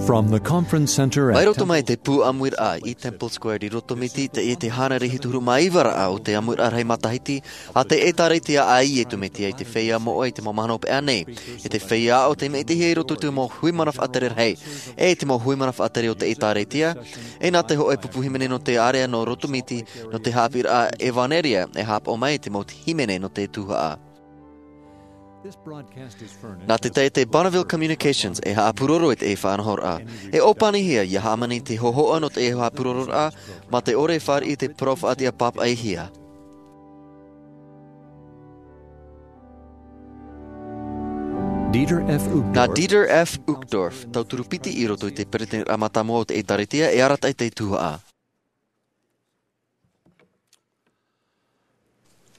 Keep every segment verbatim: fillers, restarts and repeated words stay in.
From the conference center at Mai roto mai te pū ʻāmuiraʻa i Temple Square i Rotomiti, teie te hānere hitu huru mā iva raʻa o te ʻāmuiraʻa rahi matahiti a te ʻĒtārētia a Iesu Mesia i te feiā moʻa i te mau mahana hopeʻa nei. E te feiā aʻo tei maʻitihia i roto i te mau hui mana faʻatere rahi, e te mau hui mana faʻatere o te ʻĒtārētia, e nā te hōʻē pupu hīmene nō te ārea nō Rotomiti, nō te haʻapiʻiraʻa ʻEvaneria, e haʻapaʻo mai i te mau hīmene nō te tuhaʻa. Nā te taʻata Bonneville Communications e haʻapūroro i te faʻanahoraʻa. E ʻōpanihia ʻia hāmani te hōhoʻa nō te haʻapūrororaʻa, mā te ʻore e fāriʻi i te parau faʻatiʻa pāpaʻihia. Dieter F. Uchtdorf. Nā Dieter F. Uchtdorf, tauturu piti i roto i te peretiteniraʻa mātāmua o te ʻĒtārētia, e arataʻi i te tuhaʻa.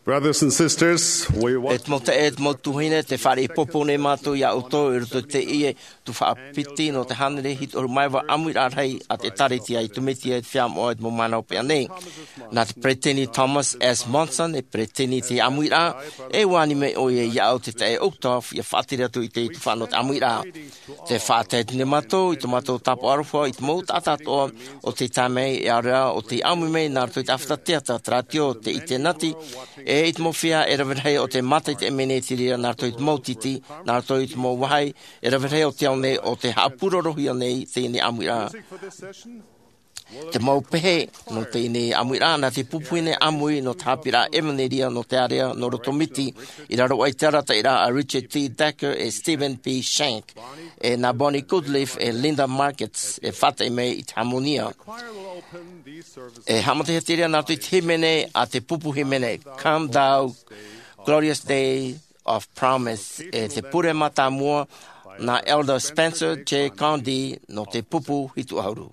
Brothers and sisters, we want E te mau taeaʻe, e te mau tuahine, tē fāriʻi ʻōpani nei mātou iā ʻoutou i roto i teie tuhaʻa piti nō te hānere hitu huru mā iva ʻāmuiraʻa rahi a te ʻĒtārētia a Iesu Mesia i te feiā moʻa i te mau mahana hopeʻa nei. Nā te peretiteni Thomas S. Monson e peretiteni i te ʻāmuiraʻa, e ʻua ani mai ʻoia iā ʻu te taeaʻe Uchtdorf ʻia faʻatere atu i te tuhaʻa nō te ʻāmuiraʻa. Tē faʻatae atu nei mātou i tō mātou tāpaʻo aroha i te mau taʻata atoʻa o tei tae mai, e ʻaore rā o tei ʻāmui mai nā roto i te ʻāfata teata, te rātio, te ʻinitēneti, e i te mau feiā e rave rahi o tē mātaʻitaʻi mai nei i te reira nā roto i te mau tītī, nā roto i te mau vāhi e rave rahi o te ao nei o tē haʻapūrorohia nei teie nei ʻāmuiraʻa. Te mau pehe nō teie nei ʻāmuiraʻa, nā te pupu hīmene ʻāmui nō te haʻapiʻiraʻa ʻEvaneria nō te ārea nō Rotomiti, i raro aʻe i te arataʻiraʻa a Richard T. Decker e Stephen P. Shank, e nā Bonnie Goodleaf e Linda Markets e faʻataʻi mai i te hāmōnia. E haʻamatahia te reira nā roto i te hīmene a te pupu hīmene, Come Thou Glorious Day of Promise, e te pure mātāmua nā Elder Spencer J. Condie nō te pupu hitu ʻahuru.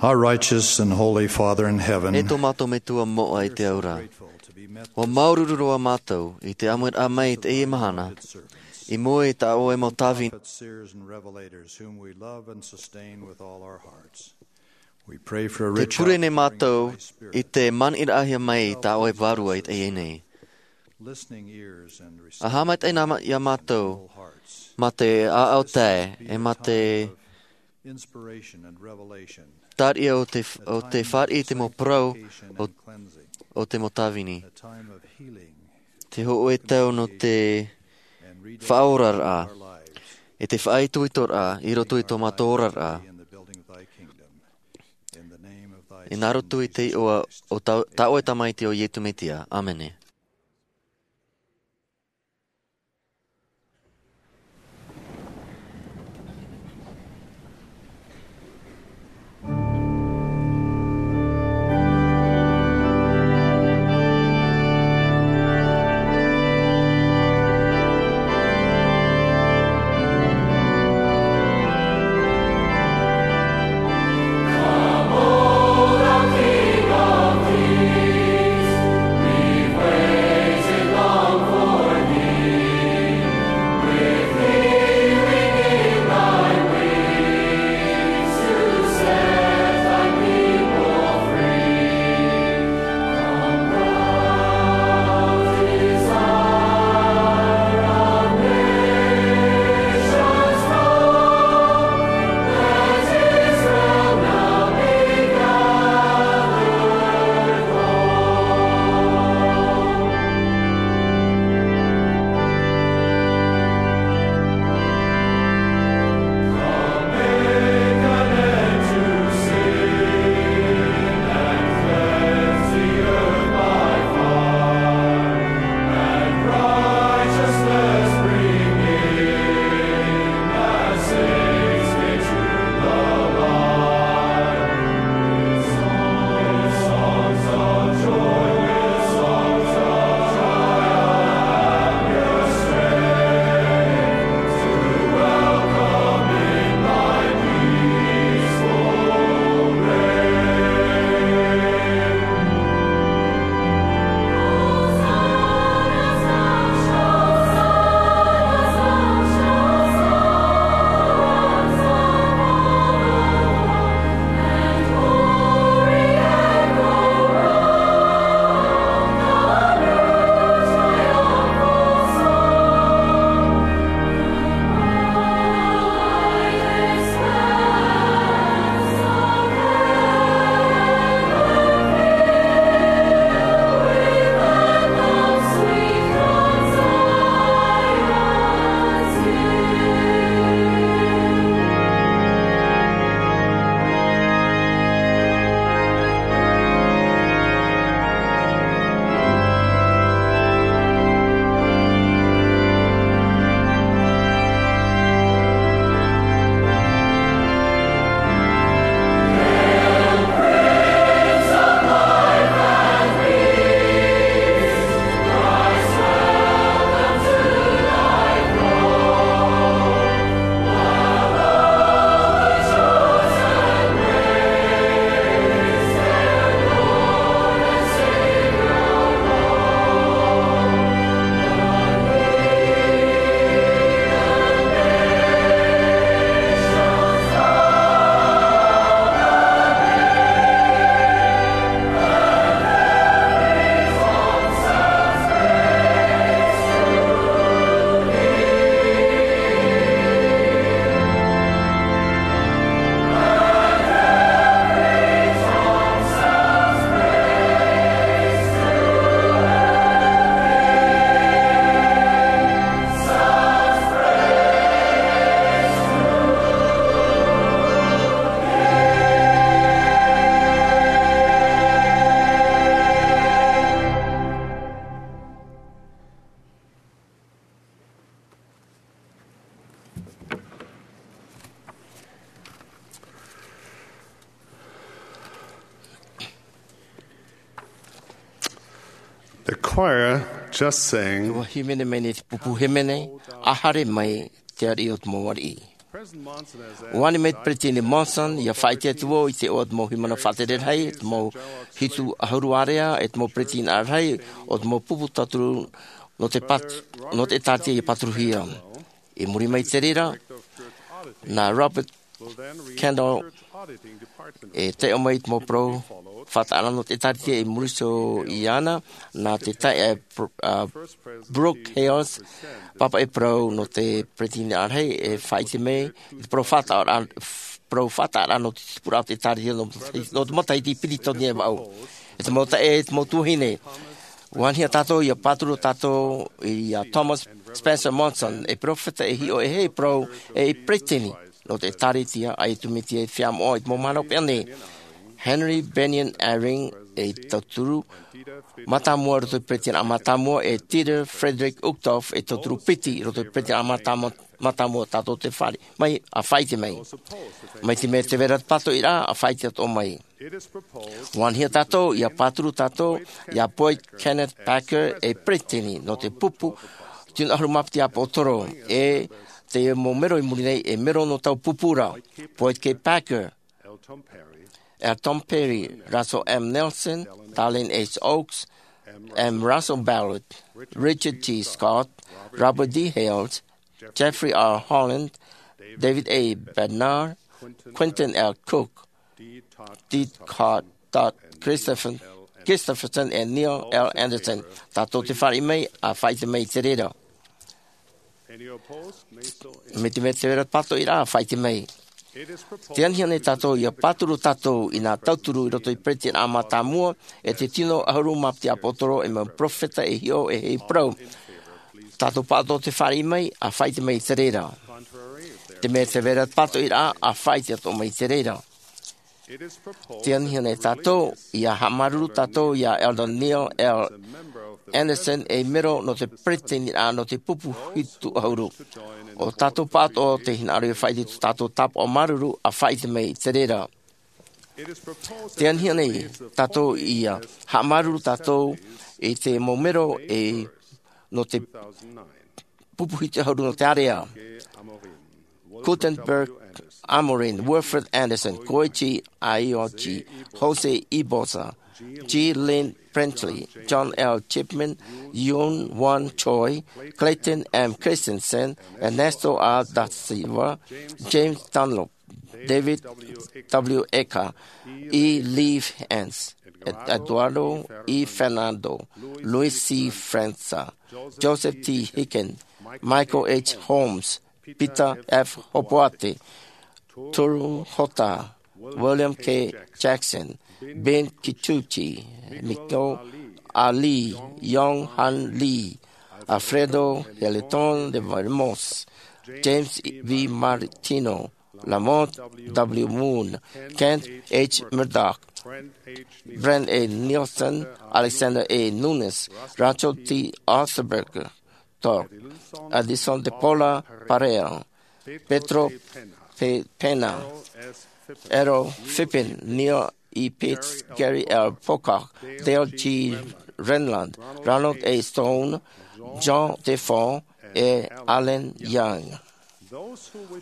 Our righteous and holy Father in heaven, E tō mātou Metua moʻa i te au ra, grateful to be met ʻua māuruuru roa mātou i te ʻāmuiraʻa mai i teie mahana, i mua i tā ʻoe mau tāvini. Prophets, seers, and revelators whom we love and sustain with all our hearts. We pray for a Te rich pure nei outpouring mātou of thy Spirit i te maniʻiraʻahia mai i tā ʻoe vārua i teie nei. Listening ears and ʻA haʻamaitaʻi na ma-, iā mātou, mā te ʻāʻau tae, e mā te inspiration and revelation. Tariʻa o te f-, o te fāriʻi i te mau parau o, o te mau tāvini. A time of healing, te hōʻē tau nō te faʻaoraraʻa, e te faʻaitoitoraʻa i roto i tō mātou oraraʻa. In the building of thy kingdom. In the name of thy Son, Jesus Christ. I nā roto i te iʻoa o tā, tā ʻoe Tamaiti ʻo Iesu Mesia. ʻĀmene. The choir just sang. Ua hīmene mai nei te pupu hīmene, A Haere Mai Te Ariʻi o te Mau Ariʻi. ʻUa ani mai te Peresideni Monson ia faʻaʻite atu vau i te iʻoa o te mau hīmene faʻatere rahi, te mau hitu ʻahuru ārea, e te mau peresideni rahi o te mau pupu tauturu nō te pat-, nō te ʻĒtārētia ia pāturuhia. I muri mai i te reira, nā Robert Kendall e taiʻo mai i te mau parau faʻataʻa nō te ʻĒtārētia. I muri iho iāna, nā te taeaʻe Br-, a, Brooke Hales, pāpaʻi parau nō te peresideni rahi, e faʻaʻite mai i te parau faʻataʻa, parau faʻataʻa nō te tipuraʻa o te ʻĒtārētia nō, nō te matahiti piti tauatini e vaʻu. E te mau taeaʻe, e te mau tuahine, ʻua anihia tātou ia pāturu tātou ia Thomas Spencer Monson, ei peropheta, ei hiʻo, ei parau, ei peresideni nō te ʻĒtārētia, ʻaita e tū miti e feiā moʻa i te mau mahana hopeʻa nei. Henry Bennion Eyring, ei tauturu mātāmua roto i te peresideni mātāmua, e Dieter Friedrich Uchtdorf, ei tauturu piti roto i te peresideni mātāmua, mātāmua. Tātou te fāriʻi mai, ʻa faʻaʻite mai. Mai te mea tē vai ra te pātoʻiraʻa, ʻa faʻaʻite atoʻa mai. ʻUa anihia tātou ia pāturu tātou ia Boyd Kenneth Packer, ei peresideni nō te pupu tino ʻahuru mā piti ʻāpōsetolo, e te mau mero i muri nei, ei mero nō taua pupu ra: Boyd K. Packer, Elton Perry, Russell M. Nelson, Dallin H. Oaks, M. Russell Ballard, Richard G. Scott, Robert D. Hales, Jeffrey R. Holland, David A. Bednar, Quentin L. Cook, D. Todd Christopher-, Christopherson, e Neil L. Andersen. Tātou te fāriʻi mai, ʻa faʻaʻite mai i te reira. Mai te mea tē vai ra te pātoʻiraʻa, ʻa faʻaʻite mai. Tē anihia nei tātou ia pāturu tātou i nā tauturu i roto i te peresideni mātāmua, e te tino ʻahuru mā piti ʻāpōsetolo, ei mau peropheta, ei hiʻo, ei parau. Tātou pāʻatoʻa te fāriʻi mai, ʻa faʻaʻite mai i te reira. Te mea tē vai ra te pātoʻiraʻa, ʻa faʻaʻite atoʻa mai i te reira. Tē anihia nei tātou ia haʻamāuruuru tātou ia Elder Neil L. Andersen, ei mero nō te peresideni nō te pupu hitu ʻahuru. ʻO tātou pāʻatoʻa tē hinaʻaro ia faʻaʻite i tō tātou tāpaʻo māuruuru, ʻa faʻaʻite mai i te reira. Tē anihia nei tātou ia haʻamāuruuru tātou i te mau mero e nō te pupu hitu ʻahuru nō te ārea: Gutenberg Amorim, Wilfred Andersen, Koichi Aoyagi, Jose Ibosa, G. Lynn Presley, John L. Chipman, Yoon Won Choi, Clayton M. Christensen, Ernesto A. da Silva, James Dunlop, David W. Icke, E. Leif Hantz, Eduardo E. Fernando, Luis C. França, Joseph T. Hicken, Michael H. Holmes, Peter F. Hopoate, Toru Hota, William K. Jackson, Ben Kikuchi, Michael A. Lee, Yong Han Lee, Alfredo Heliton de Valmos, James V. Martino, Lamont W. Moon, Kent H. Murdoch, Brent A. Nelson, Alexander A. Nunes, Rancho T. Osterberg, Tok, Edison de Paula Pereira, Pedro Pe-, Pena, Errol Phippen, Neil E. Pitts, Gary L. Pocock, Dale G. Renlund, Ronald A. Stone, John Defoe, e Alan Young.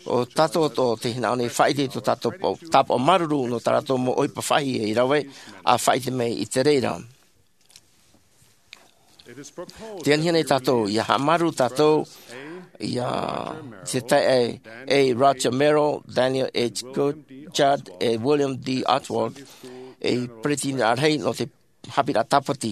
ʻO tātou atoʻa tē hinaʻaro nei faʻaʻite i tō tātou pā-, tāpaʻo māuruuru nō tā rātou mau ʻohipa faʻahiahia i rave, ʻa faʻaʻite mai i te reira. Tē anihia nei tātou ia haʻamāuruuru tātou ia te taeaʻe A. Roger Merrill, Daniel H. Goodchild, e William D. Oswald, ei peretiteni rahi nō te haʻapiʻiraʻa Tāpati.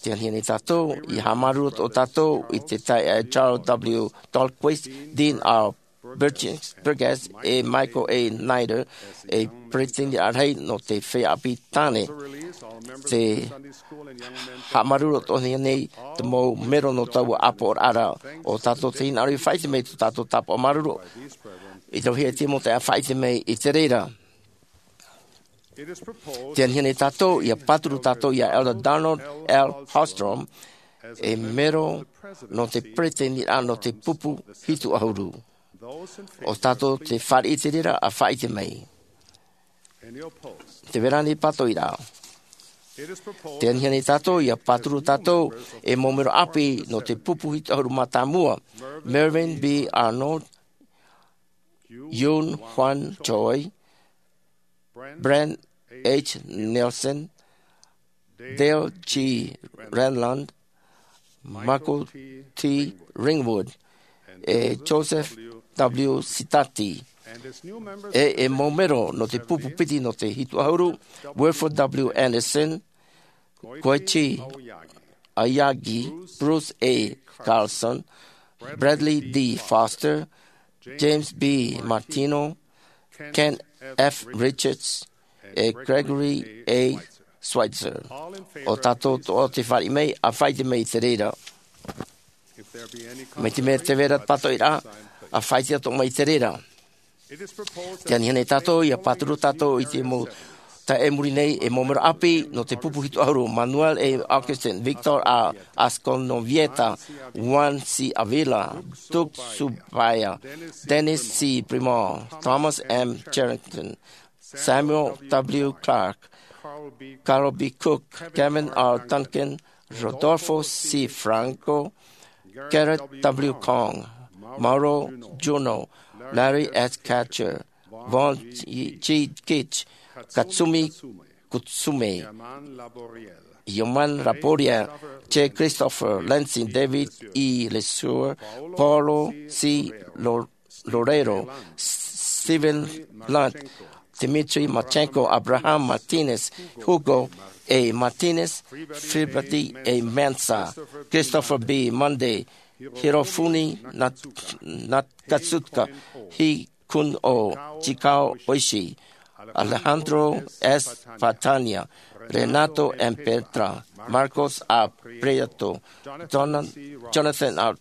Tē anihia nei tātou ia haʻamāuruuru atoʻa tātou i te taeaʻe Charles W. Dahlquist, Dean R. Burgess, Burgess, e Michael A. Snyder, ei peretiteni rahi nō te feiā ʻāpī tāne. Tē haʻamāuruuru atoʻa nei te mau mero nō taua ʻāpoʻoraʻa ra. ʻO tātou tē hinaʻaro ia faʻaʻite mai tō tātou tāpaʻo māuruuru i te vāhi a Tīmote, ʻa faʻaʻite mai i te reira. Tē anihia nei tātou ia pāturu tātou ia Elder Donald L. Hallstrom, ei mero nō te peretiteniraʻa nō te pupu hitu ʻahuru. ʻO tātou tē fāriʻi i te reira, ʻa faʻaʻite mai. Tē vai ra ānei pātoʻiraʻa? Tē anihia nei tātou ia pāturu tātou ei mau mero ʻāpī nō te pupu hitu ʻahuru mā tāmua: Mervyn B. Arnold, Yoon Hwan Choi, Brent H. Nelson, Dale G. Renlund, Michael T. Ringwood, e Joseph W. Sitati, e e mau mero nō te pupu piti nō te hitu ʻahuru, Wilford W. Anderson, Koichi Aoyagi, Bruce A. Carlson, Bradley D. Foster, James B. Martino, Kent F. Richards, e Gregory A. Schweitzer. ʻO tātou atoʻa tē fāriʻi mai, ʻa faʻaʻite mai i te reira. Mai te mea tē vai ra te pātoʻiraʻa, ʻa faʻaʻite atoʻa mai i te reira. Tē anihia nei tātou, ʻia pāturu tātou i te mau taeaʻe i muri nei, e mau mero ʻāpī nō te pupu hitu ʻahuru: Manuel A. Augustin, Victor A. Asconovieta, Juan C. Avila, Duke Subaya, Dennis C. Primor, Thomas M. Cherrington, Samuel W. Clark, Carl B. Cook, Kevin R. Duncan, Rodolfo C. Franco, Garrett W. Kong, Mauro Juno, Larry S. Katcher, Von G. Gitch, Katsumi Kutsume, Yoman Laboria, J. Christopher, Lansing David E. Lesueur, Paulo C. Lo- Loureiro, Steven Lunt, Dmitry Marchenko, Abraham Martinez, Hugo A. Martinez, Filibert A. Mansa, Christopher B. Munday, Hirofumi Nat- Nakatsuka, Hi Kun O, Chikao Oishi, Alejandro S. Fatania, Renato M. Petra, Marcos A. Prieto, Jonathan R.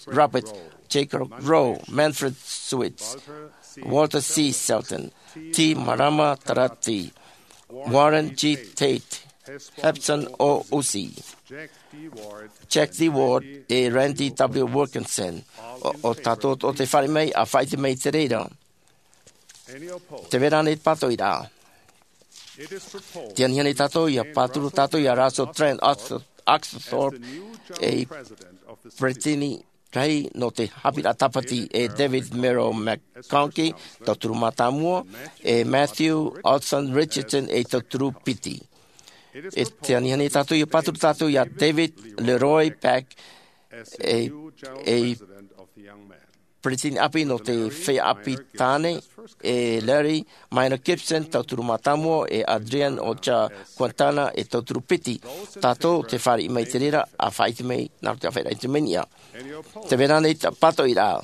Roberts, Jacob Rowe, Manfred Switz, Walter C. Selden, T. Marama Tarati, Warren G. Tate, Hepson O. Usi, Jack D. Ward, e Randy W. Wilkinson. ʻO tātou atoʻa tē fāriʻi mai, ʻa faʻaʻite mai i te reira. Tē vai ra ānei te pātoʻiraʻa? Tē anihia nei tātou, ʻia pāturu tātou ia Russell Trent Oxford, ei peresideni rahi nō te haʻapiʻiraʻa tāpati, e David Murrow McConkie, tauturu mātāmua, e Matthew Olson Richardson, ei tauturu piti. E tē anihia nei tātou, ʻia pāturu tātou ia David Leroy Pack, ei, ei peresideni ʻāpī nō te feiā ʻāpī tāne, e Larry Minor Gibson, tauturu mātāmua, e Adrian Ocha Quintana, ei tauturu piti. Tātou tē fāriʻi mai i te reira, ʻa faʻaʻite mai nā roto i te ʻāfaʻiraʻa i te mea nei. Tē vai ra ānei te pātoʻiraʻa?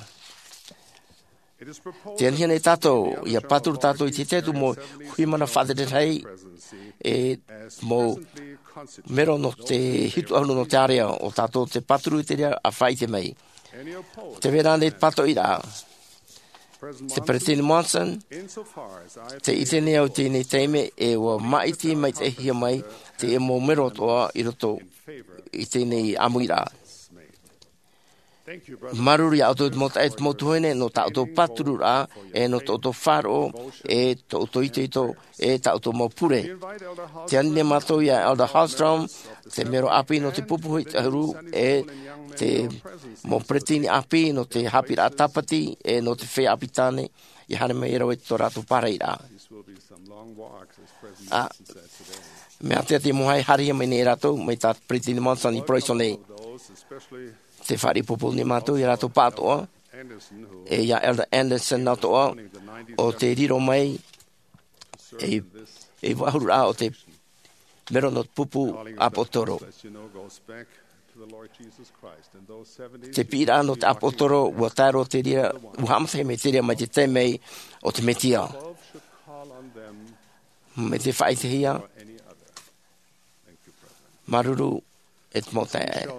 Tē anihia nei tātou, ʻia pāturu tātou i te tahi atu mau huiʻamana faʻatere rahi, e mau mero nō te hitu ʻahuru nō te ārea, ʻo tātou tē pāturu i te reira, ʻa faʻaʻite mai. Tē vai ra ānei te pātoʻiraʻa? Te Peresideni Monson, tē ʻite nei au i teie nei taime, e ʻua māʻiti maitaʻihia mai te mau mero atoʻa i roto i teie nei ʻāmuiraʻa. Māuruuru ia ʻoutou mau taeaʻe, mau tuahine, nō tā ʻoutou pātururaʻa, e nō tō ʻoutou faʻaroʻo, e tō ʻoutou itoito, e tā ʻoutou mau pure. Tē ani nei mātou ia Elder Hallstrom, te mero ʻāpī nō te pupu hitu ʻahuru, e te mau peresideni ʻāpī nō te haʻapiʻiraʻa tāpati, e nō te feiā ʻāpī tāne, ʻia haere mai rāua i tō rātou pārahiraʻa. ʻĀ, mea ʻātea te mau haere mai nei rātou, mai tā Peresideni Monson i parau iho nei. Tē fāriʻi poupou nei mātou ia rātou pāʻatoʻa, e ia Elder Anderson atoʻa, ʻo tē riro mai ei, ei vāhuru ra o te mero nō te pupu ʻāpōsetolo. Te piʻiraʻa nō te ʻāpōsetolo, ʻua tae roa te reira, ʻua haʻamata mai te reira mai te taime o te Mesia. Mai te faʻaʻitehia, māuruuru e te mau taeaʻe.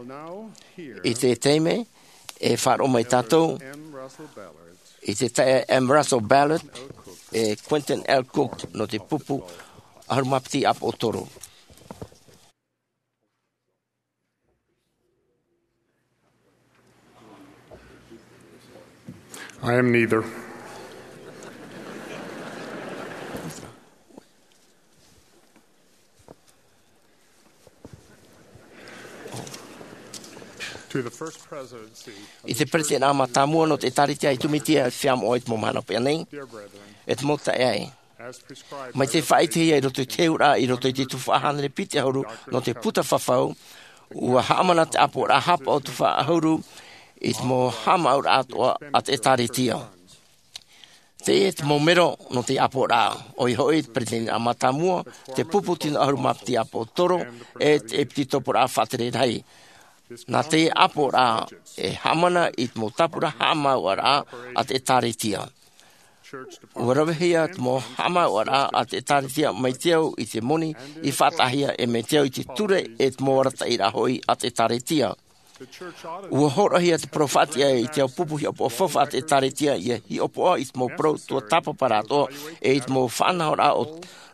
I te taime, e faʻaroʻo mai tātou i te taeaʻe M. Russell Ballard, e Quentin L. Cook, nō te pupu ʻahuru mā piti ʻāpōsetolo. I am neither. I te peretiteni mātāmua nō te ʻĒtārētia i Tū Mētia, e feiā moʻa i te mau mahana pea nei, e te mau taeaʻe. Mai te faʻaʻitehia i roto i te heheuraʻa, i roto i te tuhaʻa hānere piti ʻahuru nō te puta fafau, ʻua haʻamana te ʻāpoʻoraʻa haʻapaʻo tuhaʻa ʻahuru i te mau haʻamāuʻaraʻa atoʻa a te ʻĒtārētia. Teie te mau mero nō te ʻāpoʻoraʻa, ʻoia hoʻi te peretiteni mātāmua, te pupu tino ʻahuru mā piti ʻāpōsetolo, e te ʻēpīsikopo faʻatere rahi. Nā te ʻāpoʻoraʻa e haʻamana i te mau tāpura haʻamāuʻaraʻa a te ʻĒtārētia. ʻUa ravehia te mau haʻamāuʻaraʻa a te ʻĒtārētia mai te au i te moni i faʻataʻahia, e mai te au i te ture e te mau arataʻiraʻa hoʻi a te ʻĒtārētia. ʻUa hōroʻahia te parau faʻatiʻa i te ao pupu hiʻopoʻa faufaʻa a te ʻĒtārētia ʻia hiʻopoʻa i te mau parau tuatāpapa atoʻa, e i te mau faʻanahoraʻa o,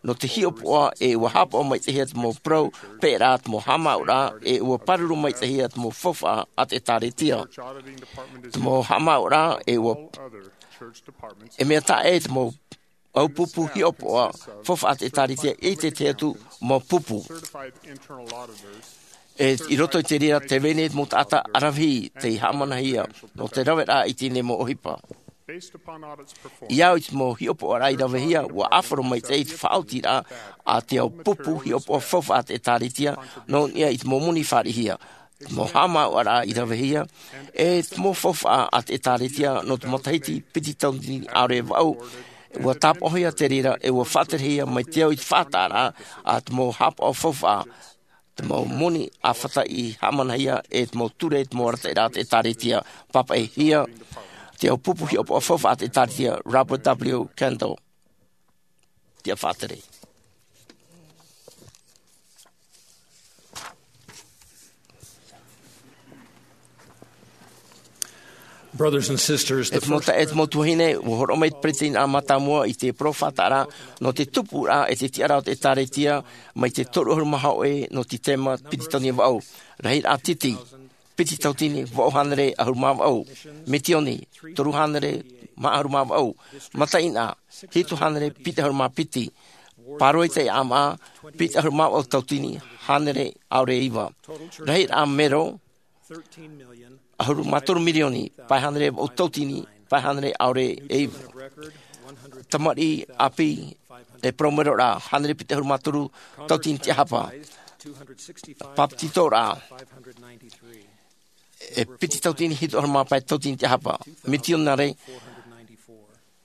nō te hiʻopoʻa, e ʻua haʻapaʻo maitaʻihia te mau parau peʻeraʻa, te mau haʻamāuʻaraʻa, e ʻua pāruru maitaʻihia te mau faufaʻa a te ʻĒtārētia. Te mau haʻamāuʻaraʻa, e ʻua, e mea taʻa ʻē te mau ao pupu hiʻopoʻa faufaʻa a te ʻĒtārētia i te tahi atu mau pupu. E i roto i te reira, tē vai nei te mau taʻata ʻaravihi tei haʻamanahia nō te raveraʻa i teie nei mau ʻohipa. I au i te mau hiʻopoʻaraʻa i ravehia, ʻua ʻāfaro maitaʻi te faʻaotiraʻa a te ao pupu hiʻopoʻa faufaʻa a te ʻĒtārētia, nō niʻa i te mau moni fāriʻihia, te mau haʻamāuʻaraʻa i ravehia, e te mau faufaʻa a te ʻĒtārētia nō te matahiti piti tauatini ʻaore e vaʻu. ʻUa tāpaʻohia te reira, e ʻua faʻaterehia mai te au i te faʻataʻaraʻa a te mau haʻapaʻo faufaʻa, te mau moni ʻāfata i haʻamanahia, e te mau ture, te mau arataʻiraʻa a te ʻĒtārētia. Pāpaʻihia te ao pupu hiʻopoʻa faufaʻa a te ʻĒtārētia, Robert W. Kendall. Tiʻa faʻatere. Brothers and sisters, e te mau taeaʻe, e te mau tuahine, ʻua hōroʻa mai te peretiteni mātāmua i te parau faʻataʻa nō te tupuraʻa e te tiʻaraʻa o te ʻĒtārētia, mai te toru ʻahuru mā hōʻē nō te tēma piti tauatini e vaʻu. Rahiraʻa titi, piti tauatini vaʻu hānere ʻahuru mā vaʻu. Misioni, toru hānere mā ʻahuru mā vaʻu. Mataʻeinaʻa, hitu hānere piti ʻahuru mā piti. Pāroita e ʻāmaʻa, piti ʻahuru mā vaʻu tauatini hānere ʻaore e iva. Rahiraʻa mero, ʻahuru mā toru mirioni, pae hānere vaʻu tauatini, pae hānere ʻaore e iva. Tamariʻi ʻāpī, e parau mero ra, hānere piti ʻahuru mā toru tauatini tiʻahapa. Pāpetitoraʻa, e piti tauatini hitu ʻahuru mā pae tauatini tiʻahapa. Misionare,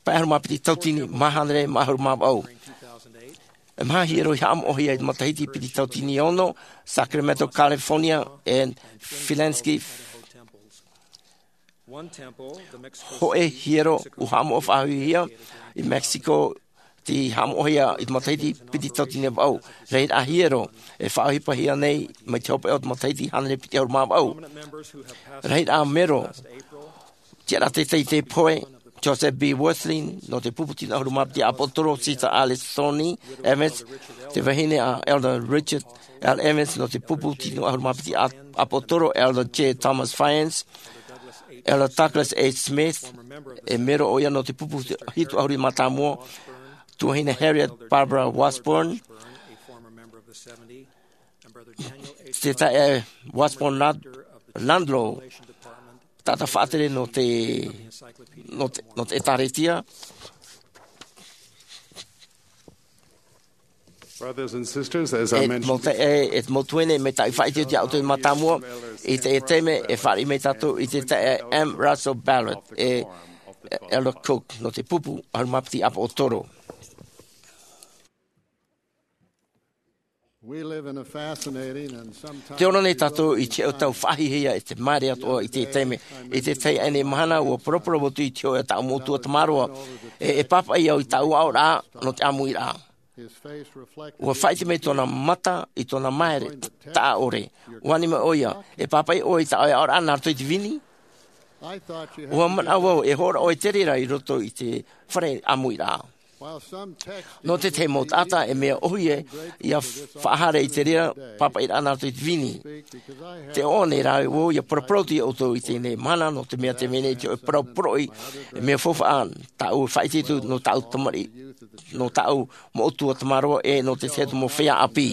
pae ʻahuru mā piti tauatini mā hānere mā ʻahuru mā vaʻu. E maha hiero i haʻamoʻohia i te matahiti piti tauatini e ono, Sacramento, California, e Flensburg. Hōʻē hiero ʻua haʻamoʻo faʻahouhia i Mexico, tei haʻamoʻohia i te matahiti piti tauatini e vaʻu. Rahiraʻa hiero e faʻaʻohipahia nei mai te hopeʻa o te matahiti hānere piti ʻahuru mā vaʻu. Rahiraʻa mero, tiʻaraʻa teitei i teie pohe, Joseph B. Wirthlin, nō te pupu tino ʻahuru mā piti ʻāpōsetolo, Sister Alice Thorney Evans, te vahine a Elder Richard L. Evans, nō te pupu tino ʻahuru mā piti ʻā-, ʻāpōsetolo, Elder J. Thomas Fyans, Elder Douglas H. Smith, e mero ʻoia nō te pupu hitu ʻahuru mā tāmua, tuahine Harriet Barbara Washburn, te taeaʻe Washburn Lad-, Landlow, taʻata faʻatere nō te, nō te, nō te ʻĒtārētia. Brothers and sisters, as I mentioned, e te mau taeaʻe, e te mau tuahine, mai tā ʻoe i faʻaʻite atu iā ʻoutou i te mātāmua, i teie taime, e fāriʻi mai tātou i te taeaʻe M. Russell Ballard, e Elder Cook, nō te pupu ʻahuru mā piti ʻāpōsetolo. We live in a fascinating and sometimes Tē ora nei tātou i te hōʻē tau faʻahiahia e te māere atoʻa i te taime. I te tahi ʻānei mahana, ʻua poroporo atu i te hōʻē taʻu moʻotua tamaroa. E, e pāpaʻi au i taʻu aʻoraʻa nō te ʻāmuiraʻa. His face reflected ʻUa faʻaʻite mai tōna mata i tōna māere taʻa ʻore. ʻUa ani mai ʻoia, e pāpaʻi ʻoe i taʻu aʻoraʻa nā roto i te vini? I thought you had ʻUa manaʻo vau e hōroʻa ʻoe i te reira i roto i te fare ʻāmuiraʻa. While some text Nō te tahi mau taʻata e mea ʻōhie ʻia faʻahaere i te reira pāpaʻiraʻa nā roto i te vini. Tē ʻoaʻoa nei rā vau ʻia paraparau atu iā ʻoutou i teie mahana, nō te mea tē vai nei te hōʻē parau poroʻi, e mea faufaʻa, tāʻu e faʻaʻite atu nō tāʻu tamariʻi, nō tāʻu moʻotua tamaroa, e nō te tahi atu mau feiā ʻāpī.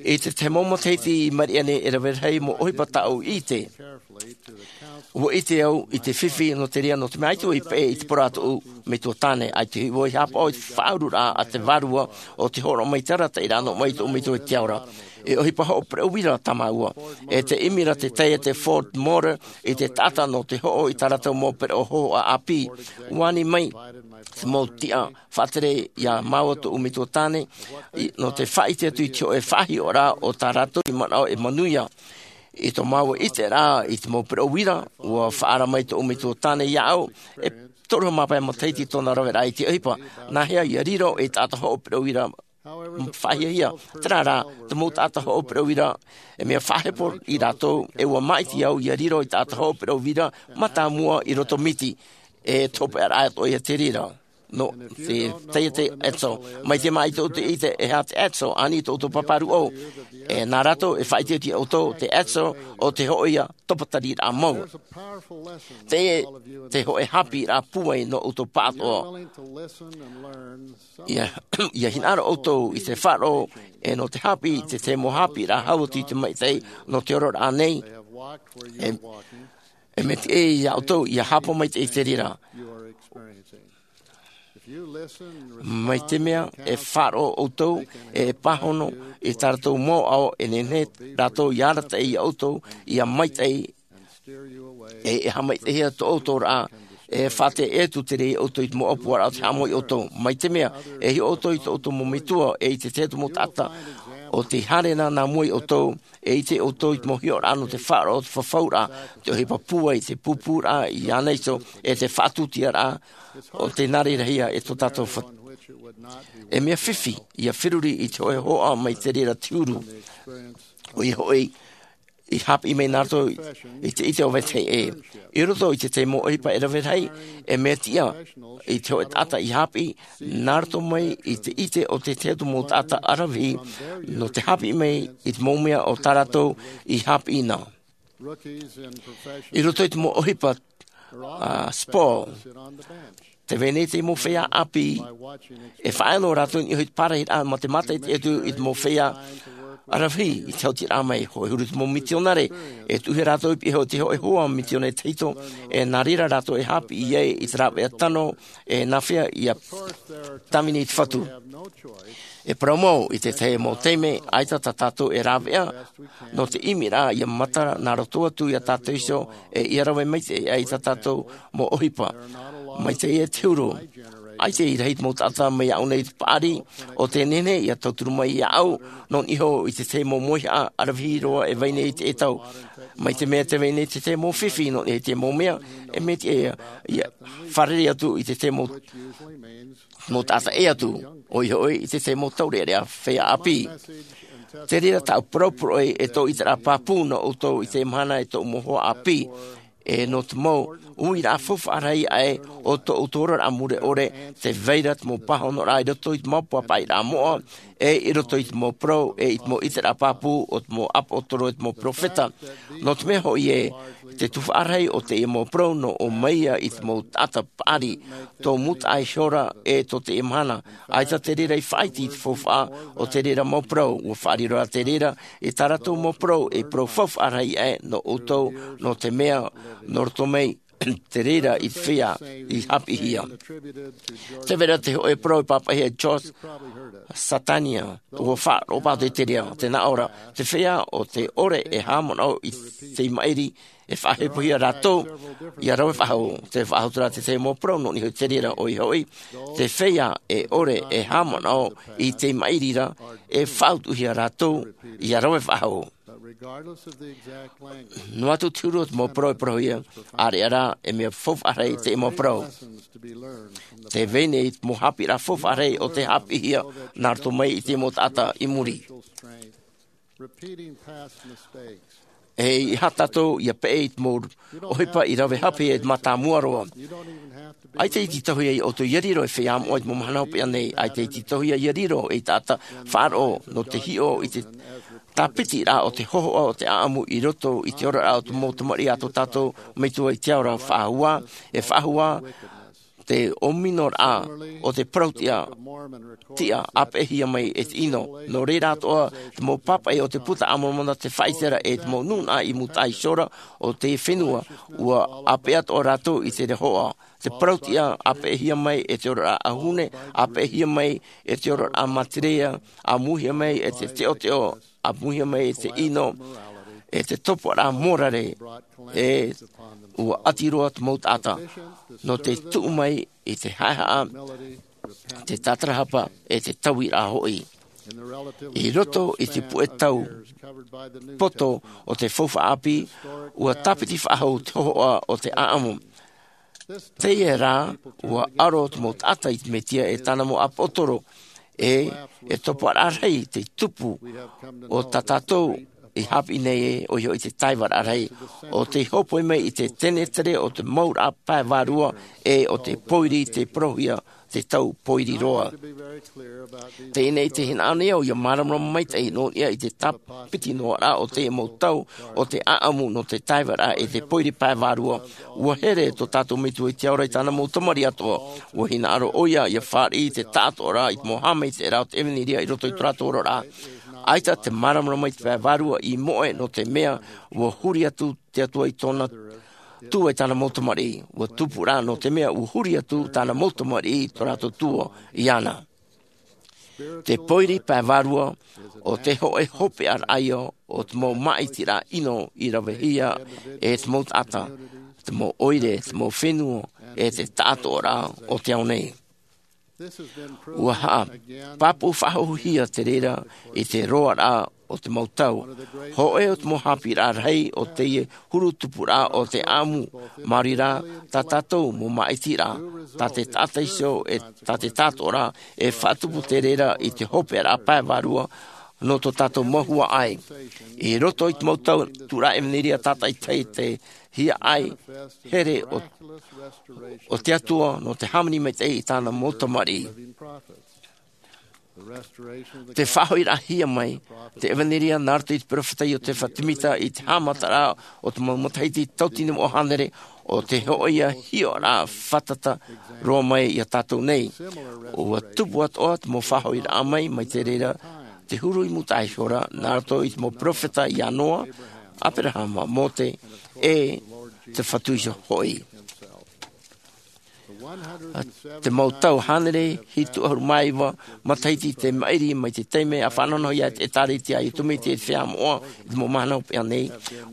I te tahi mau matahiti i maʻiri aʻe nei e rave rahi mau ʻohipa tāʻu i ʻite. Ua ʻite au i te fifi nō te reira, nō te mea ʻaita vau i peʻe i te poro a tōʻu metua tāne, ʻaita hoʻi vau i haʻapaʻo i te faʻaururaʻa a te vārua o te hōroʻa mai te arataʻiraʻa nō ʻoe mai tōʻu metua i te ao ra. E ʻohipa hoʻo pereʻo uira tā māua, e te ʻimi ra te taiete Ford Motor i te taʻata nō te hoʻo i tā rātou mau pereʻo hōhoʻa ʻāpī. Ua ani mai te mau tiʻa faʻatere iā māua tōʻu metua tāne, nō te faʻaʻite atu i te hōʻē faʻahiʻoraʻa o tā rātou i manaʻo e manuia. I tō māua ʻiteraʻa i te mau pereʻo uira, ua faʻaara mai tōʻu metua tāne iāʻu e toru mā pae matahiti tōna raveraʻa i te ʻohipa. Nāhea ia riro ei taʻata hoʻo pereʻo uira faʻahiahia? Terā rā, te mau taʻata hoʻo pereʻo uira, e mea faʻahepo ia rātou, e ua māʻiti au ia riro ei taʻata hoʻo pereʻo uira mātāmua i roto miti. E te hopeʻaraʻa atoʻa ia te reira nō te taiete Esso. Mai te mea ʻaita vau i ʻite e aha te Esso, ani tō ʻoutou pāpā rūʻau. E nā rātou e faʻaʻite atu iā ʻoutou te Esso, ʻo te hōʻē ia topa tariraʻa mau. Te, te hōʻē haʻapiʻiraʻa pūai nō ʻoutou pāʻatoʻa. Ia, ia hinaʻaro ʻoutou i te faʻaroʻo, e nō te haʻapiʻi i te tahi mau haʻapiʻiraʻa hau atu i te maitaʻi nō te ororaʻa nei. E, e mea tiʻa iā ʻoutou ia haʻapaʻo maitaʻi i te reira. Mai te mea e faʻaroʻo ʻoutou, e pāhono i tā rātou mau ʻao, e nehenehe rātou ia arataʻi iā ʻoutou ia maitaʻi, e, e haʻamaitaʻihia tō ʻoutou ra, e faʻatere atu te reira iā ʻoutou i te mau ʻōpuaraʻa o te haʻamau iā ʻoutou. Mai te mea e hiʻo ʻoutou i tō ʻoutou mau metua, e i te tahi atu mau taʻata o tei haere nā mua iā ʻoutou, e ʻite ʻoutou i te mau hiʻoraʻa nō te faʻaroʻo, te fafauraʻa, te ʻohipa pūai, te pūpūraʻa iāna iho, e te faʻatūtiaraʻa o tē nā reira hia e tō tātou fa-, e mea fifi ia feruri i te hōʻē hōhoʻa mai te reira te huru. ʻOia hoʻi, i haʻapiʻi mai nā rātou i te ʻite o vetahi ʻē. I roto i te tahi mau ʻohipa e rave rahi, e mea tiʻa i te hōʻē taʻata i haʻapiʻi, nā roto mai i te ʻite o te tahi atu mau taʻata ʻaravihi, nō te haʻapiʻi mai i te mau mea o tā rātou i haʻapiʻi na. I roto i te mau ʻohipa, a, sport, tē vai nei te mau feiā ʻāpī, e faʻaea noa rātou i niʻa i te parahiraʻa mā te mātaʻitaʻi atu i te mau feiā ʻaravihi i te hautiraʻa mai. Hōʻē huru te mau mitionare, e tuʻuhia rātou i pihaʻi iho i te hōʻē hoa mitionare tahito, e nā reira rātou e haʻapiʻi ai i te rāveʻa tano, e nāfea ia tāvini i te Fatu. E parau mau, i te tahi mau taime, ʻaita tā tātou e rāveʻa nō te ʻimiraʻa ia matara nā roto atu iā tātou iho, e ia rave maitaʻi ai tā tātou mau ʻohipa. Mai te ia te huru, ʻaita i rahi te mau taʻata mai iāʻu nei i te paʻari, ʻo tē nehenehe ia tauturu mai iāʻu, nō niʻa i te tahi mau mauhaʻa ʻaravihi roa e vai nei i teie tau. Mai te mea tē vai nei te tahi mau fifi nō niʻa i te mau mea, e mea tiʻa ia, ia fārerei atu i te tahi mau mau taʻata ʻē atu, ʻoia hoʻi i te tahi mau taureʻareʻa feiā ʻāpī. Te reira tāʻu parau poroʻi e tō ʻiteraʻa pāpū nō ʻoutou i teie mahana e tōʻu mau hoa ʻāpī, e nō te mau uiraʻa faufaʻa rahi aʻe o tō ʻoutou oraraʻa mure ʻore, tē vai ra te mau pāhonoraʻa i roto i te mau pāpaʻiraʻa moʻa, e i roto i te mau parau, e i te mau ʻiteraʻa pāpū o te mau ʻāpōsetolo, e te mau peropheta. Nō te mea hoʻi ē, te tuhaʻa rahi o teie mau parau nō ʻō mai ia i te mau taʻata paʻari, tō mūtaʻa ihora, e tō teie mahana. ʻAita te reira i faʻaiti i te faufaʻa o te reira mau parau, ʻua faʻariro rā te reira i tā rātou mau parau ei parau faufaʻa rahi aʻe nō ʻoutou, nō te mea, nō roto mai te reira i te feiā i haʻapiʻihia. Tē vai ra te hōʻē parau i pāpaʻihia e George Santayana, ʻua faʻaroʻo pāʻatoʻa i te reira, tē nā ʻō ra, te feiā ʻo tē ʻore e haʻamanaʻo i te maʻiri, e faʻahepohia rātou ia rave faʻahou. Tē faʻahou atu ra te tahi mau parau nō niʻa i te reira, ʻoia hoʻi, te feiā e ʻore e haʻamanaʻo i te maʻiri ra, e faʻautuʻahia rātou ia rave faʻahou. Noa atu te huru o te mau parau e parauhia, ʻāreʻa rā e mea faufaʻa rahi te mau parau. Tē vai nei te mau haʻapiʻiraʻa faufaʻa rahi o tē haʻapiʻihia nā roto mai i te mau taʻata i muri. E ʻeiaha tātou ia peʻe i te mau ʻohipa i rave haʻapiʻihia i te mātāmua roa. ʻAita i tītauhia iā ʻoutou ia riro ei feiā moʻa i te mau mahana hopeʻa nei. ʻAita i tītauhia ia riro ei taʻata faʻaroʻo nō te hiʻo i te tāpitiraʻa o te hōhoʻa o te ʻāʻamu i roto i te oraraʻa o te mau tamariʻi a tō tātou Metua i te ao ra. Faʻahou ā, e faʻahou ā te ʻōmino raʻa o te parau tiʻa, tiʻa ʻāpeʻehia mai e te ʻino. Nō reira atoʻa te mau pāpaʻi o te puta a Moromona, te faʻaʻite ra e te mau nūnaʻa i mūtaʻa iho ra o te fenua, ua ʻāpeʻe atoʻa rātou i te rehoʻa. Te parau tiʻa ʻāpeʻehia mai e te oraraʻa ʻauhune, ʻāpeʻehia mai e te oraraʻa materia, ʻāmuhia mai e te teʻoteʻo, ʻāmuhia mai e te ʻino, e te topoʻaraʻa mōrare, e ua ʻati roa te mau taʻata nō te tuʻu mai i te haʻehaʻa, te tātarahapa, e te tauiraʻa hoʻi. I roto i te puʻe tau poto o te faufaʻa ʻāpī, ua tāpiti faʻahou te hohoʻa o te ʻāʻamu. Teie rā, ua ʻaro te mau taʻata i te Mesia e tāna mau ʻāpōsetolo, e, e topoʻaraʻa rahi te tupu o tā tātou i haʻapiʻi nei ē, ʻoia hoʻi te taivaraʻa rahi, ʻo tei hōpoi mai i te tenetere o te mauraʻa pae vārua, e ʻo te pōiri tei parauhia te tau pōiri roa. Teie nei te hinaʻaro nei au ʻia māramarama maitaʻi nō niʻa i te tāpiti noa ra o te mau tau o te ʻāʻamu nō te taivaraʻa e te pōiri pae vārua. Ua here tō tātou Metua i te Ao ra i tāna mau tamariʻi atoʻa. Ua hinaʻaro ʻoia ʻia fāriʻi i te taʻatoʻaraʻa i te mau haʻamaitaʻiraʻa o te ʻevanelia i roto i tō rātou oraraʻa. ʻAita te māramarama i te pae vārua i moʻe, nō te mea ua huri atu te Atua i tōna tuatāpaparaʻa i tāna mau tamariʻi. Ua tupu rā, nō te mea ua huri atu tāna mau tamariʻi i tō rātou tua iāna. Te pōiri pae vārua, ʻo te hōʻē hopeʻa raʻa ïa o te mau māʻitiraʻa ʻino i ravehia e te mau taʻata, te mau ʻoire, te mau fenua, e te taʻatoʻaraʻa o te ao nei. Ua haʻapāpūfaʻahouhia te reira i te roaraʻa o te mau tau. Hōʻē o te mau haʻapiʻiraʻa rahi o teie huru tupuraʻa o te ʻāʻamu, maori rā, tā tātou mau māʻitiraʻa, tā te taʻata iho, e tā te taʻatoʻaraʻa, e faʻatupu te reira i te hopeʻaraʻa pae vārua nō tō tātou mau huaʻai. I roto i te mau tau tūraʻa ʻevanelia tātaʻitahi te hiaʻai here o, o te Atua nō te hāmani maitaʻi i tāna mau tamariʻi. Te faʻahoʻiraʻahia mai te ʻevanelia nā roto i te peropheta Iotefa Temita i te haʻamataraʻa o te mau matahiti tauatini noa hānere, ʻo te hōʻē ïa hiʻoraʻa fātata roa mai iā tātou nei. Ua tupu atoʻa te mau faʻahoʻiraʻa mai, mai te reira te huru i mūtaʻa iho ra, nā roto i te mau peropheta iā Noa, Aperahama, Mōte, e te Fatu Iho hoʻi. Te mau tau hānere hitu ʻahuru mā iva matahiti te maʻiri mai te taime a faʻanahonahohia e te ʻĒtārētia a Iesu Mesia i te feiā moʻa i te mau mahana hopeʻa nei,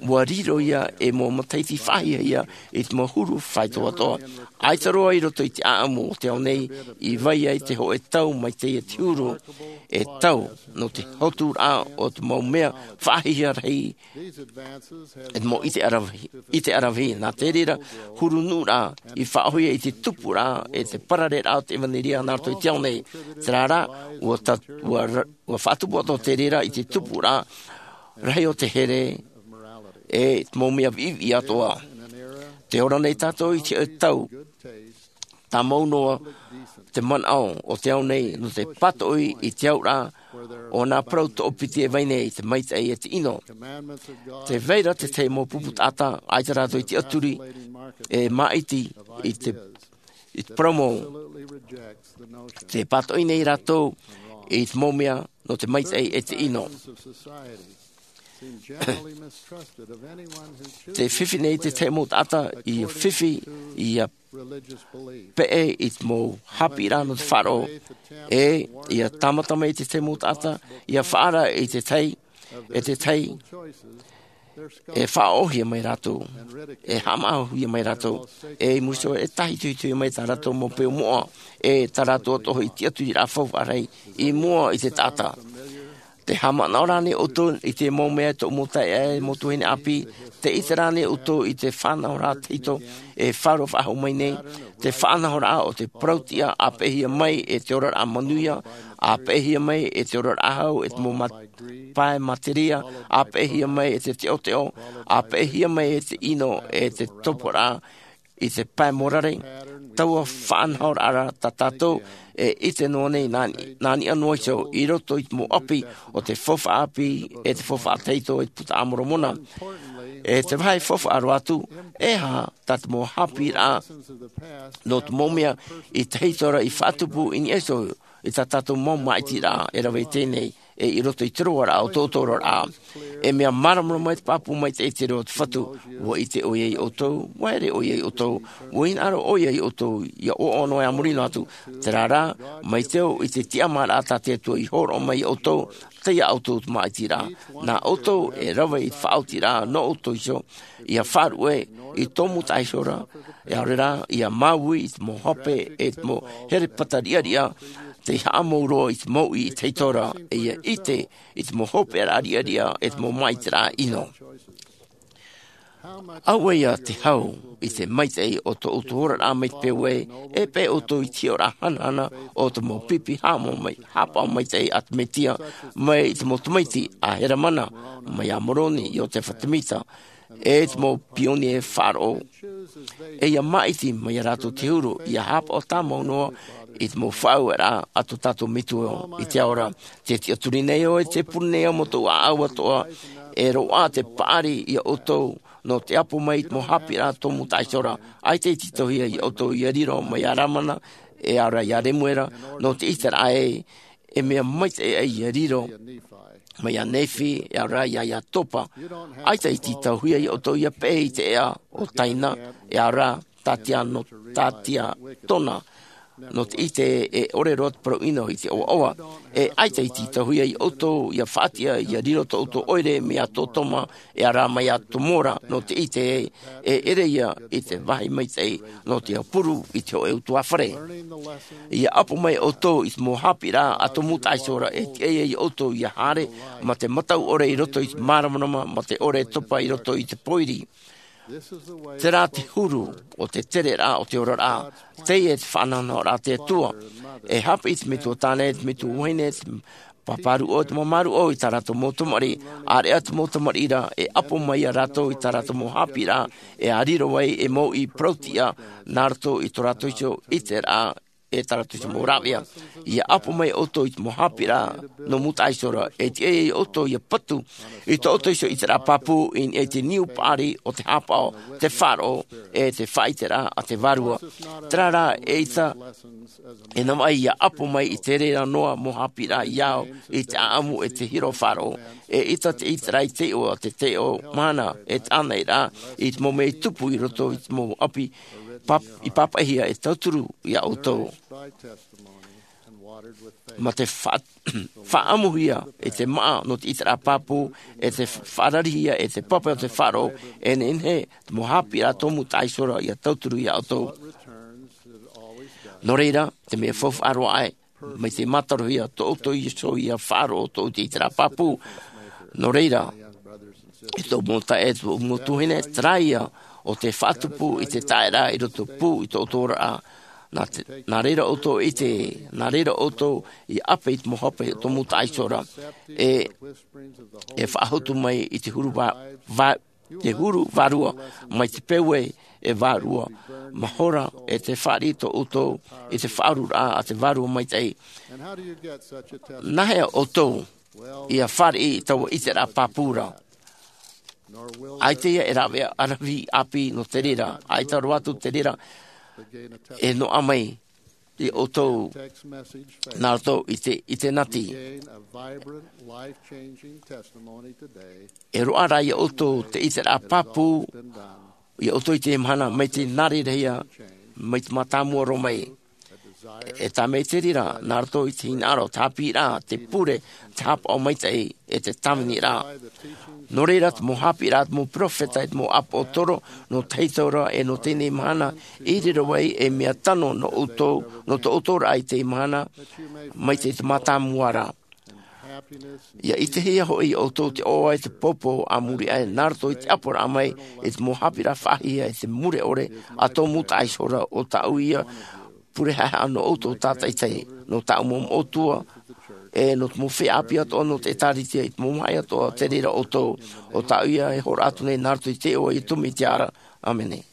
ua riro ïa ei mau matahiti faʻahiahia i te mau huru faʻaitoitoraʻa. ʻAita roa i roto i te ʻāʻamu o te ao nei i vai ai te hōʻē tau mai teie te huru, e tau nō te hoturaʻa o te mau mea faʻahiahia rahi, e te mau ʻite ʻaravihi, ʻite ʻaravihi. Nā te reira, huru nuʻuraʻa i faʻaʻohie i te tupuraʻa e te parareraʻa o te ʻevanelia nā roto i te ao nei. Terā rā, ua ta-, ua ra-, ua faʻatupu atoʻa te reira i te tupuraʻa rahi o te here, e te mau mea viʻiviʻi atoʻa. Tē ora nei tātou i te tau tāmau noa te manaʻo o te ao nei nō te pātoʻi i te auraʻa o nā parau toʻopiti e vai nei, te maitaʻi e te ʻino. Tē vai ra te tahi mau pupu taʻata, ʻaita rātou i tiʻaturi e māʻiti i te, i te parau mau. Tē pātoʻi nei rātou i te mau mea nō te maitaʻi e te ʻino. Tē fifi nei te tahi mau taʻata ʻia fifi, ʻia peʻe i te mau haʻapiʻiraʻa nō te faʻaroʻo, e ʻia tāmata mai te tahi mau taʻata ʻia faʻaara i te tahi, e te tahi e faʻaʻohie mai rātou, e haʻamaʻihia mai rātou, e i muri iho e tāhitohitohia mai tā rātou mau peu moʻa, e tā rātou atoʻa hoʻi tiʻaturiraʻa faufaʻa rahi i mua i te taʻata. Tē haʻamanaʻo ra ānei ʻoutou i te mau mea e tōʻu mau taeaʻe, mau tuahine ʻāpī? Tē ʻite ra ānei ʻoutou i te faʻanahoraʻa tahito e faʻaroʻo faʻahou mai nei? Te faʻanahoraʻa o te parau tiʻa ʻāpeʻehia mai e te oraraʻa manuia, ʻāpeʻehia mai e te oraraʻa hau, e te mau ma-, pae materia, ʻāpeʻehia mai e te teʻoteʻo, ʻāpeʻehia mai e te ʻino, e te topoʻaraʻa i te pae mōrare. Taua faʻanahoraʻa rā tā tātou e ʻite noa nei nā, nā niʻa noa iho i roto i te mau ʻapi o te faufaʻa ʻāpī, e te faufaʻa tahito, e te Puta a Moromona. E te vāhi faufaʻa roa atu, e aha tā te mau haʻapiʻiraʻa nō te mau mea i te hiʻoraʻa i faʻatupu i niʻa iho i tā tātou mau māʻitiraʻa e rave i teie nei, e i roto i te roaraʻa o tō ʻoutou oraraʻa. E mea māramarama mai te pāpū maitaʻi te reo o te Fatu. Ua ʻite ʻoia iā ʻoutou, ua here ʻoia iā ʻoutou, ua hinaʻaro ʻoia iā ʻoutou, ia ʻoaʻoa noa e a muri noa atu. Terā rā, mai te ao i te tiʻamāraʻa tā te Atua i hōroʻa mai iā ʻoutou, tei iā ʻoutou te māʻitiraʻa. Nā ʻoutou e rave i te faʻaotiraʻa nō ʻoutou iho, ia faʻaruʻe i tō Mūtaʻa iho ra, ʻaore rā, ia māuiui i te mau hape, e te mau herepata riʻariʻa, tei haʻamou roa i te mouʻi i te hiʻoraʻa, e ia ʻite i te mau hopeʻaraʻa riʻariʻa, e te mau māʻitiraʻa ʻino. Auē ia te hau i te maitaʻi o tō ʻoutou oraraʻa mai te peu ē, e paʻi ʻoutou i te hiʻoraʻa hanahana o te mau pipi haʻapaʻo mai, haʻapaʻo maitaʻi a te Mesia, mai i te mau tamaiti a Heremana, mai iā Moroni, Iotefa Temita, e te mau pionie faʻaroʻo. E ia māʻiti mai iā rātou te huru, ia haʻapaʻo tāmau noa i te mau faʻaueraʻa a tō tātou Metua i te ao ra. Te tiʻaturi nei ʻoe, te pure nei au mō tōʻu ʻāʻau atoʻa, e roaʻa te paʻari iā ʻoutou, nō te ʻapo mai i te mau haʻapiʻiraʻa tō Mūtaʻa iho ra. ʻAita i tītauhia iā ʻoutou ia riro mai iā Lamana, e ʻaore rā iā Lemuera, nō te ʻiteraʻa ē, e mea maitaʻi ia riro mai iā Nephi, e ʻaore rā iā, iā Topa. ʻAita i tītauhia iā ʻoutou ia peʻe i te ʻeʻa o Taina, e ʻaore rā, Tatia nō, Tatia Tona, nō te ʻite e ʻore roa te parau ʻino i te ʻoaʻoa. E ʻaita i tītauhia iā ʻoutou ia faʻatiʻa ia riro tō ʻoutou ʻoire mai iā Totoma, e ʻaore rā mai iā Tomora, nō te ʻite e, e ʻere ia i te vāhi maitaʻi nō te puru i te hōʻē ʻutuāfare. Ia ʻapo mai ʻoutou i te mau haʻapiʻiraʻa a tō Mūtaʻa iho ra, e tiʻa iā ʻoutou ia haere mā te mataʻu ʻore i roto i te māramarama, mā te ʻore topa i roto i te pōiri. Terā te huru o te tereraʻa o te oraraʻa, teie te faʻanahonahoraʻa a te Atua. E haʻapiʻi te metua tāne, te metua vahine, te pāpā rūʻau, te māmā rūʻau i tā rātou mau tamariʻi, ʻāreʻa te mau tamariʻi ra, e ʻapo mai iā rātou i tā rātou mau haʻapiʻiraʻa, e a riro ai e mouʻi parau-tiʻa nā roto i tō rātou iho ʻiteraʻa, e tā rātou iho mau rāveʻa. Ia ʻapo mai ʻoutou i te mau haʻapiʻiraʻa nō Mūtaʻa iho ra, e tiʻa iā ʻoutou ia patu i tō ʻoutou iho ʻiteraʻa pāpū i niʻa i te niu paʻari o te haʻapaʻo, te faʻaroʻo, e te faʻaʻiteraʻa a te Vārua. Terā rā, eʻita e navaʻi ia ʻapo mai i te reira noa mau haʻapiʻiraʻa i au, i te ʻāʻamu e te hiʻo faʻaroʻo. Eʻita te ʻiteraʻa i te iʻoa, te taiʻo mahana, e te ʻānaʻiraʻa i te mau mea i tupu i roto i te mau ʻapi pāp-, i pāpaʻihia e tauturu iā ʻoutou. Mā te fa-, faʻaʻamuhia e te māʻa nō te ʻiteraʻa pāpū, e te faʻararihia e te pape o te faʻaroʻo, e nehenehe te mau haʻapiʻiraʻa tō Mūtaʻa iho ra ia tauturu iā ʻoutou. Nō reira, te mea faufaʻa roa aʻe, mai te mātarohia tō ʻoutou iho ia faʻaroʻo tō ʻoutou ʻiteraʻa pāpū. Nō reira, e tōʻu mau taeaʻe, e tōʻu mau tuahine, terā ia ʻo te faʻatupu i te taeraʻa i roto pū i tō ʻoutou oraraʻa. Nā te, nā reira ʻoutou e ʻite, nā reira ʻoutou i ʻape i te mau hape o tō Mūtaʻa iho ra. E, e faʻahotu mai i te huru vā-, vā-, te huru vārua, mai te peu ē e vārua. Mahora e te fāriʻi tō ʻoutou i te faʻaururaʻa a te Vārua Maitaʻi. Nā hea ʻoutou ia fāriʻi i taua ʻiteraʻa pāpū ra? ʻAita ia e rāveʻa ʻaravihi ʻāpī nō te reira, ʻaita roa atu te reira e noaʻa mai iā ʻoutou nā roto i te, i te nati. E roaʻa rā iā ʻoutou te ʻiteraʻa pāpū, iā ʻoutou i teie mahana, mai te nā reira ia, mai te mātāmua roa mai. E tā mai te reira, nā roto i te hinaʻaro, te haʻapiʻiraʻa, te pure, te haʻapaʻo maitaʻi, e te tāviniraʻa. Nō reira, te mau haʻapiʻiraʻa, te mau peropheta, e te mau ʻāpōsetolo, nō te tau ra, e nō teie mahana, i riro ai e mea tano nō ʻoutou, nō tō ʻoutou oraraʻa i teie mahana, mai te, te mātāmua ra. Ia ʻitehia hoʻi iā ʻoutou te ʻoaʻoa e te pōpō a muri aʻe nā roto i te ʻaporaʻa mai i te mau haʻapiʻiraʻa faʻahiahia e te mure ʻore a tō Mūtaʻa iho ra, ʻo tāʻu ia pure haʻehaʻa nō ʻoutou tātaʻitahi, nō tāʻu mau moʻotua, e nō te mau feiā ʻāpī atoʻa nō te ʻĒtārētia i te mau maha atoʻa, te reira ʻoutou, ʻo tāʻu ia e hōroʻa atu nei nā roto i te iʻoa o Iesu Mesia ra. ʻĀmene.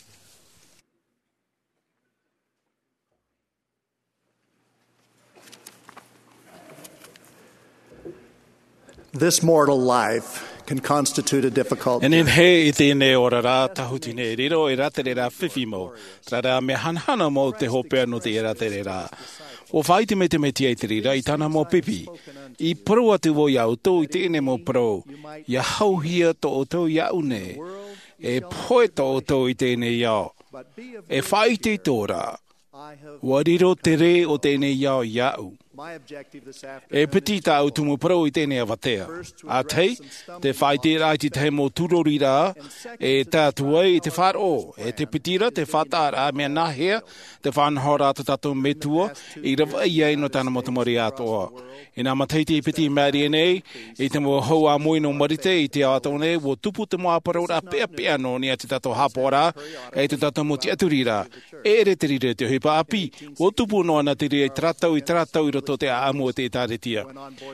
This mortal life can constitute a difficult. E nehenehe i teie nei oraraʻa tāhuti nei e riro ei rātere fifi mau, terā rā mea hanahana mau te hopeʻa nō teie rātere. ʻUa faʻaite mai te Mesia i te reira i tāna mau pipi, i parau atu vau iā ʻoutou i teie nei mau parau, ʻia hauhia tō ʻoutou iāʻu nei, e pohe tō ʻoutou i teie nei ao. E faʻaitoito ra, ʻua riro te rē o teie nei ao iāʻu. E piti tāʻu tumu parau i teie nei avatea. ʻA tahi, te faʻaiteraʻa i te tahi mau tūroriraʻa e tae atu ai i te faʻaroʻo. E te piti ra, te faʻataʻaraʻa mea nāhea te faʻanahoraʻa a tō tātou Metua i ravaʻi ai nō tāna mau tamariʻi atoʻa. Inā matahiti e piti i maʻiri aʻe nei, i te mau hau ʻāmui nō Marite i te ao atoʻa nei, ʻua tupu te mau ʻāparauraʻa peʻapeʻa nō niʻa i tō tātou haʻapaʻoraʻa, e tō tātou mau tiʻaturiraʻa. E ʻere te reira i te ʻohipa ʻāpī, ʻua tupu noa na te reira i terā tau, i terā tau i roto i te ʻāʻamu o te ʻĒtārētia.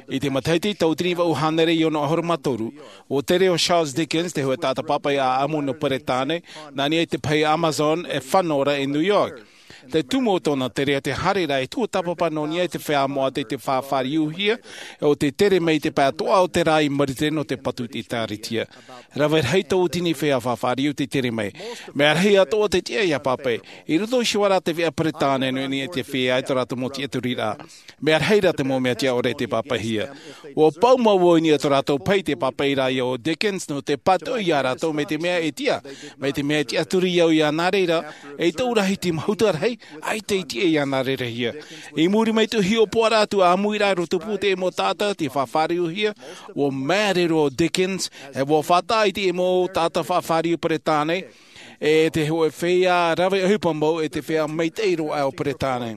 I te matahiti tauatini vaʻu hānere e ono ʻahuru mā toru, ʻua tere ʻo Charles Dickens, te hōʻē taʻata pāpaʻi ʻāʻamu nō Peretāne, nā niʻa i te pahi Amazon e fano ra i New York. Te tumu o tōna tere, te haere ra e tuatāpapa nō niʻa i te feiā moʻa tei te faʻafāriuhia, ʻo tei tere mai i te pae atoʻa o te rā i Marite nō te patu i te ʻĒtārētia. Rave rahi tauatini feiā faʻafāriu tei tere mai. Mea rahi atoʻa te tiʻa ʻia pāpaʻi. I roto i te ʻoire a te veʻa Peretāne nō niʻa i te feiā i tō rātou mau tiʻaturiraʻa. Mea rahi rā te mau mea tiʻa ʻore tei pāpaʻihia. ʻUa pau mau vau i niʻa i tō rātou pahi tei pāpaʻi ra iā ʻo Dickens nō te pātoʻi iā rātou mai te mea e tiʻa, mai te mea e tiʻaturi au iāna reira, ei tau rahi te mahuta rahi, ʻaita i tiʻa iāna reira hia. I muri mai i te hiʻopoʻaraʻa atu ʻāmui ra i roto pū te mau taʻata tei faʻafāriuhia, ʻua māere roa ʻo Dickens, e ʻua faʻataʻa i te mau taʻata faʻafāriu Peretāne, e te hōʻē feiā rave ʻohipa mau e te feiā maitaʻi roa o Peretāne.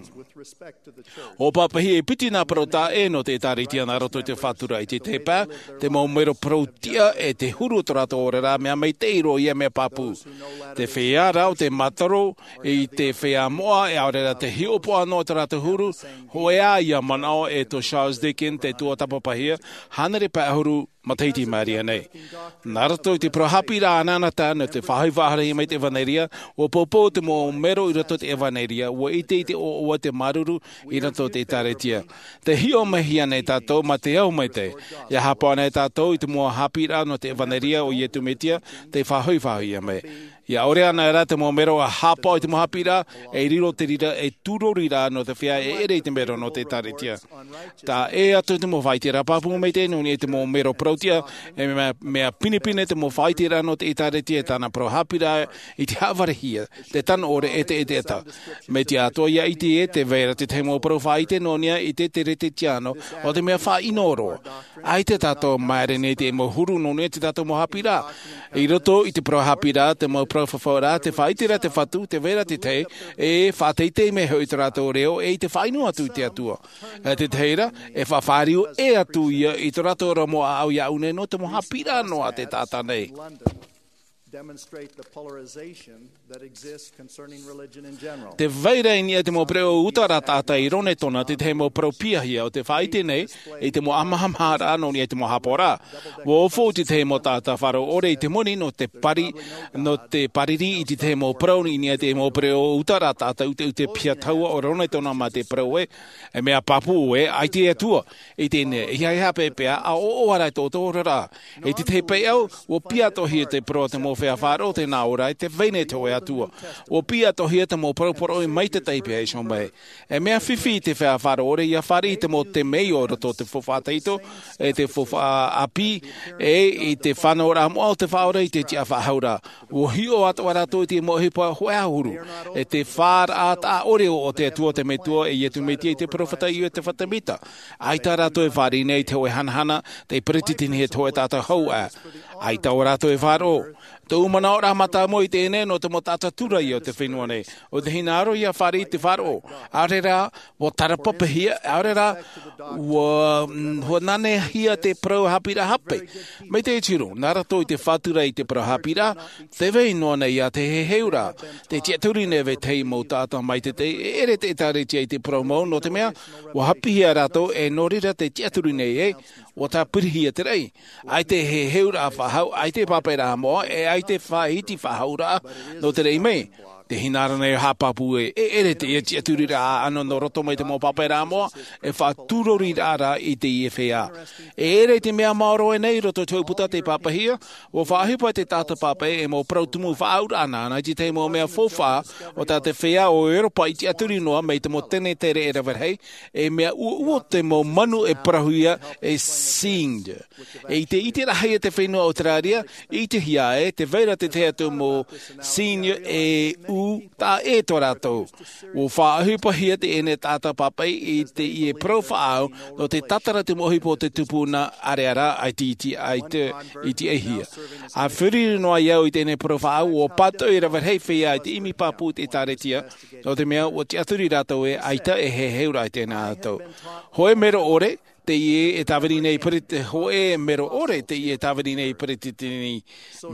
ʻUa pāpaʻihia e piti nā parau taʻa ʻē nō te ʻĒtārētia nā roto i te faʻatura i te tahi pae, te mau mero parau tiʻa e te huru o tō rātou oraraʻa mea maitaʻi roa ia mea pāpū. Te feiā rā ʻo tei mātaro i te feiā moʻa e ʻaore rā te hiʻopoʻa noa tō rātou huru, hōʻē ā ia manaʻo e tō Charles Dickens tei tuatāpapahia, hānere pae ʻahuru matahiti i maʻiri aʻe nei. Nā roto i te parau haʻapiʻiraʻa anaanatae nō te faʻahoʻi faʻahoʻiraʻa mai te ʻEvaneria, ʻua poupou te mau mero i roto i te ʻEvaneria, ʻua ʻite i te ʻoaʻoa te māuruuru i roto i te ʻĒtārētia. Tē hiʻo mai hia nei tātou mā te ao maitaʻi, ʻia haʻapaʻo nei tātou i te mau haʻapiʻiraʻa nō te ʻEvaneria o Iesu Mesia, tei faʻahoʻi faʻahoʻi mai. ʻIa ʻore anaʻe rā te mau mero ʻia haʻapaʻo i te mau haʻapiʻiraʻa, e riro te reira ei tūroriraʻa nō te feiā e ʻere i te mero nō te ʻĒtārētia. Taʻa ʻē atu te mau faʻaiteraʻa pāpū maitaʻi nō niʻa i te mau mero parau tiʻa, e mea, mea pinepine te mau faʻaiteraʻa nō te ʻĒtārētia e tāna parau haʻapiʻiraʻa i te haʻavārehia, te tano ʻore e te ʻētēta. Mai te atoʻa ʻia ʻite ē, tē vai ra te tahi mau parau faʻaite nō niʻa i te Teretetiāno, ʻo te mea faʻaʻino roa. ʻAita tātou e māere nei te mau huru nō niʻa i tō tātou mau haʻapiʻiraʻa. I roto i te parau haʻapiʻiraʻa, te mau parau fafauraʻa, tē faʻaʻite ra te Fatu, tē vai ra te tahi, e faʻateitei mai hoʻi tō rātou reo, e i te faʻaʻino atu i te Atua. E te tahi ra, e faʻafāriu ʻē atu ia i tō rātou ora mau ʻāʻau iāʻu nei nō te mau haʻapiʻiraʻa noa a te taʻata nei. Demonstrate the polarization that exists concerning religion in general. Tē vai ra i niʻa i te mau pereʻoʻo ʻuta ra taʻata i Ronetona te tahi mau parau piahia ʻo tē faʻaʻite nei i te mau ʻāmahamaharaʻa nō niʻa i te mau haʻapaʻoraʻa. ʻUa ʻōfaʻi te tahi mau taʻata faʻaroʻo ʻore i te moni nō te pari, nō te pariri i te tahi mau parau i niʻa i te mau pereʻoʻo ʻuta ra taʻata ʻuteʻute piha tahua o Ronetona mā te parau ē, e mea pāpū ē, ʻaita e Atua. I teie nei, ʻeiaha e haʻapeʻapeʻa, ʻa ʻoaʻoa rā i tō ʻoutou oraraʻa. I te tahi pae ʻāʻau, ʻua piʻi atoʻa hia te parau a te mau feiā faʻaroʻo tē nā ʻō ra ē, tē vai nei te hōʻē Atua. ʻUa piʻi atoʻa hia te mau parau poroʻi mai te taipe e iho mai. E mea fifi i te feiā faʻaroʻo ʻore ʻia fāriʻi i te mau temeio i roto i te faufaʻa tahito, e te faufaʻa ʻāpī, e i te fānauraʻa moʻa o te Faʻaora i te tiʻa faʻahou ra. ʻUa hiʻo atoʻa rātou i te mau ʻohipa hōʻē ʻahuru, e te faʻaroʻo taʻa ʻore o te Atua, te Metua, e Iesu Mesia, i te peropheta Iosefa Semita. ʻAita rātou e fāriʻi nei i te hōʻē hanahana, tei peretitenihia te hōʻē taʻata hou ā. ʻAita rātou e faʻaroʻo. Tōʻu manaʻoraʻa mātāmua i teie nei nō te mau taʻata tūraʻi o te fenua nei. ʻO te hinaʻaro ʻia fāriʻi i te faʻaroʻo. ʻAore rā, ʻua tarapapahia, ʻaore rā, ʻua, mm, ʻua nanehia te parau haʻapiʻiraʻa hape. Maitaʻi te huru, nā roto i te faʻatura i te parau haʻapiʻiraʻa, tē vai noa nei ā te heheuraʻa, te tiʻaturi nei e te mau taʻata maitaʻi, e ʻere te ʻĒtārētia i te parau mau, nō te mea, ʻua haʻapiʻihia rātou, e nō reira te tiʻaturi nei ē, ʻua tāpirihia te raʻi. ʻAita e heheuraʻa faʻahou, ʻaita e pāpaʻiraʻa moʻa, e ʻaita e faʻahiti faʻahouraʻa, nō te raʻi mai. E hinaʻaro nei haʻapāpū ē, e ʻere te ia tiʻaturiraʻa ʻāʻano nō roto mai te mau pāpaʻiraʻa moʻa, e faʻaturoriraʻa rā i teie feiā. E ʻere i te mea maoro ʻē nei i roto i te hōʻē puta tei pāpaʻihia, ʻua faʻaʻohipa te taʻata pāpaʻi e mau parau tumu faʻaauraʻa nāna i te tahi mau mea faufaʻa o tā te feiā o Europa i tiʻaturi noa mai te mau tenetere e rave rahi, e mea ʻuoʻuo te mau manu e parauhia e cyanide. E ʻite, ʻiteraʻahia te fenua Auteraria, ʻitehia ē, tē vai ra te tahi atu mau cyanide e ʻū taʻa ʻē tō rātou. ʻUa faʻaʻohipahia teie taʻata pāpaʻi i teie parau faʻaau, nō te tātara te mau ʻohipa o te tupuna ʻāreʻa ra, ʻaita, ʻaita, ʻaita, ʻaita ʻaihia. ʻA feruri noa au i teie parau faʻaau, ʻua pātoʻi rave rahi feiā i te ʻimi pāpū i te ʻĒtārētia, nō te mea ʻua tiʻaturi rātou ē, ʻaita e heheuraʻa i teie atu. Hōʻē mero ʻore, teie e tāviri nei Pereti-, hōʻē mero ʻore teie e tāviri nei Peretiteni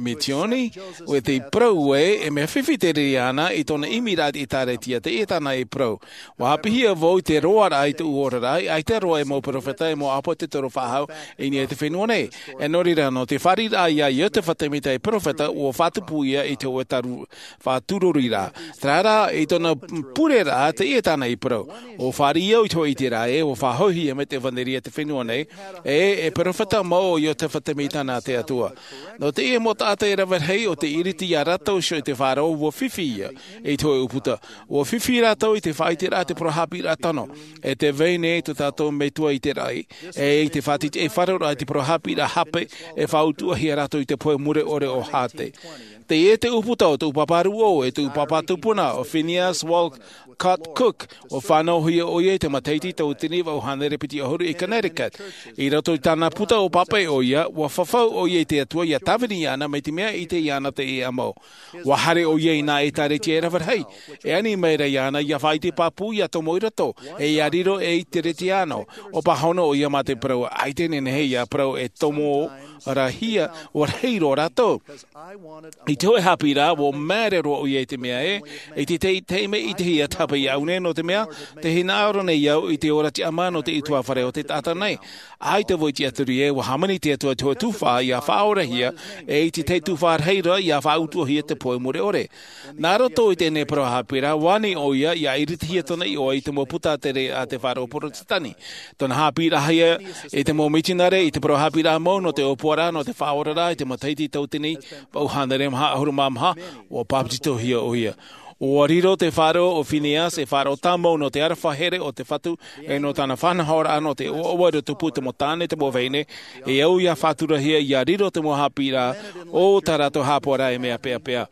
Misioni, ʻo tē parau ē, e mea fifi te reira āna i tōna ʻimiraʻa i te ʻĒtārētia, teie tāna e parau. ʻUa haʻapiʻihia vau i te roaraʻa i tōʻu oraraʻa, ʻaita roa e mau peropheta, e mau ʻāpōsetolo faʻahou i niʻa i te fenua nei. E nō reira, nō te fāriʻiraʻa ia Iosepha Semita ei peropheta, ʻua faʻatupu ia i te hōʻē taru-, faʻaturoriraʻa. Terā rā, i tōna pureraʻa, teie tāna i parau. ʻUa fāriʻi au i te hōʻē ʻiteraʻa ē, ʻua faʻahoʻihia mai te ʻevanelia i te fenua nei, ē, e peropheta mau ʻo Iosepha Semita nā te Atua. Nō teie mau taʻata e rave rahi, ʻo tē iriti ia rātou iho i te faʻaroʻo, ʻua fifi ia i te hōʻē ʻūputa. ʻUa fifi rātou i te faʻaʻiteraʻa i te parau haʻapiʻiraʻa tano, e tē vai nei tō tātou Metua i te raʻi, e i te faʻaʻiteʻite faʻaroʻoraʻa i te parau haʻapiʻiraʻa hape, e faʻautuʻahia rātou i te pohe mure ʻore o Hāte. Teie te ʻūputa o tōʻu pāpā rūʻau, e tōʻu pāpā tupuna, ʻo Phineas Walcott Cook, ʻua fānauhia ʻoia i te matahiti tauatini vaʻu hānere piti ʻahuru i Connecticut. I roto i tāna puta ʻua pāpaʻi ʻoia, ʻua fafau ʻoia i te Atua ʻia tāvini iāna mai te mea ʻite iāna teie ʻāmau. ʻUa haere ʻoia i nā ʻĒtārētia e rave rahi, e ani mai ra iāna ʻia faʻaʻite pāpū, ʻia tomo i roto, e ʻia riro ei Teretiano. ʻUa pāhono ʻoia mā te parau, ʻaita e nehenehe ʻia parau e tomo ra hia, ʻua rahi roa rātou. I te hōʻē haʻapiʻiraʻa, ʻua māere roa ʻoia i te mea ē, i te tahi, taime i te hia tāpaʻi iāʻu nei, nō te mea, tē hinaʻaro nei au i te ora tiʻamā nō te ʻutuāfare o te taʻata nei. ʻAita vau i tiʻaturi ē, ʻua hāmani te Atua i te hōʻē tuhaʻa ʻia faʻaorahia, e i te tahi tuhaʻa rahi ra ʻia faʻautuʻahia te pohe mure ʻore. Nā roto i teie parau haʻapiʻiraʻa, ʻua ani ʻoia ʻia iritihia tōna iʻoa i te mau puta tere a te faʻaroʻo Porotetani. Tōna haʻapiʻiraʻahia i te mau mitionare, i te parau haʻapiʻiraʻa mau nō te ʻōpuaraʻa, nō te faʻaoraraʻa i te matahiti tauatini vaʻu hānere maha ʻahuru mā maha, ʻua bāpetizohia ʻoia. ʻUa riro te faʻaroʻo o Phineas ei faʻaroʻo tāmau nō te aroha here o te Fatu, e nō tāna faʻanahoraʻa nō te ʻoaʻoa i roto pū i te mau tāne, te mau vahine, e au ʻia faʻaturahia ʻia riro te mau haʻapiʻiraʻa o tā rātou haʻapaʻoraʻa e mea peʻapeʻa.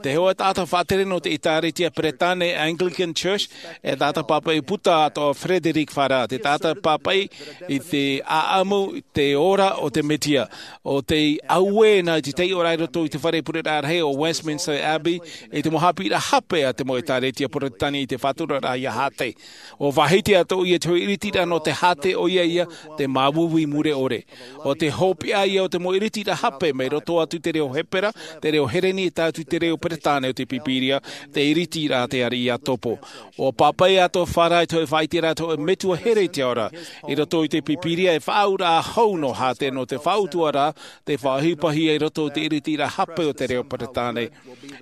Te hōʻē taʻata faʻatere nō te ʻĒtārētia Peretāne Anglican Church, e taʻata pāpaʻi puta atoʻa Frederick Farrar, te taʻata pāpaʻi i te ʻāʻamu i te ora o te Mesia. ʻO tei auē na i te taiʻoraʻa i roto i te fare pureraʻa rahi o Westminster Abbey, i te mau haʻapiʻiraʻa hape a te mau ʻĒtārētia Porotetani i te faʻaturaraʻa ia Hāte. ʻUa faʻahiti atoʻa ʻoia i te hōʻē iritiraʻa nō te Hāte, ʻoia ia te māuiui mure ʻore. ʻO te hopeʻa ia o te mau iritiraʻa hape mai roto atu i te reo Hepera, te reo Hereni, e tae atu i te reo Peretāne o te Pīpīria, te iritiraʻa a te ariʻi ia Topo. ʻUa pāpaʻi atoʻa Farrar i te hōʻē faʻaʻiteraʻa a te hōʻē metua here i te ao ra. I roto i te Pīpīria e faʻaauraʻa hou nō Hāte nō te faʻautuʻaraʻa, tei faʻaʻohipahia i roto i te iritiraʻa hape o te reo Peretāne.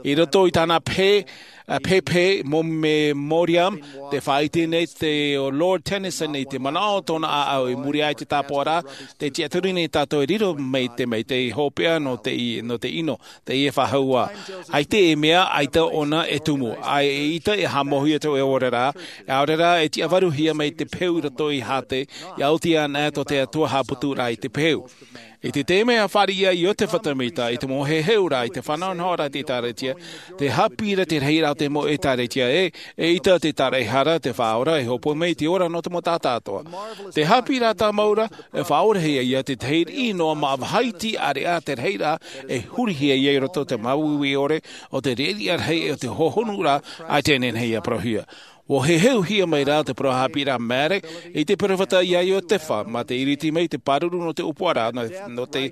I roto i tāna pehe, ā, pehepehe mo-, memoriam, tē faʻaʻite nei te, ʻo Lord Tennyson i te manaʻo o tōna ʻāʻau i muri aʻe i te tāpaʻoraʻa, tē tiʻaturi nei tātou e riro mai te, mai te hopeʻa nō te i-, nō te ʻino, teie faʻahou ā. ʻAita e mea, ʻaita ʻōna e tumu, ʻaita e haʻamauhia te hōʻē oraraʻa, ʻaore rā e tiʻavaruhia mai te peu i roto ia Hāte, ʻia oti anaʻe tō te Atua haʻaputuraʻa i te peu. I te taime ʻa fāriʻi ai Iosepha Semita i te mau heheuraʻa i te faʻanahonahoraʻa a te ʻĒtārētia, tē haʻapiʻi ra te rahiraʻa o te mau ʻĒtārētia ē, eʻita te tāraʻehara, te Faʻaora e hōpoi mai i te ora nō te mau taʻata atoʻa. Te haʻapiʻiraʻa tāmau ra, e faʻaorahia ia te tahi riʻi noa māʻa vāhi iti ʻāreʻa te rahiraʻa e hurihia ia i roto i te māuiui ʻore o te riʻariʻa rahi, o te hohonuraʻa, ʻaita e nehenehe ia parauhia. Ua heheuhia mai rā te parau haʻapiʻiraʻa Mary i te peropheta ia Iotefa, mā te iriti mai te pāruru nō te ʻōpuaraʻa, nō te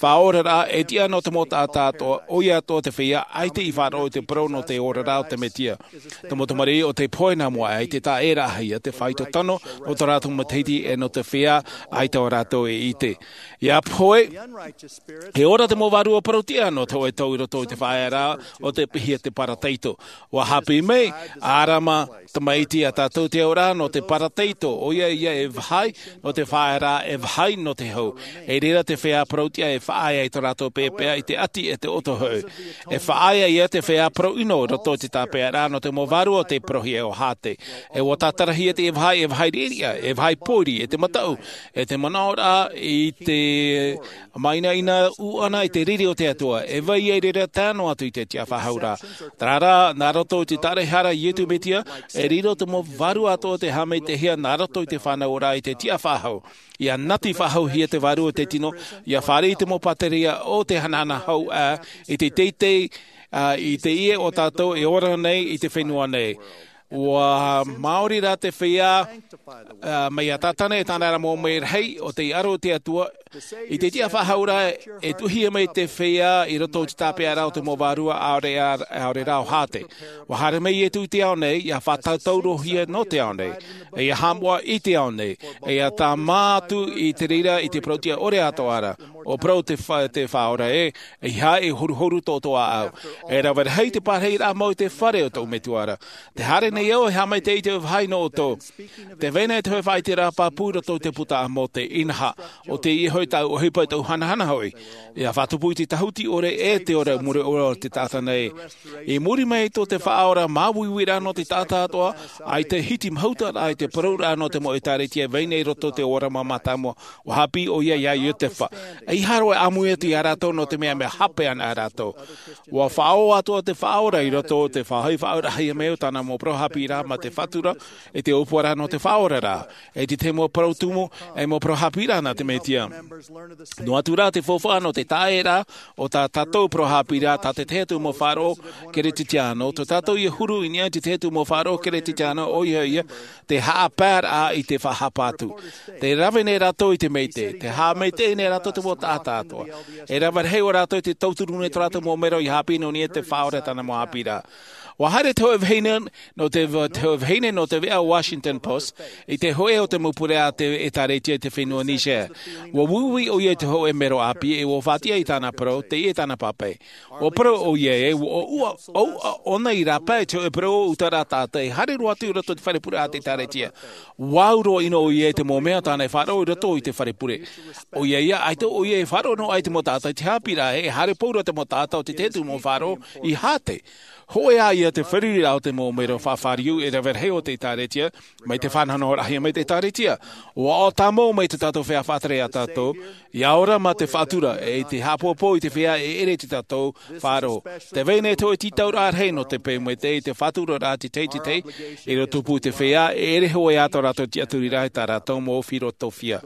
faʻaoraraʻa e tiʻa nō te mau taʻata atoʻa, ʻoia atoʻa te feiā ʻaita i faʻaroʻo i te parau nō te oraraʻa o te Mesia. Te mau tamariʻi o te pohe nā mua aʻe i te taʻeraʻahia te faito tano nō tō rātou matahiti e nō te feiā ʻaita o rātou e ʻite. Ia pohe, e ora te mau vārua parau tiʻa nō te hōʻē tau i roto i te faʻaearaʻa o te piʻihia te Parataiso. Ua haʻapiʻi mai ʻĀrama tamaiti iā tātou te auraʻa nō te Parataiso, ʻoia ia e vāhi nō te faʻaearaʻa, e vāhi nō te hau. I reira te feiā parau tiʻa e faʻaea i tō rātou peʻapeʻa i te ʻati e te ʻoto hau. E faʻaea ia te feiā parau ʻino i roto i te tāpeʻaraʻa nō te mau vārua o te parauhia o Hāte. E ua tātarahia te vāhi, e vāhi riʻariʻa, e vāhi pōiri, e te mataʻu, e te manaʻoraʻa i te māinaina ʻuʻana i te riri o te Atua, e vai ai reira tae noa atu i te tiʻafaʻahouraʻa. Terā rā, nā roto i te tāraʻehara a Iesu Mesia, e riro te mau vārua atoʻa te haʻamaitaʻihia nā roto i te fānauʻaraʻa i te tiʻafaʻahou. Ia nati faʻahouhia te vārua o te tino, ia fāriʻi te mau pāteria o te hanahana hau ʻā, i te teitei, ā, i te ʻie o tātou e ora nei i te fenua nei. Ua maori rā te feiā, ā, mai iā Satana e tāna ra mau merahi o te aro o te Atua, i te tiʻafaʻahouraʻa e tuʻuhia mai te feiā i roto i te tāpeʻaraʻa o te mau vārua ʻaore, ʻaore rā ʻo Hāte. Ua haere mai Iesu i te ao nei, ia faʻatautaurohia nō te ao nei, e ia haʻamoʻa i te ao nei, e ia tāmā atu i te reira i te parau tiʻa ʻore atoʻa ra, ʻo parau te fa-, te Faʻaora ē, ʻeiaha e horuhoru tō ʻoutou ʻāʻau. E rave rahi te parahiraʻa mau i te fare o tōʻu Metua ra. Tē haere nei au e haʻamaitaʻi i te vāhi nō ʻoutou. Tē vai nei te hōʻē faʻaʻiteraʻa pāpū i roto i te puta a Mōse, inaha, ʻo tei ʻite hoʻi tāʻu ʻohipa, tāʻu hanahana hoʻi. Ia faʻatupu i te tāhuti ʻore e te ora mure ʻore o te taʻata nei. I muri mai tō te Faʻaora māuiuiraʻa nō te taʻata atoʻa, ʻaita e hiti mahuta rā i te parauraʻa nō te mau ʻĒtārētia e vai nei i roto i te ora mātāmua, ua haʻapiʻi ʻoia iā Iotefa. ʻEiaha roa e ʻāmui atu iā rātou nō te mea, mea hape ana rātou. Ua faʻaō atoʻa te Faʻaora i roto i te faʻahoʻi faʻaorahia mai o tāna mau parau haʻapiʻiraʻa mā te faʻatura i te ʻōpuaraʻa nō te faʻaoraraʻa. E te tahi mau parau tumu, e mau parau haʻapiʻiraʻa nā te Mesia. Noa atu rā te faufaʻa nō te tāʻeraʻa o tā tātou parau haʻapiʻiraʻa, tā te tahi atu mau faʻaroʻo Keresetiano, tō tātou ia huru i niʻa i te tahi atu mau faʻaroʻo Keresetiano, ʻoia ia te haʻapaeraʻa i te faʻahapa atu. Tē rave nei rātou i te maitaʻi, tē haʻamaitaʻi nei rātou te mau taʻata atoʻa. E rave rahi ʻo rātou i te tauturu nei tō rātou mau mero ia haʻapiʻi nō niʻa i te Faʻaora e tāna mau haʻapiʻiraʻa. Ua haere te hōʻē vahine nō te, te hōʻē vahine nō te veʻa Washington Post i te hōʻē o te mau pure a te ʻĒtārētia i te fenua Niger. Ua uiui ʻoia i te hōʻē mero ʻāpī, e ua faʻatiʻa i tāna parau, teie tāna pāpaʻi. Ua parau ʻoia ē, ua ʻoʻoʻa, ʻoʻoʻa ʻōna i rāpae i te hōʻē parau ʻutaraʻa taʻata e haere roa atu i roto i te fare pure a te ʻĒtārētia. Ua au roa ʻino ʻoia i te mau mea tāna e faʻaroʻo i roto i te fare pure. ʻOia ia, ʻaita ʻoia e faʻaroʻo noa i te mau taʻata i te haʻapiʻiraʻa, e haere pauroa te mau taʻata o te tahi atu mau faʻaroʻo i Hāte. Hōʻē ā ia te feruriraʻa o te mau mero faʻafāriu e rave rahi o te ʻĒtārētia, mai te fānauraʻahia mai te ʻĒtārētia. Ua ʻō tāmau mai tō tātou feiā faʻatere iā tātou, ia ora mā te faʻatura, e te haʻapōpō i te feiā e ʻere i tō tātou faʻaroʻo. Tē vai nei te hōʻē tītauraʻa rahi nō te peu maitaʻi i te faʻaturaraʻa te teitei, i roto pū i te feiā, e ʻere hōʻē ā tō rātou tiʻaturiraʻa i tā rātou mau filosofia.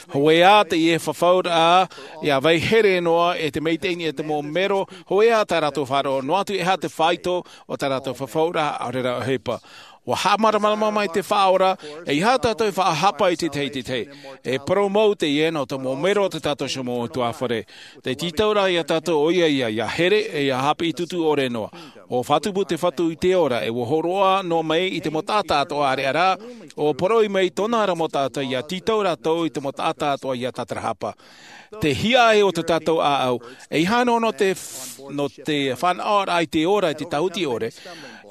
Hōʻē ā teie fafauraʻa, ia vai here noa e te maitaʻi i niʻa i te mau mero, hōʻē ā tā rātou faʻaroʻo, noa atu ʻeiaha te faito o tā rātou fafauraʻa, ʻaore rā ʻohipa. Ua haʻamāramarama mai te Faʻaora, ʻeiaha tātou e faʻahapa i te tahi i te tahi. E parau mau teie nō te mau mero o tō tātou mau ʻutuāfare. Te tītauraʻa iā tātou ʻoia ia, ia here, e ia haʻapiʻi tutu ʻore noa. ʻUa faʻatupu te Fatu i te ora, e ua hōroʻa noa mai i te mau taʻata atoʻa ʻāreʻa ra, ʻua poroʻi mai tōna ra mau taʻata ia tītau rātou i te mau taʻata atoʻa ia tātarahapa. Te hiaʻai o tō tātou ʻāʻau, ʻeiaha noa nō te f-, nō te fānaʻoraʻa i te ora, i te tāhuti ʻore,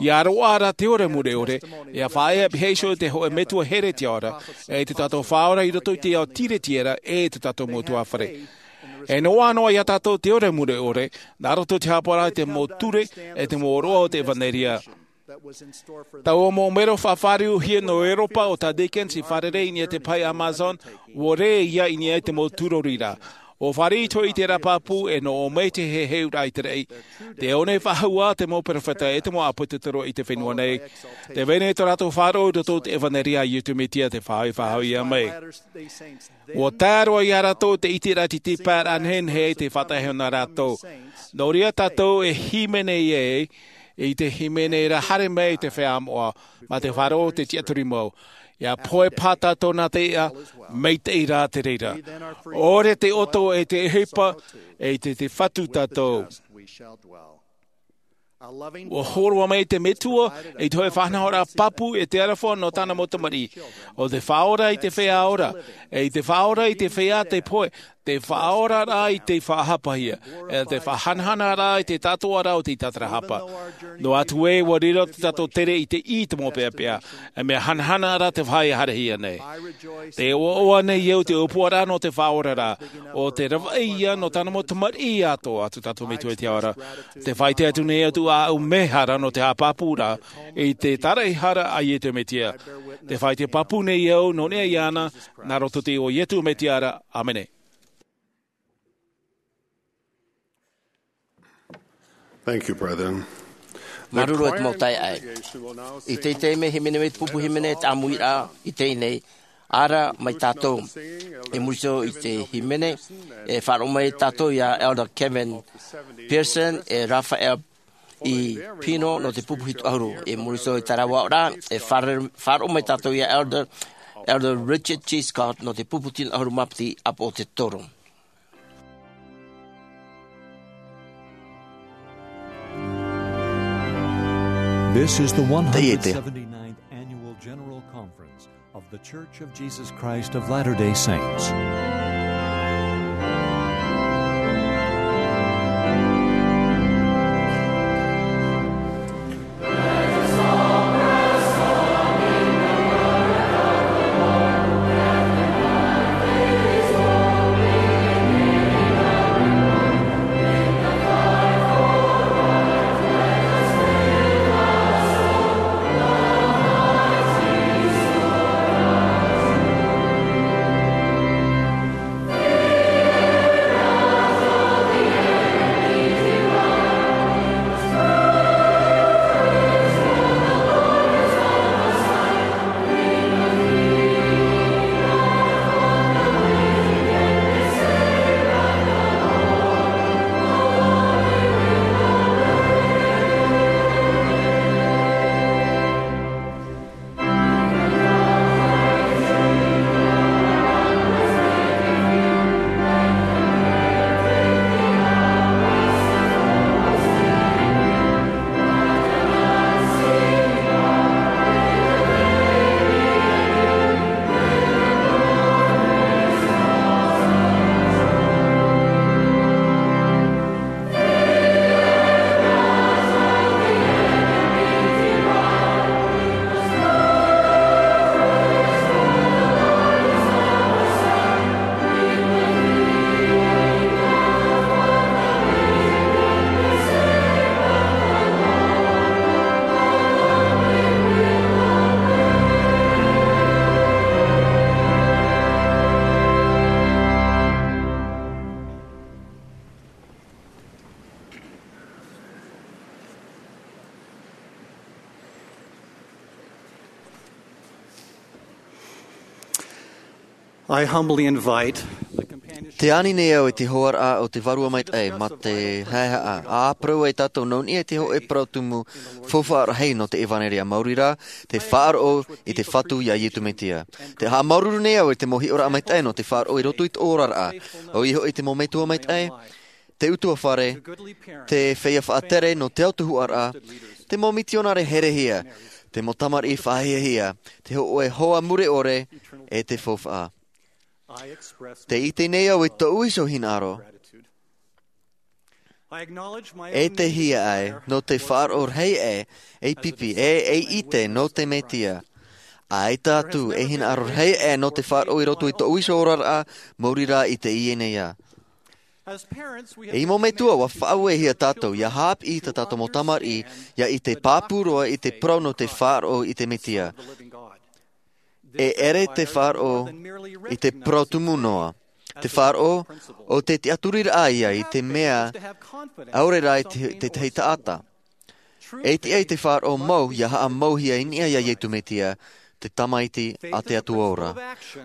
ia roaʻa ra te ora mure ʻore, ia faʻaea pihaʻi iho i te hōʻē metua here i te ao ra, e tō tātou Faʻaora i roto i te ao tiretiera, e tō tātou mau ʻutuāfare. E noaʻa noa iā tātou te ora mure ʻore, nā roto i te haʻapaʻoraʻa i te mau ture, e te mau ʻōroʻa o te ʻevanelia. Taua mau mero faʻafāriuhia nō ʻEuropa o tā Dickens i fārerei i niʻa i te pae Amazon, ʻua rē ia i niʻa i te mau tūrori ra. ʻUa fāriʻi atoʻa i te rā pāpū e nō ʻō mai te heheuraʻa i te raʻi. Tē ʻō nei faʻahou ā te mau peropheta e te mau ʻāpōsetolo i te fenua nei. Tē vai nei tō rātou faʻaroʻo i roto i te ʻevanelia a Iesu Mesia te faʻahoʻi faʻahou ia mai. ʻUa tae roa iā rātou te ʻiteraʻa i te tīpaeraʻa nehenehe i te faʻataʻehoa nā rātou. Nō reira tātou e hīmene ai, I te hīmene ra, haere mai te feiā moʻa, mā te faʻaroʻo te tiʻaturi mau. ʻIa pohe paha tātou nā te iʻa, maitaʻi rā te reira. ʻOre te ʻoto e te ʻohipa, e te, te fatu tātou. ʻUa hōroʻa mai te Metua, i te hōʻē faʻanahoraʻa pāpū e te aroha nō tāna mau tamariʻi. ʻO te faʻaora i te feiā ora, e i te faʻaora i te feiā te pohe, te faʻaoraraʻa i te faʻahapahia, e te faʻahanahanaraʻa i te tātōʻaraʻa o te tātarahapa. Noa atu ē, ʻua riro te tātou tere i te ʻī i te mau peʻapeʻa, e mea hanahana ra te vāhi e haerehia nei. Tē ʻoaʻoa nei au te ʻōpuaraʻa nō te faʻaoraraʻa, ʻo te ravaʻi ia nō tāna mau tamariʻi atoʻa, te tātou Metua i te ao ra. Tē faʻaʻite atu nei au tōʻu mehara nō te haʻapāpūraʻa i te tāraʻehara a Iesu Mesia. Tē faʻaʻite pāpū nei au nō niʻa iāna, nā roto i te iʻoa o Iesu Mesia ra. ʻĀmene. Thank you, brethren. Māuruuru e te mau taeaʻe. I teie taime, hīmene mai te pupu hīmene e te ʻāmuiraʻa i teie nei, ʻAra mai tātou. I muri iho i te hīmene, e faʻaroʻo mai tātou ia Elder Kevin Pearson, e Raphael E. Pino nō te pupu hitu ʻahuru. I muri iho i terā ʻāmuiraʻa, e faʻaroʻo mai tātou ia Elder, Elder Richard G. Scott nō te pupu tino ʻahuru mā piti, ʻāpoʻo te toru. This is the Teie te one hundred seventy-ninth Annual General Conference of The Church of Jesus Christ of Latter-day Saints. I humbly invite the companionship. Tē ani nei au i te hōroʻaraʻa o te Vārua Maitaʻi, mā te haʻehaʻa, ʻa parau ai tātou nō niʻa i te hōʻē parau tumu faufaʻa rahi nō te ʻevanelia, maori rā, te faʻaroʻo i te Fatu ia Iesu Mesia. Tē haʻamāuruuru nei au i te mau hiʻoraʻa maitaʻi nō te faʻaroʻo i roto i tō oraraʻa. ʻOia hoʻi te mau metua maitaʻi, te ʻutuāfare, te feiā faʻatere nō te ao tuhaʻaraʻa, te mau mitionare herehia, te mau tamariʻi faʻahiahia, te hōʻē hoa mure ʻore, e te faufaʻa. Tē ʻite nei au i tōʻu iho hinaʻaro, e te hiaʻai nō te faʻaroʻo rahi aʻe ei pipi, e ei ʻite nō te Mesia. ʻAita atu ei hinaʻaro rahi aʻe nō te faʻaroʻo i roto i tōʻu iho oraraʻa, maori rā i teie nei ā. Ei mau metua, ʻua faʻauehia tātou ʻia haʻapiʻi i tā tātou mau tamariʻi ʻia ʻite pāpū roa i te parau nō te faʻaroʻo i te Mesia. E ʻere te faʻaroʻo i te parau tumu noa. Te faʻaroʻo, ʻo te tiʻaturiraʻa ïa i te mea ʻaore rā i te, te tahi taʻata. E tiʻa i te faʻaroʻo mau ʻia haʻamauhia i niʻa ia Iesu Mesia, te Tamaiti a te Atua ora.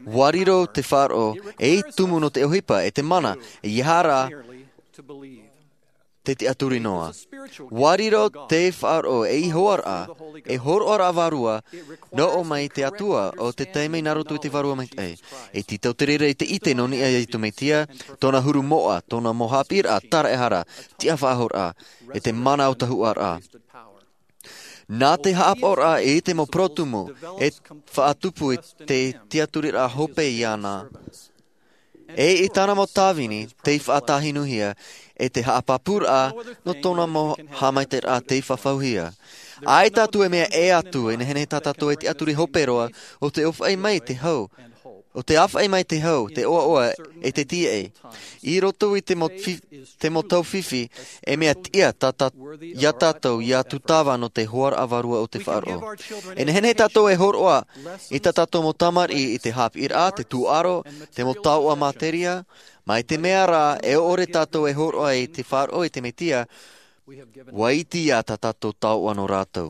ʻUa riro te faʻaroʻo ei tumu nō te ʻohipa e te mana, ʻeiaha rā te tiʻaturi noa. Ua riro te faʻaroʻo ei hoʻoraʻa, ei hōroʻaraʻa vārua, nō ʻō mai te Atua o te taime nā roto i te Vārua Maitaʻi. E tītau te reira i te ʻite nō niʻa iā Iesu Mesia, tōna huru moʻa, tōna mau haʻapiʻiraʻa taraehara, tiʻafaʻahoraʻa, e te mana o tahuʻaraʻa. Nā te haʻapaʻoraʻa i te mau porotumu e faʻatupu i te tiʻaturiraʻa hope iāna. E i tāna mau tāvini tei faʻatahinuhia, e te haʻapāpūraʻa nō tōna mau haʻamaitaʻiraʻa tei fafauhia. ʻAita atu e mea ʻē atu, e nehenehe tā tātou e tiʻaturi hope roa, ʻo te ʻōfaʻi mai te hau, ʻo te ʻāfaʻi mai te hau, te ʻoaʻoa, e te tīaʻi. I roto i te mau fi-, te mau tau fifi, e mea tiʻa tā, tā, iā tātou, iā tūtava nō te hoʻoraʻa vārua o te faʻaroʻo. E nehenehe tātou e hōroʻa i tā tātou mau tamariʻi i te haʻapiʻiraʻa, te tūʻaro, te mau taoʻa materia, mai te mea rā, e ʻore tātou e hōroʻa i te faʻaroʻo i te Mesia, ua iti iā tā tātou taoʻa nō rātou.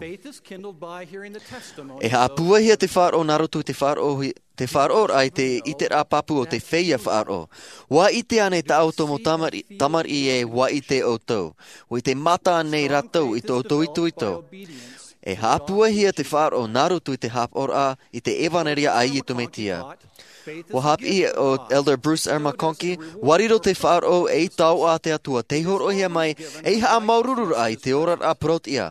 E haʻapūaihia te faʻaroʻo nā roto i te faʻaroʻo hi-, te faʻaroʻoraʻa i te ʻiteraʻa pāpū o te feiā faʻaroʻo. Ua ʻite ānei tā ʻoutou mau tamari-, tamariʻi e ua ʻite ʻoutou? Ua ʻite mata ānei rātou i tō ʻoutou itoito? E haʻapūaihia te faʻaroʻo nā roto i te haʻapaʻoraʻa i te ʻevanelia a Iesu Mesia. Ua haʻapiʻi ʻo Elder Bruce R. McConkie, ua riro te faʻaroʻo ei taoʻa a te Atua, tei hōroʻahia mai ei haʻamāuruururaʻa i te oraraʻa parauʻtiʻa.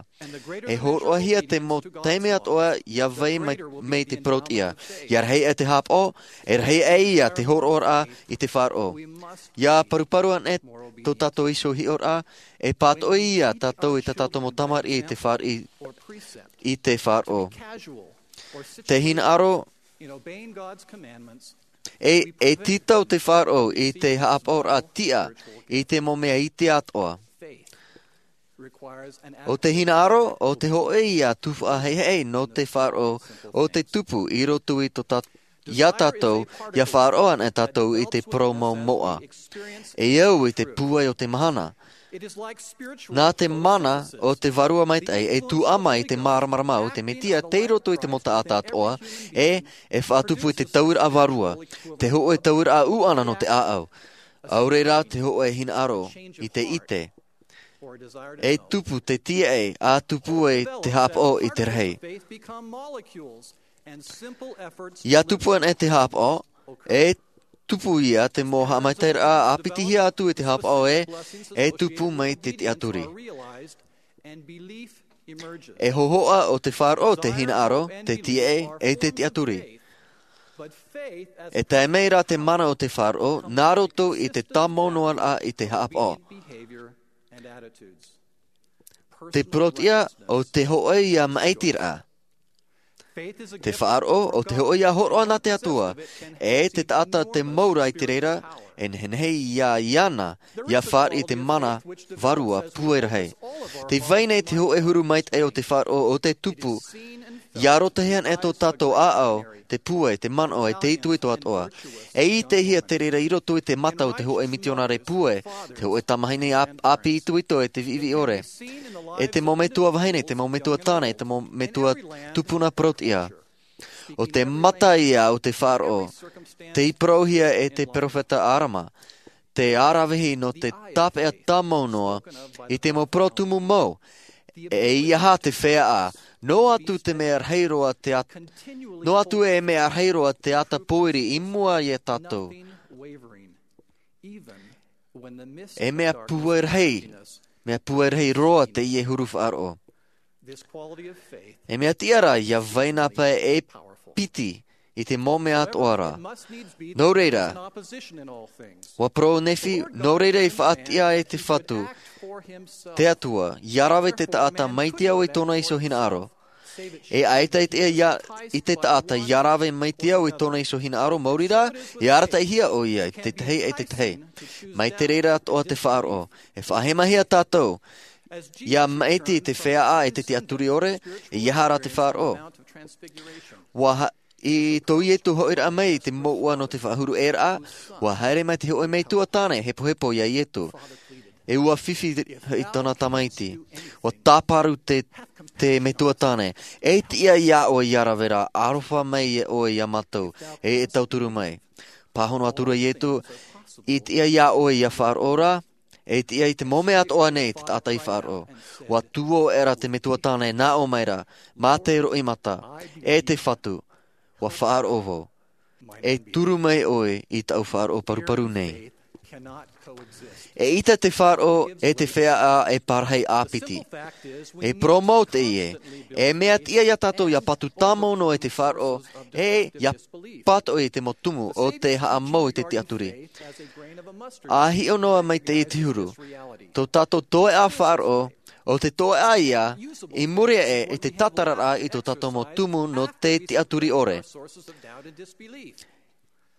E hōroʻahia te mau taime atoʻa ʻia vai mai, mai te parauʻtiʻa. ʻIa rahi aʻe te haʻapaʻo, e rahi aʻe ia te hōroʻaraʻa i te faʻaroʻo. ʻIa paruparu anaʻe tō tātou iho hiʻoraʻa, e pātoʻi ia tātou i tā tātou mau tamariʻi i te faʻar-, i, i te faʻaroʻo. Te hinaʻaro, e, e tītau te faʻaroʻo i te haʻapaʻoraʻa tiʻa i te mau mea iti atoʻa. ʻO te hinaʻaro, ʻo te hōʻē ia tuhaʻa haʻehaʻe nō te faʻaroʻo, ʻo te tupu i roto i tō tā-, iā tātou, ʻia faʻaroʻo anaʻe tātou i te parau mau moʻa. E au i te pūai o te mahana. Nā te mana o te Vārua Maitaʻi e tuʻu mai i te māramarama o te Mesia tei roto i te mau taʻata atoʻa, e, e faʻatupu i te tauiraʻa vārua, te hōʻē tauiraʻa ʻūʻana nō te ʻāʻau. ʻAore rā te hōʻē hinaʻaro i te ʻite. E tupu te tīaʻi, ʻa tupu ai te haʻapaʻo i te rahi. ʻIa tupu anaʻe te haʻapaʻo, e tupu ia te mau haʻamaitaʻiraʻa ʻāpitihia atu i te haʻapaʻo e, e tupu mai te tiʻaturi. E hōhoʻa ʻo te faʻaroʻo te hinaʻaro, te tīaʻi, e te tiʻaturi. E tae mai rā te mana o te faʻaroʻo, nā roto i te tāmau noa raʻa i te haʻapaʻo. Te parauʻtiʻa ʻo te hōʻē ia maʻitiraʻa. Te faʻaroʻo ʻo te hōʻē ia hōroʻa nā te Atua, e te taʻata te mau ra i te reira, e nehenehe ia iāna, ʻia fāriʻi te mana vārua pūai rahi. Tē vai nei te hōʻē huru maitaʻi o te faʻaroʻo ʻo te tupu, ʻia roto hia anaʻe tō tātou ʻāʻau, te pūai, te manaʻo, e te itoito atoʻa. E ʻitehia te reira i roto i te mata o te hōʻē mitionare pūai, te hōʻē tamahine ʻā-, ʻāpī itoito e te viʻiviʻi ʻore. E te mau metua vahine, te mau metua tāne, te mau metua tupuna parauʻtiʻa. ʻO te mata ia o te faʻaroʻo, tei parauhia e te peropheta Arama, te ʻaravihi nō te tāpeʻa tāmau noa, i te mau parau tumu mau, e ʻeiaha te feiā, noa atu te mea rahi roa te at-, noa atu e mea rahi roa te ata pōiri i mua iā tātou. E mea pūai rahi, mea pūai rahi roa teie huru faʻaroʻo. E mea tiʻa rā, ʻia vai nā pae e piti i te mau mea atoʻa ra. Nō reira, ʻua parau Nephi, nō reira e faʻatiʻa e te Fatu, te Atua, ʻia rave te taʻata mai te ao i tōna iho hinaʻaro. E ʻaita e tiʻa ia, i te taʻata ʻia rave mai te ao i tōna iho hinaʻaro, maori rā, e arataʻihia ʻoia i te tahi e te tahi. Mai te reira atoʻa te faʻaroʻo, e faʻahemahia tātou, ʻia maʻiti i te feiā e te tiʻaturi ʻore, ʻeiaha rā te faʻaroʻo. ʻUa ha-, i tō Iesu hoʻiraʻa mai i te mouʻa nō te faʻahuru ʻē ra, ʻua haere mai te hōʻē metua tāne hepohepo iā Iesu. E ʻua fifi i tōna tamaiti. ʻUa tāparu te, te metua tāne. E tiʻa iā ʻoe ʻia rave ra, aroha mai ʻoe iā mātou, e, e tauturu mai. Pāhono atu ra Iesu, e tiʻa iā ʻoe ʻia faʻaroʻo ra, E tiʻa i te mau mea atoʻa nei te taʻata i faʻaroʻo. Ua tuō ʻera te metua tāne nā ʻō mai ra, mā te roʻi mata, e te fatu, ua faʻaroʻo vau. E turu mai ʻoe i taʻu faʻaroʻo paruparu nei. E ʻita te faʻaroʻo e te feiā e parahi ʻāpiti. E poromo teie, e mea tiʻa iā tātou ia patu tāmau noa i te faʻaroʻo, e ia pātoʻi i te mau tumu o te haʻamau i te tiʻaturi. A hiʻo noa mai teie te huru, tō tātou toeʻa faʻaroʻo, o te toeʻa ia, i muri aʻe i te tātararaʻa i tō tātou mau tumu nō te tiʻaturi ʻore.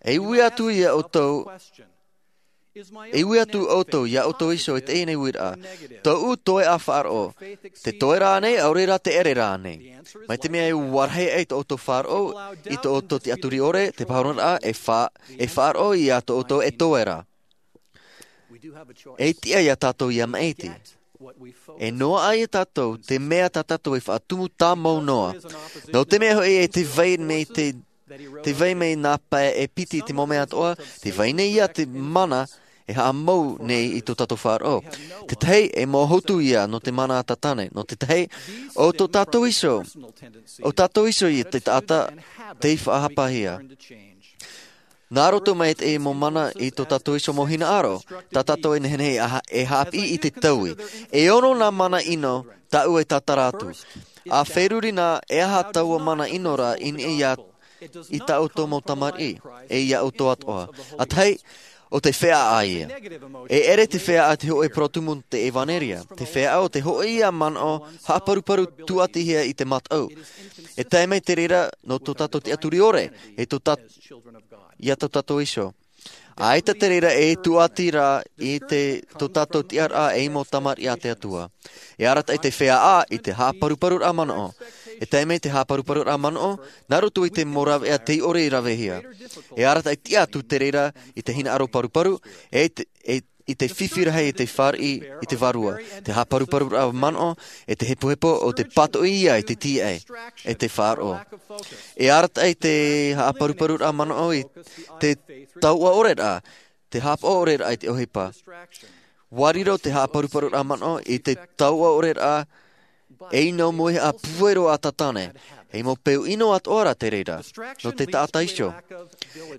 E ui atu ia ʻoutou, e ui atu ʻoutou ia ʻoutou iho i teie nei uiraʻa. Tōʻu toeʻa faʻaroʻo, te toe rānei, ʻaore rā te ʻere rānei? Mai te mea e ua rahi ai tō ʻoutou faʻaroʻo i tō ʻoutou tiʻaturi ʻore, te pāhonoraʻa e fa-, e faʻaroʻo ia tō ʻoutou e toe ra. E tiʻa iā tātou ia maʻiti. E noaʻa iā tātou te mea tā tātou e faʻatumu tāmau noa. Nō te mea hoʻi e te vai mai te, te vai mai nā pae e piti i te mau mea atoʻa, te vai nei ia te mana e haʻamau nei i tō tātou faʻaroʻo. Te tahi e mau hotu ia nō te mana a Tātane. Nō te tahi, o tō tātou iho, o tātou iho ia te taʻata tei faʻahapahia. Nā roto mai te mau mana i tō tātou iho mau hinaʻaro, tā tātou e nehenehe e ha-, e haʻapiʻi i te taui. E ono nā mana ʻino tāʻu e tātara atu. A feruri na, e aha taua mana ʻino ra i niʻa iā, i tā ʻoutou mau tamariʻi, e iā ʻoutou atoʻa. A tahi, o te feiā ia. E ʻere te feiā te hōʻē parau tumu te ʻevanelia. Te feiā o te hōʻē ia manaʻo, haʻaparuparu tūʻatihia i te mataʻu. E tae mai te reira nō tō tātou tiʻaturi ʻore, e tō tā-, iā tō tātou iho. ʻAita te reira e tūʻati ra i te, tō tātou tiʻaraʻa ei mau tamariʻi a te Atua. E arataʻi te feiā i te haʻaparuparuraʻa manaʻo. E tae mai te haʻaparuparuraʻa manaʻo, nā roto i te mau raveʻa tei ʻore i ravehia. E arataʻi tiʻa atu te reira i te hinaʻaro paruparu, e te, e, i te fifi rahi e te fāriʻi i te vārua. Te haʻaparuparuraʻa manaʻo, e te hepohepo o te pātoʻi ia i te tīaʻi, e te faʻaroʻo. E arataʻi te haʻaparuparuraʻa manaʻo i te tauʻa ʻore ra, te haʻapaʻo ʻore ra i te ʻohipa. Ua riro te haʻaparuparuraʻa manaʻo i te tauʻa ʻore ra, e ʻino moʻe a puero a Tātane, e mau peu ʻino atoʻa ra te reira, nō te taʻata iho.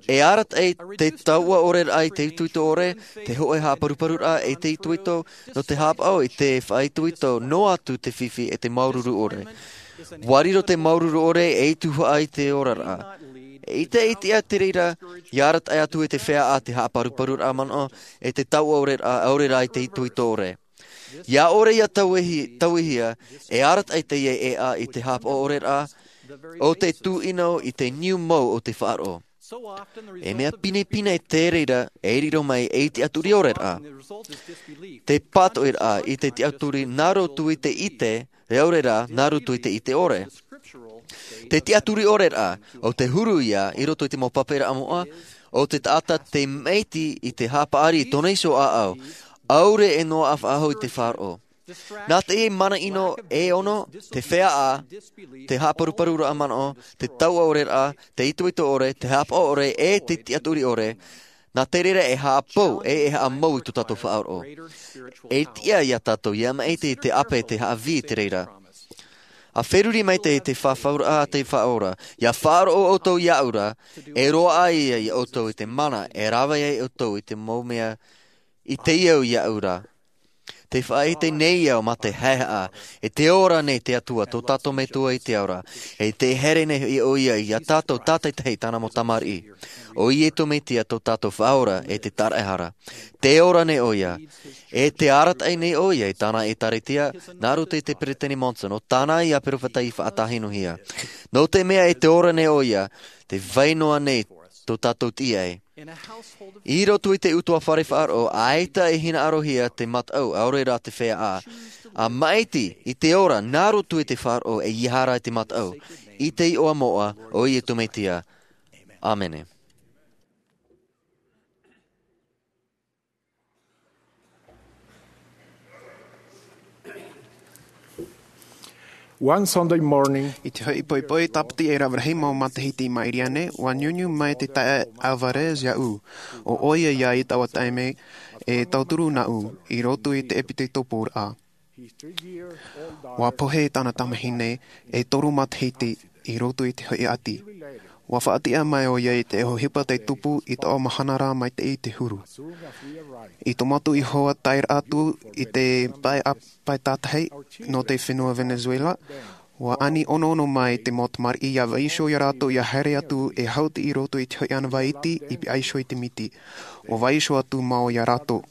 E arataʻi te tauʻa ʻore ra i te itoito ʻore, te hōʻē haʻaparuparuraʻa i te itoito, nō te haʻapaʻo i te faʻaitoito noa atu te fifi e te māuruuru ʻore. Ua riro te māuruuru ʻore ei tuhaʻa i te oraraʻa. E ʻite, e tiʻa te reira, ia arataʻi atu e te feiā te haʻaparuparuraʻa manaʻo, e te tauʻa ʻore ra, ʻaore rā i te itoito ʻore. Ia ʻore ia tauihi-, tauihia, e arataʻi teie ʻēʻa i te haʻapaʻo ʻore ra, o te tūʻino i te niu mau o te faʻaroʻo. E mea pinepine te reira e riro mai ei tiʻaturi ʻore ra. Te pātoʻiraʻa i te tiʻaturi nā roto i te ʻite, e ʻaore rā, nā roto i te ʻite ʻore. Te tiʻaturi ʻore ra, o te huru ia i roto i te mau pape ra moʻa, o te taʻata te maʻiti i te haʻapaʻari i tōna iho ʻāʻau, ʻaore e noaʻa faʻahou i te faʻaroʻo. Nā te mana ʻino e ono, te feiā, te haʻaparuparuraʻa manaʻo, te tauʻa ʻore ra, te itoito ʻore, te haʻapaʻo ʻore, e te tiʻaturi ʻore, nā te reira e haʻapou, e, e haʻamau i tō tātou faʻaroʻo. E tiʻa iā tātou ia maʻiti te ʻape te haʻavī i te reira. A feruri mai te, te fafauraʻa a te Faʻaora, ia faʻaroʻo ʻoutou iāʻu ra, e roaʻa ia, ia ʻoutou i te mana, e rave ai ʻoutou i te mau mea, i te au iāʻu ra. Te faʻaʻite nei au mā te haʻehaʻa, e tē ora nei te Atua tō tātou Metua i te ao ra, e tē haere nei hoʻi ʻo ia iā tātou tātaʻitahi tāna mau tamariʻi. ʻO Iesu Mesia tō tātou Faʻaora e te Taraʻehara. Tē ora nei ʻo ia, e tē arataʻi nei ʻo ia i tāna ʻĒtārētia, nā roto i te Peresideni Monson, ʻo tāna ia peropheta i faʻatāhinuhia. Nō te mea e tē ora nei ʻo ia, tē vai noa nei tō tātou tīaʻi. I roto i te ʻutuāfare faʻaroʻo, ʻaita e hinaʻarohia te mataʻu, ʻaore rā te feiā. ʻA maʻiti i te ora, nā roto i te faʻaroʻo e ia haere i te mataʻu. I te iʻoa moʻa o Iesu Mesia. ʻĀmene. One Sunday morning, i te hoʻi poʻipoʻi tāpiti e rave rahi mau matahiti i maʻiri aʻe, ʻua niuniu mai te taeaʻe Alvarez iāʻu. ʻO ʻoia ia i taua taime, E tauturu nāʻu i roto i te ʻepiteitoporaʻa. Ua pohe tāna tamahine e toru matahiti i roto i te hoʻi ʻati. Ua faʻatiʻa mai ʻoia i te ʻohipa tei tupu i taua mahana ra mai te, i te huru. I tō mātou iho ā taeraʻa atu i te pae, pae tātahi nō te fenua Venezuela, ua ani onoono mai te mau tamariʻi ʻia vaiiho iā rātou ʻia haere atu e haʻuti i roto i te hoʻi ʻānāvai iti i vaiiho i te miti. Ua vaiiho atu māua iā rātou.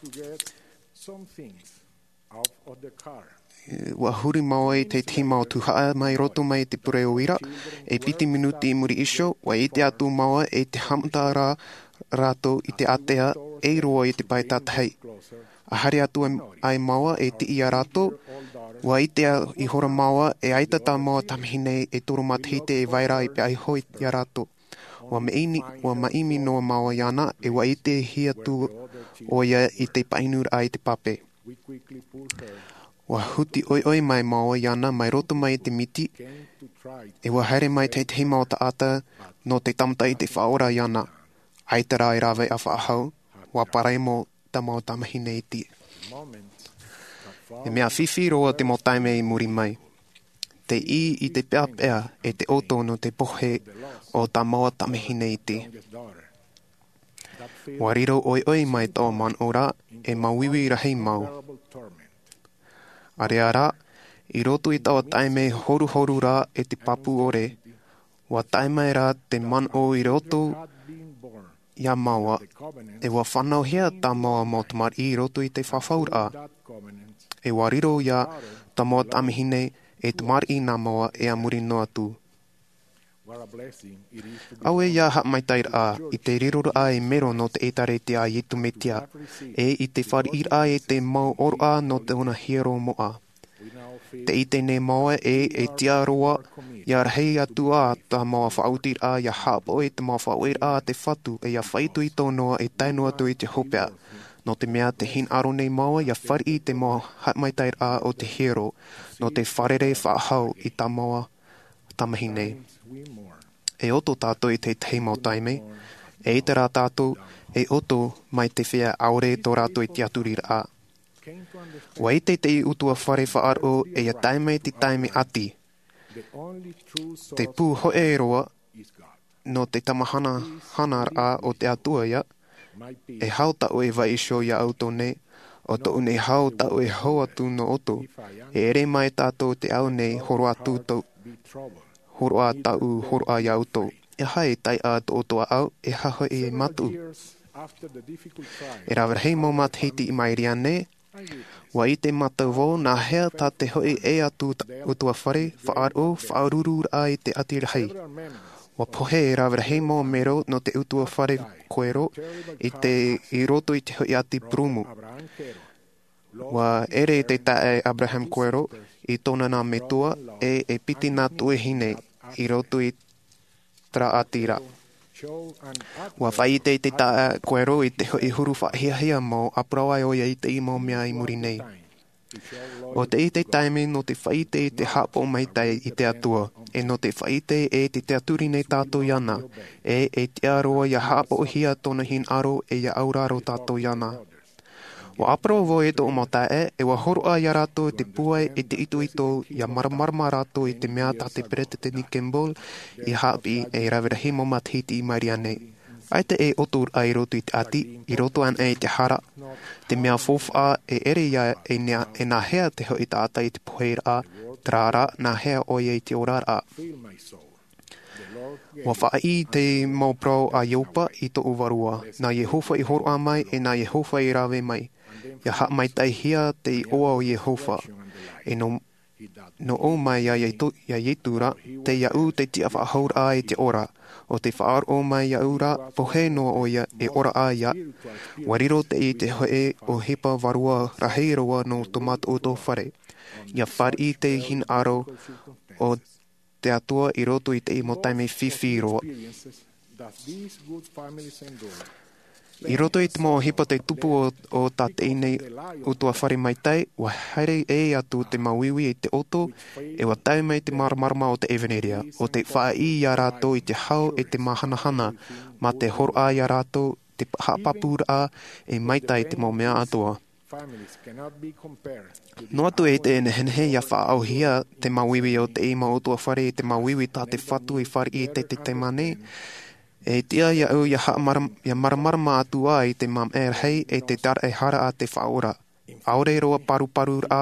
Ua huri māua i te tahi mau tuhaʻa mai roto mai te pure o ira, e piti minuti i muri iho, ua ʻite atu māua i te haʻamata ra rātou i te ātea, e roa i te pae tātahi. ʻA haere atu ai māua e tiʻi iā rātou, ua ʻite ihora māua e ʻaita tā māua tamahine e toru matahiti e vai ra i vaiiho iā rātou. Ua maʻimi, ua maʻimi noa māua iāna, e ua ʻitehia atu ʻoia i te painuraʻa i te pape. Ua huti ʻoiʻoi mai māua iāna mai roto mai i te miti, e ua haere mai te tahi mau taʻata nō te tāmata i te faʻaora iāna. ʻAita rā e rave ʻa faʻahou, ua paremo tā māua tamahine iti. E mea fifi roa te mau taime i muri mai. Te ʻī i te peʻapeʻa e te ʻoto nō te pohe o tā māua tamahine iti. Ua riro ʻoiʻoi mai taua manaʻo ra e māuiui rahi mau. ʻĀreʻa rā, i roto i taua taime horuhoru ra e te pāpū ʻore, ua tae mai ra te manaʻo i roto iā māua, e ua fānauhia tā māua mau tamariʻi i roto i te fafauraʻa, e ua riro iā tā māua tamahine e tamariʻi nā māua e a muri noa atu. ʻAuē ia haʻamaitaʻiraʻa i te riroraʻa e mero nō te ʻĒtārētia a Iesu Mesia, e i te fāriʻiraʻa e te mau ʻōroʻa nō tōna hiero moʻa. Te ʻite nei māua e, e tiʻa roa, ia rahi atu ā tā māua faʻaotiraʻa ia haʻapaʻo i te mau faʻaueraʻa a te Fatu, e ia faʻaitoito noa e tae noa atu i te hopeʻa. Nō te mea tē hinaʻaro nei māua ia fāriʻi i te mau haʻamaitaʻiraʻa o te hiero, nō te fārerei faʻahou i tā māua tamahine. E ʻoto tātou i te tahi mau taime, e ʻite rā tātou, e ʻoto mai te feiā ʻaore tō rātou i te tiʻaturiraʻa. Ua ʻite te ʻutuāfare faʻaroʻo e ia tae mai te taime ʻati. Te pū hōʻē roa nō te tāmāhanahanaraʻa o te Atua ia, e hau tāʻu e vaiiho iā ʻoutou nei, ʻo tōʻu nei hau tāʻu e hau atu nō ʻoutou, e ʻere mai tātou te ao nei hōroʻa atu tō, hōroʻa tāʻu hōroʻa iā ʻoutou. E aha e taiʻa tō ʻoutou ʻāʻau, e aha hoʻi e mataʻu. E rave rahi mau matahiti i maʻiri aʻe nei, ua ʻite mātou vau nā hea tā te hoʻi ʻē atu ʻutuāfare, faʻaroʻo, faʻarururaʻa i te ʻati rahi. Ua pohe e rave rahi mau mero nō te ʻutuāfare Quero i te, i roto i te hoʻi ʻati purūmu. Ua ʻere te taeaʻe Abraham Quero i tōna nā metua e, e piti nā tuahine i roto i terā ʻati ra. Ua faʻaʻite te taeaʻe Quero i te hoʻi huru faʻahiahia mau, ʻa parau ai ʻoia i te mau mea i muri nei. ʻO teie te taime nō te faʻaʻite i te haʻapaʻo maitaʻi i te Atua, e nō te faʻaʻite e te tiʻaturi nei tātou iāna, e, e tiʻa roa ia haʻapaʻohia tōna hinaʻaro e ia auraro tātou iāna. Ua ʻāparau vau i tōʻu mau taeaʻe, e ua hōroʻa iā rātou te pūai e te itoito ia māramarama rātou i te mea tā te Peresideni Kimball i haʻapiʻi e rave rahi mau matahiti i maʻiri aʻe nei. ʻAita e ʻoto ra i roto i te ʻati, i roto anaʻe i te hara, te mea faufaʻa e ʻere ia e nā, e nā hea te hoʻi taʻata i te poheraʻa, terā rā, nā hea ʻoia i te oraraʻa. Ua faʻaʻī te mau parau a Ioba i tōʻu vārua, nā Iehova i hōroʻa mai, e nā Iehova i rave mai. Ia haʻamaitaʻihia te iʻoa o Iehova. E nō, nō ʻō mai iā Iesu, iā Iesu ra, tei iāʻu te tiʻafaʻahouraʻa e te ora. ʻO tē faʻaroʻo mai iāʻu ra, pohe noa ʻoia, e ora ā ia. Ua riro teie te hoʻi ʻohipa vārua rahi roa nō tō mātou ʻutuāfare. Ia fāriʻi te hinaʻaro o te Atua i roto i te mau taime fifi roa. I roto i te mau ʻohipa tei tupu o, o tā teie nei ʻutuāfare maitaʻi, ua haere ʻē atu te māuiui i te ʻoto, e ua tae mai te māramarama o te ʻevanelia, ʻo tē faʻaʻī iā rātou i te hau e te māhanahana, mā te hōroʻa iā rātou te haʻapāpūraʻa e maitaʻi te mau mea atoʻa. Noa atu e te nehenehe ia faʻaʻauhia te māuiui o te mau utuafare i te māuiui tā te Fatu i fāriʻi i te taime nei, e tiʻa iāʻu ia haʻamāramarama atu ā i te māmaʻa rahi e te taraʻehara a te Faʻaora. ʻAore roa paruparuraʻa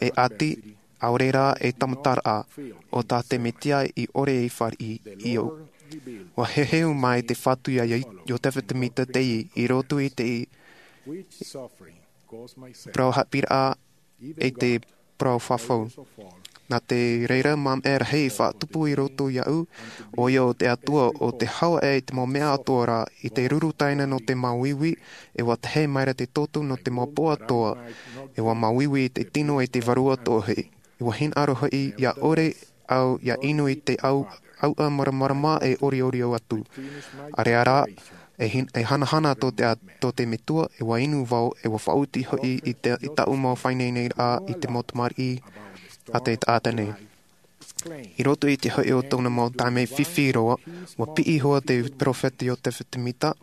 e ʻati, ʻaore rā e tāmataraʻa o tā te Mesia i ʻore i fāriʻi i ʻō. Ua heheu mai te Fatu iā Iosepha Semita te i roto i te parau haʻapiʻiraʻa e te parau fafau. Nā te reira māmaʻa rahi i faʻatupu i roto iāʻu, ʻoia o te Atua o te hau e te mau mea atoʻa rā, i te ruru taina nō te māuiui, e ua tahe maira te toto nō te mau pō atoʻa, e ua māuiui i te tino e te vārua atoʻa hoʻi. E ua hinaʻaro hoʻi ia ʻore au ia inu i te au ʻauʻa māramarama e ʻoriʻori atu. ʻAreʻa rā, e hin-, e hanahana tō te a-, tō te Metua, e ua inu vau, e ua faʻaoti hoʻi i te, i taʻu mau faʻaineine rā i te mau tamariʻi a te taʻata nei. I roto i te hoʻi o tōna mau taime fifi roa, ua piʻi iho ā te peropheta Iosepha Semita,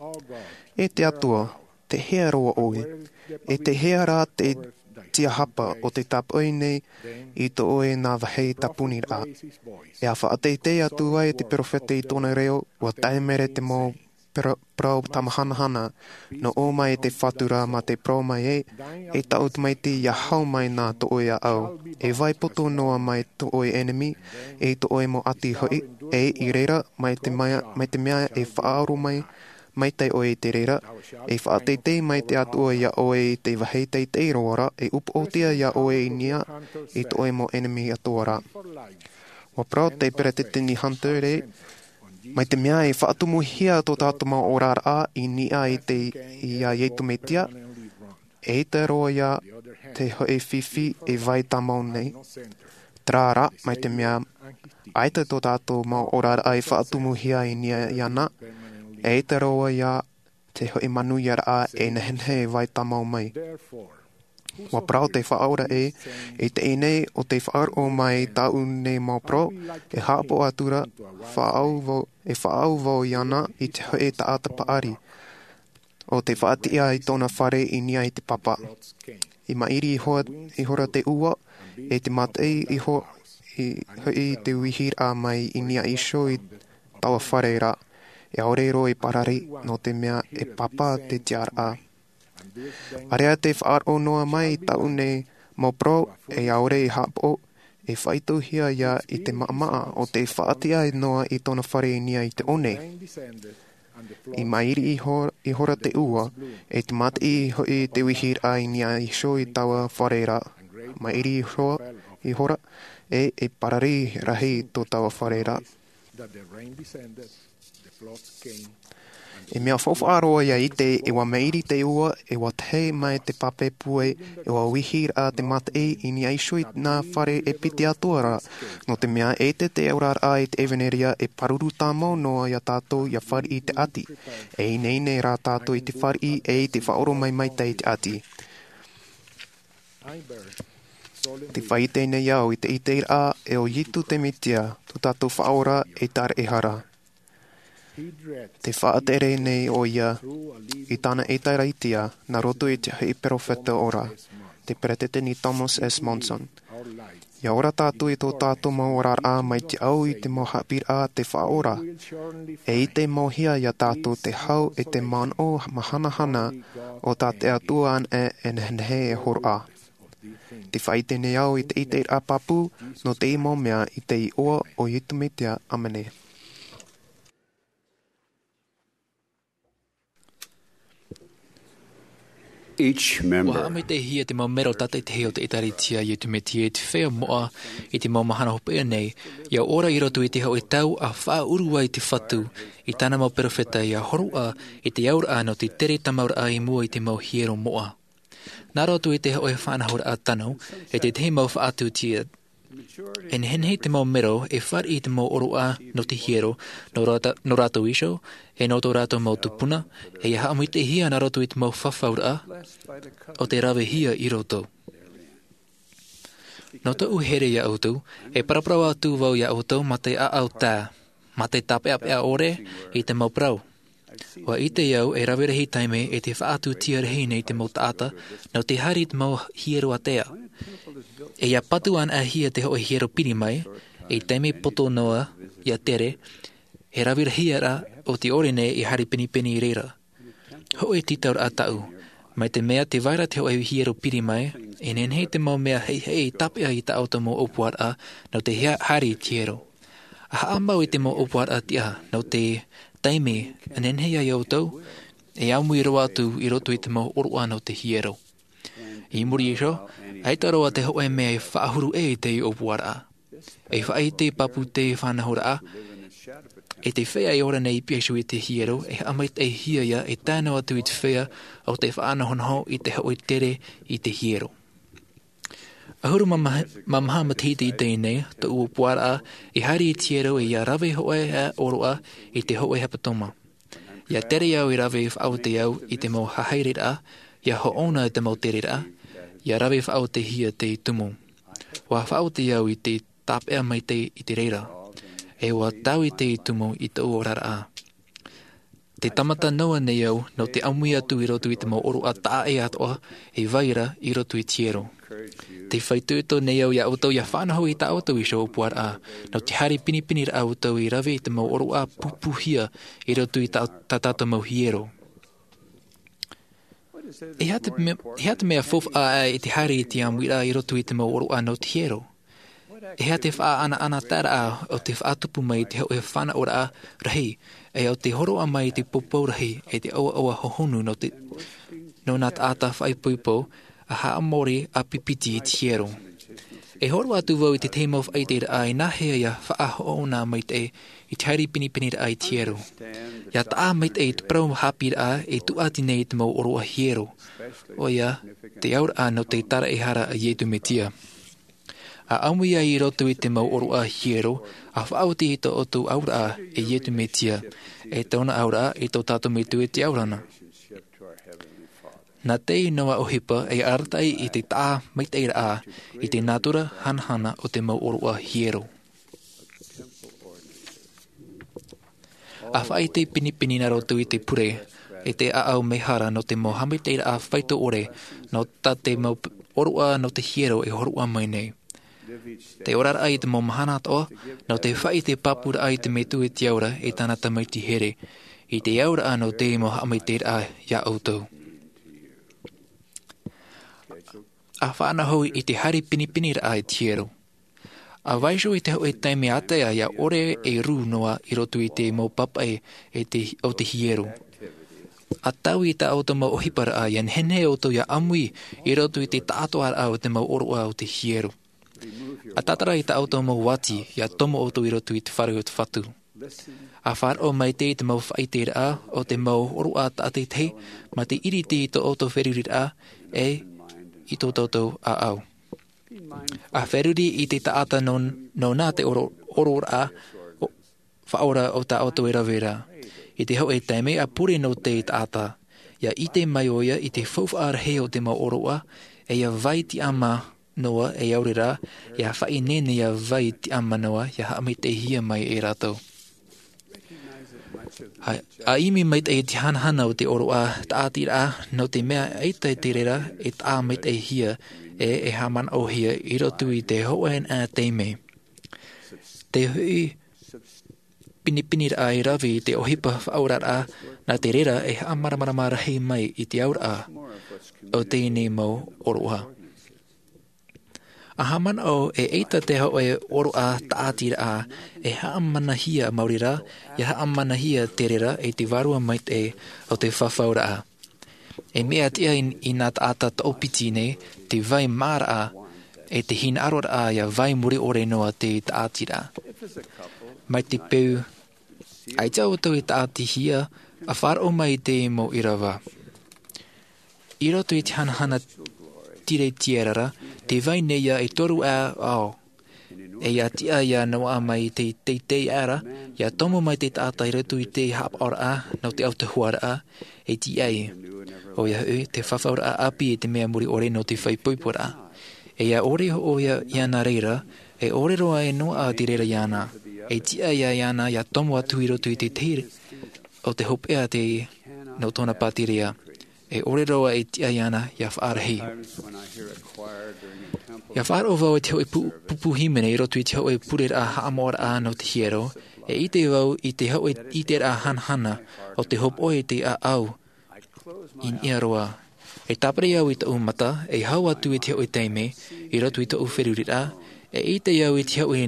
e te Atua, tei hea roa ʻoe, e tei hea rā te tiahapa o te tāpaʻo nei i tō ʻoe nā vāhi tāpuni rā. E a faʻateitei atu ai te peropheta i tōna reo, ua tae maira te mau parau tāmahanahana, nō ʻō mai te Fatu rā mā te parau mai ē, e taʻu tamaiti ia hau mai nā tō ʻoe ʻāʻau. E vai poto noa mai tō ʻoe ʻenemi, e tō ʻoe mau ʻati hoʻi, e i reira, mai te mea, mai te mea e faʻaaro mai, mai te ʻoe i te reira, e faʻateitei mai te Atua iā ʻoe i te vāhi teitei roa rā, e upoʻotia iā ʻoe i niʻa, i tō ʻoe mau ʻenemi atoʻa rā. Ua parau te peresideni Hunter ē, mai te mea e faʻatumuhia tō tātou mau oraraʻa i niʻa i te, iā Iesu Mesia, e ʻaita roa ia te hoʻi fifi e vai tāmau nei. Terā rā, mai te mea, ʻaita tō tātou mau oraraʻa e faʻatumuhia i niʻa iāna, e ʻaita roa ia te hoʻi manuiaraʻa e nehenehe e vai tāmau mai. Ua parau te Faʻaora ē, i teie nei ʻo tē faʻaroʻo mai tāʻu nei mau parau, e haʻapaʻo atu ra, faʻaau vau, e faʻaau vau iāna i te hoʻi taʻata paʻari, ʻo tē faʻatiʻa i tōna fare i niʻa i te papa. I maʻiri ihora, ihora te ua, e tē mataʻi iho, i, hoʻi te uihiraʻa mai i niʻa iho i taua fare ra, e ʻaore roa i parari, nō te mea e papa te tiʻaraʻa. ʻAreʻa tē faʻaroʻo noa mai i tāʻu nei mau parau, e ʻaore i haʻapaʻo, e faʻaitohia ia i te maʻamaʻa ʻo tē faʻatiʻa noa i tōna fare i niʻa i te ʻō nei. I maʻiri iho, ihora te ua, e tē mataʻi hoʻi te uihiraʻa i niʻa iho i taua fare ra. Maʻiri iho, ihora, e, e parari rahi tō taua fare ra. E mea faufaʻa roa ia ʻite, e ua maʻiri te ua, e ua tae mai te pape pue, e ua uihiraʻa te mataʻi i niʻa iho i nā fare e piti atoʻa ra, nō te mea ʻaita te oraraʻa i te ʻevanelia e pāruru tāmau noa ia tātou ia fāriʻi i te ʻati. E ineine rā tātou i te fāriʻi e i te faʻaoromaitaʻi i te ʻati. Tē faʻaʻite nei au i te ʻiteraʻa e ʻo Iesu te Mesia, tō tātou Faʻaora e taraʻehara. Tē faʻatere nei ʻoia i tāna ʻēkālesia nā roto i te hoʻi peropheta ora, te Peresideni Thomas S. Monson. ʻIa ora tātou i tō tātou mau oraraʻa mai te au i te mau haʻapiʻiraʻa a te Faʻaora. E ʻite mau hia ia tātou te hau e te manaʻo mahanahana o tā te Atua anaʻe e nehenehe e hōroʻa. Tē faʻaʻite nei au i te ʻiteraʻa pāpū nō te mau mea i te iʻoa o Iesu Mesia. ʻĀmene. Each member. Ua haʻamaitaʻihia te mau mero tātaʻitahi o te ʻĒtārētia a Iesu Mesia i te feiā moʻa i te mau mahana hopeʻa nei, ʻia ora i roto i te hōʻē tau a faʻaʻuru ai te Fatu i tāna mau peropheta ʻia hōroʻa i te auraʻa nō te tere tāmauraʻa i mua i te mau hiero moʻa. Nā roto i te hōʻē faʻanahoraʻa tano, e tētahi mau faʻatuʻutia, e nehenehe te mau mero e fāriʻi i te mau ʻōroʻa nō te hiero, nō rāta-, nō rātou iho, e nō tō rātou mau tupuna, e ʻia haʻamaitaʻihia nā roto i te mau fafauraʻa, ʻo tē ravehia i roto. Nō tōʻu here ia ʻoutou, e paraparau atu vau ia ʻoutou mā te ʻāʻau tae, mā te tāpeʻapeʻa ʻore i te mau parau. Ua ʻite au e rave rahi taime e te faʻatutia rahi nei te mau taʻata nō te haere i te mau hiero ātea. E ia patu anaʻe hia te hoʻe hiero piri mai, e taime poto noa ia tere, e rave rahi ra o te ʻore nei e haere pinepine i reira. Hoʻe tītauraʻa taʻu, mai te mea te vai ra te hoʻe hiero piri mai, e nehenehe te mau mea heihei e tāpeʻa i tā ʻoutou mau ʻōpuaraʻa nō te hea haere i te hiero. A haʻamau i te mau ʻōpuaraʻa tiʻa nō te taime e nehenehe ai ʻoutou e ʻāmui roa atu i roto i te mau ʻōroʻa nō te hiero. I muri iho, ʻaita roa te hoʻe mea e faʻahuru ʻē i te ʻōpuaraʻa. E faʻaʻite pāpū te faʻanahoraʻa, e te feiā e ora nei i piha iho i te hiero, e haʻamaitaʻihia ia e tae noa atu i te feiā o te faʻanahonaho i te hoʻe tere i te hiero. ʻAhuru mā maha, mā maha matahiti i teie nei, tōʻu ʻōpuaraʻa i haere i te hiero e ia rave hoʻi ʻōroʻa i te hoʻe hepetoma. Ia tere au i rave faʻaotiraʻa i te mau haereraʻa, ia hoʻona i te mau tereraʻa, ia rave faʻaotihia te tumu. Ua faʻaoti au i te tāpeʻa maitaʻi i te reira. E ua taui te tumu i tōʻu oraraʻa. Te tāmata noa nei au nō te ʻāmui atu i roto i te mau ʻōroʻa taʻa ʻē atoʻa e vai ra i roto i te hiero. Te faʻaitoito nei au ia ʻoutou ia faʻanaho i tā ʻoutou iho ʻōpuaraʻa, nō te haere pinepineraʻa ʻoutou i rave i te mau ʻōroʻa pūpūhia i roto i tā, tā tātou mau hiero. E aha te me-, e aha te mea faufaʻa aʻe i te haere i te ʻāmuiraʻa i roto i te mau ʻōroʻa nō te hiero? E aha te faʻaʻanaʻanataeraʻa o te faʻatupu mai i te hoʻe fānaʻoraʻa rahi, e o te hōroʻa mai i te poupou rahi, e te ʻoaʻoa hohonu nō te, nō nā taʻata faʻaipoipo, a haʻamori ʻāpipiti i te hiero. E hōroʻa atu vau i te tahi mau faʻaʻiteraʻa e nāhea ia faʻahoʻona maitaʻi i te haere pinepineraʻa i te hiero. Ia taʻa maitaʻi te parau haʻapiʻiraʻa e tūʻati nei i te mau ʻōroʻa hiero. ʻOia, te auraʻa nō te taraehara a Iesu Mesia. A ʻāmui ai i roto i te mau ʻōroʻa hiero, a faʻaoti i tō ʻoutou auraʻa e Iesu Mesia, e tōna auraʻa i tō tātou Metua i te ao ra na. Nā te noa ʻohipa e arataʻi i te taʻa maitaʻiraʻa i te natura hanahana o te mau ʻōroʻa hiero. A faʻaʻite pinepine nā roto i te pure, e te ʻāʻau mehara nō te mau haʻamaitaʻiraʻa faito ʻore, nō tā te mau p-, ʻōroʻa nō te hiero e hōroʻa mai nei. Te oraraʻa i te mau mahana atoʻa, nō te faʻaʻite pāpūraʻa i te Metua i te ao ra e tāna tamaiti here, i te auraʻa nō te mau haʻamaitaʻiraʻa ia ʻoutou. A faʻanaho i te haere pinepineraʻa i te hiero. A vaiiho i te hoʻe taime ātea ia ʻore e rū noa i roto i te mau papaʻi e te, o te hiero. A taui i tā ʻoutou mau ʻohiparaʻa ia nehenehe ʻoutou ia ʻāmui i roto i te taʻatoʻaraʻa o te mau ʻōroʻa o te hiero. A tātara i tā ʻoutou mau uati, ia tomo ʻoutou i roto i te fare o te Fatu. A faʻaroʻo maitaʻi i te mau faʻaʻiteraʻa o te mau ʻōroʻa tātaʻitahi, mā te ʻiriti i tō ʻoutou feruriraʻa, e i tō tātou ʻāʻau. A feruri i te taʻata nō, nō nā te oro-, ororaʻa, o, faʻaora o tā ʻoutou e rave ra. I te hoʻe taime a pure nō te taʻata. Ia ʻite mai ʻoia i te faufaʻa rahi o te mau ʻōroʻa, e ia vai tiʻamā noa e aore rā, ia faʻaineine ia vai tiʻamā noa, ia haʻamaitaʻihia mai e rātou. A, a ʻimi maitaʻi i te hanahana o te ʻōroʻa tāʻatiraʻa, nō te mea ʻaita te reira e taʻa maitaʻihia, e, e haʻamanaʻohia i roto i te hoʻē taime. Te hoʻi pinepineraʻa e rave i te ʻohipa faʻaoraraʻa, nā te reira e haʻamāramarama rahi mai i te auraʻa o teie nei mau ʻōroʻa. A haʻamanaʻo e ʻaita te hoʻē ʻōroʻa tāʻatiraʻa, e haʻamanahia maori rā, ia haʻamanahia te reira e te vārua maitaʻi o te fafauraʻa. E mea tiʻa i, i nā taʻata toʻopiti nei, te vai maraʻa, e te hinaʻaroraʻa ia vai mure ʻore noa te tāʻatiraʻa. Mai te peu, ʻaita ʻoutou e tāʻatihia, a faʻaroʻo mai i te mau ʻīrava. I roto i te hanahana tiretiarara, te vai nei ia e toru ā ao. E ia tiʻa ia noaʻa mai te teitei aʻera, ia tomo mai te taʻata i roto i te haʻapaʻoraʻa, nō te autahuʻaraʻa, e tiʻa ai. ʻOia hoʻi, te fafauraʻa ʻāpī e te mea mure ʻore nō te faʻaipoiporaʻa. E ia ʻore hoʻi ia, iāna reira, e ʻore roa e noaʻa te reira iāna. E tiʻa ia iāna ia tomo atu i roto i te tahi o te hopeʻa te nō tōna pātireia. E ʻore roa e tiʻa iāna ia faʻarahi. Ia faʻaroʻo vau i te hoʻi pupu hīmene i roto i te hoʻi pureraʻa haʻamoʻaraʻa nō te hiero. E ʻite vau i te hoʻi ʻiteraʻa hanahana o te hopoʻa i te ʻaʻau i niʻa roa. E tāpiri au i taʻu mata e hau atu i te hoʻi taime i roto i taʻu feruriraʻa. E ʻite au i te hoʻi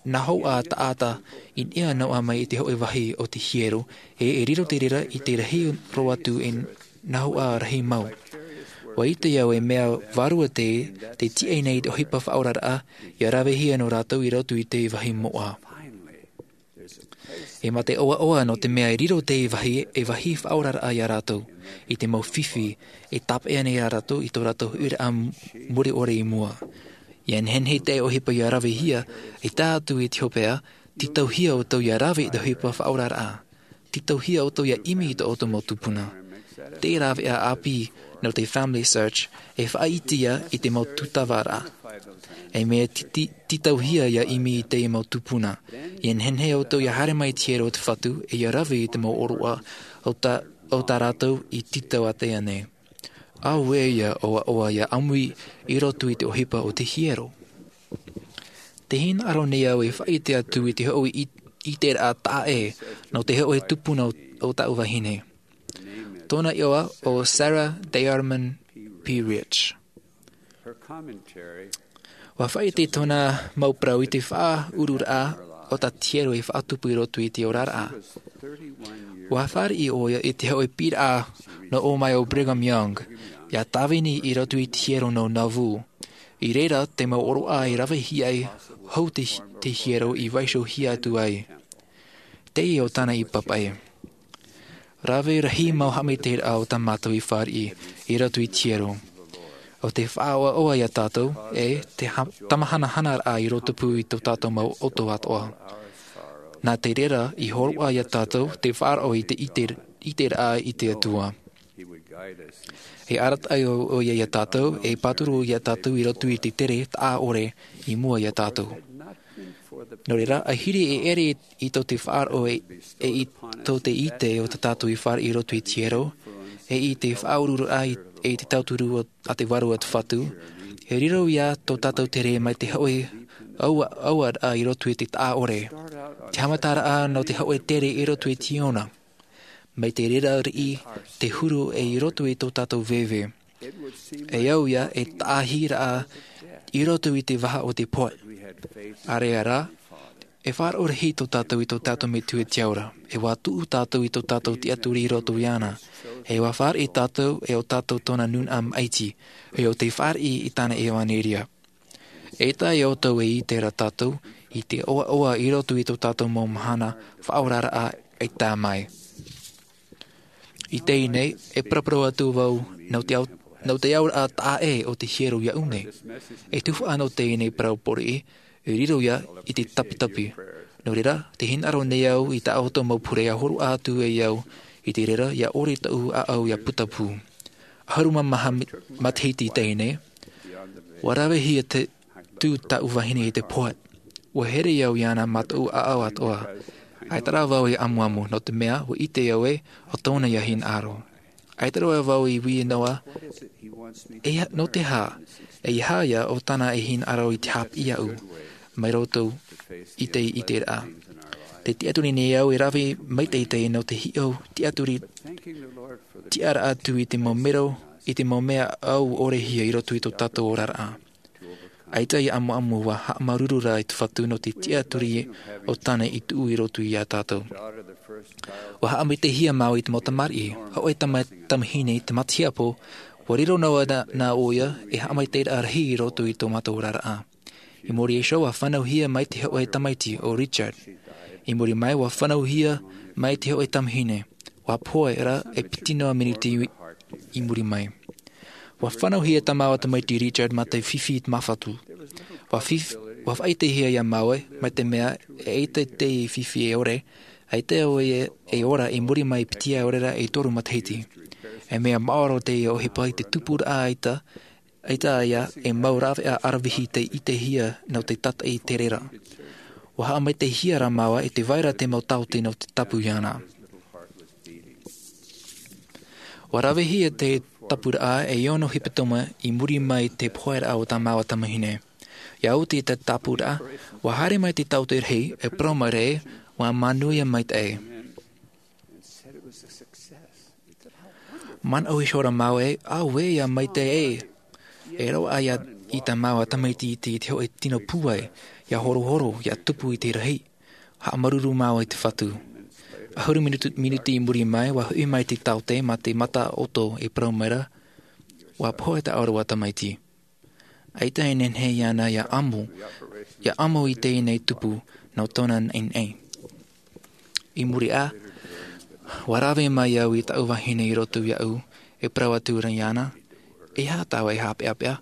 nahoʻa taʻata i niʻa noa mai i te hoʻi vahi o te hiero. E e riro te reira i te rahi roa atu e nahoʻa rahi mau. Ua ʻite au e mea vārua te te tiʻa nei i te ʻohipa faʻaoraraʻa ia ravehia nō rātou i roto i te vahi moʻa. E mā te ʻoaʻoa nō te mea e riro te vahi e vahi faʻaoraraʻa iā rātou i te mau fifi e tāpeʻa nei iā rātou i tō rātou huiraʻa mure ʻore i mua. Ia nehenehe te ʻohipa ia ravehia e tae atu i te hopeʻa. Tītauhia ʻoutou ia rave i te ʻohipa faʻaoraraʻa. Tītauhia ʻoutou ia ʻimi i tō ʻoutou mau tupuna. Te rāveʻa ʻāpī nō te family search e faʻaʻite ia i te mau tūtavaraʻa. E mea tītauhia ia ʻimi i te mau tupuna. Ia nehenehe ʻoutou ia haere mai i te hiero o te fatu e ia rave i te mau ʻōroʻa o tā rātou i tītau atu nei. Auē ia ʻoaʻoa ia ʻāmui i roto i te ʻohipa o te hiero. Te hinaʻaro nei au e faʻaʻite atu i te hoʻi ʻiteraʻa taʻa ʻē nō te hoʻi tupuna o taʻu vahine. Tōna iʻoa o Sarah Diarman P. Rich. Ua faʻaʻite tōna mau parau i te faʻaururaʻa o tā te hiero e faʻatupu i roto i te oraraʻa. Ua fāriʻi ʻoia i te hoʻi pīraʻa nō ʻō mai o Brigham Young ia tāvini i roto i te hiero nō Nauvoo. I reira te mau ʻōroʻa e ravehia ai hou te hiero i vaiihohia atu ai. Teie o tāna i papaʻi. Rave rahi mau haʻamaitaʻiraʻa o tā mātou i fāriʻi i roto i te hiero. ʻO te faʻaʻoaʻoa iā tātou e te tamahanahanaraʻa i roto pū i tō tātou mau ʻoto atoʻa. Nā te reira i hōroʻa iā tātou te faʻaroʻo i te ʻiteraʻa i te atua. E arataʻi ʻoia iā tātou e pāturu iā tātou i roto i te tere taʻa ʻore i mua iā tātou. Nō reira a hiri e ʻere i tō te faʻaroʻo e i tō te ʻite o tā tātou i fāriʻi i roto i te hiero e i te faʻaururaʻa e i te tauturu a te vārua o te fatu. E riro ia tō tātou tere mai te hoʻi auaraʻa i roto i te taʻa ʻore. Te haʻamataraʻa nō te hoʻi tere i roto i te ʻona mai te reira riʻi te huru e i roto i tō tātou veve. E au ia e taʻahiraʻa i roto i te vaha o te poe. Area rā e faʻaroʻo rahi tō tātou i tō tātou metua i te aura. E ua tuʻu tātou i tō tātou tiʻaturi i roto iāna. E ua fāriʻi tātou e ʻo tātou tōna nūnaʻa maʻiti e ʻo te fāriʻi i tāna ʻevaneria. E tae ʻoutou e ʻite ra tātou i te ʻoaʻoa i roto i tō tātou mau mahana faʻaoraraʻa e tae mai. I teie nei e paraparau atu vau nō te auraʻa taʻa ʻē o te hiero iaʻu nei. E tufaʻa nō teie nei parau poriʻi e riro ia i te tapitapi. Nō reira te hinaʻaro nei au i tā ʻoutou mau pure a horoʻa atu e au i te reira ia ʻore taʻu ʻaʻau ia putapū. ʻAhuru mā maha matahiti i teie nei ua ravehia te tū taʻu vahine i te poe. Ua here au iāna mā taʻu ʻaʻau atoʻa. ʻAita rā vau i ʻamuʻamu nō te mea ua ʻite au e ʻo tōna ia hinaʻaro. ʻAita rā vau i ui noa e nō te hā e aha ia ʻo tāna e hinaʻaro i te hāpiʻi iaʻu mai roto i te ʻiteraʻa. Te tiʻaturi nei au e rave maitaʻi nō te hiʻo tiʻaturi tiʻaraʻa atu i te mau mero i te mau mea ʻau ʻorehia i roto i tō tātou oraraʻa. ʻAita ia ʻamuʻamu ua haʻamāuruuru rā i te fatu nō te tiʻaturi o tāna i tuʻu i roto iā tātou. Ua haʻamaitaʻihia māua i te mau tamariʻi hoʻi tamahine i te matahiapo. Ua riro noa nā ʻoia e haʻamaitaʻiraʻa rahi i roto i tō mātou oraraʻa. I muri iho ua fānauhia mai te hoʻi tamaiti o Richard. I muri mai ua fānauhia mai te hoʻi tamahine. Ua pohe rā e piti noa miniti i muri mai. Ua fānauhia tā māua tamaiti Richard mā te fifi i te māfatu. Ua faʻaʻitehia iā māua mai te mea e ʻaita te fifi e ʻore ʻaita ʻoia e ora i muri mai piti ʻaore rā e toru matahiti. E mea maoro teie ʻohipa i te tupuraʻa ʻaita ʻaita ia e mau raveʻa aravihi tei ʻitehia nō te tataʻi terera. Ua haʻamaitaʻihia rā māua i te vaira te mau taote nō te tapu iāna. Ua ravehia te tāpuraʻa e ono hepetoma i muri mai i te poheiraʻa o tā māua tamahine. ʻIa oti te tāpuraʻa, ua haere mai te taote rahi e parau mai ra, ua manuia maitaʻi. Manaʻo iho ra māua ē, auē, ʻia maitaʻi ē. E roaʻa ia i tā māua tamaiti i te, i te hōʻē tino pūai, ʻia horohoro, ʻia tupu i te rahi. Haʻamāuruuru māua i te Fatu. ʻAhuru minutu, minuti i muri mai, ua hoʻi mai te taote mā te mata ʻoto e parau mai ra, ua pohe taʻu ʻoe tamaiti. ʻAita e nehenehe iāna ʻia ʻamo, ʻia ʻamo i teie nei tupu nō tōna naʻinaʻi. I muri aʻe, ua rave mai au i taʻu vahine i roto iāʻu, e parau atu ra iāna, e aha tāua e haʻapeʻapeʻa,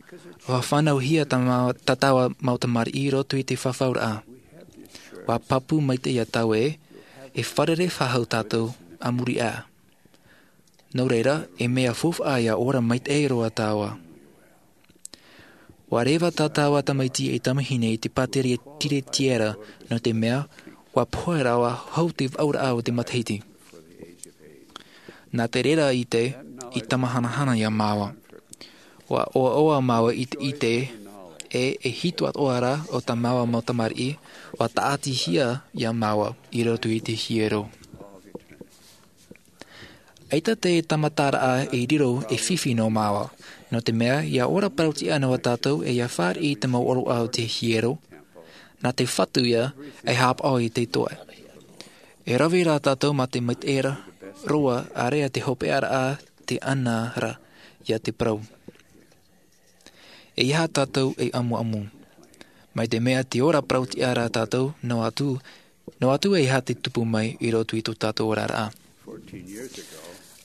ua fānauhia tā māua, tā tāua mau tamariʻi i roto i te fafauraʻa. Ua pāpū maitaʻi ia tāua ē, e fārerei faʻahou tātou a muri aʻe. Nō reira, e mea faufaʻa ʻia ora maitaʻi roa tāua. Ua reva tā tāua tamaiti e tamahine i te pāteria tiretiera, nō te mea, ua pohe roa hou te vaʻuraʻa o te matahiti. Nā te reira ʻite, i tamahanahana ia māua. Ua ʻoaʻoa māua i te ʻite, e, e hitu atoʻa ra o tā māua mau tamariʻi, ua tāʻatihia ia māua i roto i te hiero. ʻAita te tāmataraʻa e riro e fifi nō māua, nō te mea, ʻia ora parau-tiʻa noa tātou e ʻia fāriʻi i te mau ʻōroʻa o te hiero, nā te Fatu ïa e haʻapaʻo i te Atua. E rave rā tātou mā te maitaʻi ra, roa, ʻāreʻa te hopeʻaraʻa te ana ra, ʻia te parau. E aha tātou e amuamu? Mai te mea te ora parau-tiʻa ra tātou, noa atu, noa atu e aha te tupu mai i roto i tō tātou oraraʻa.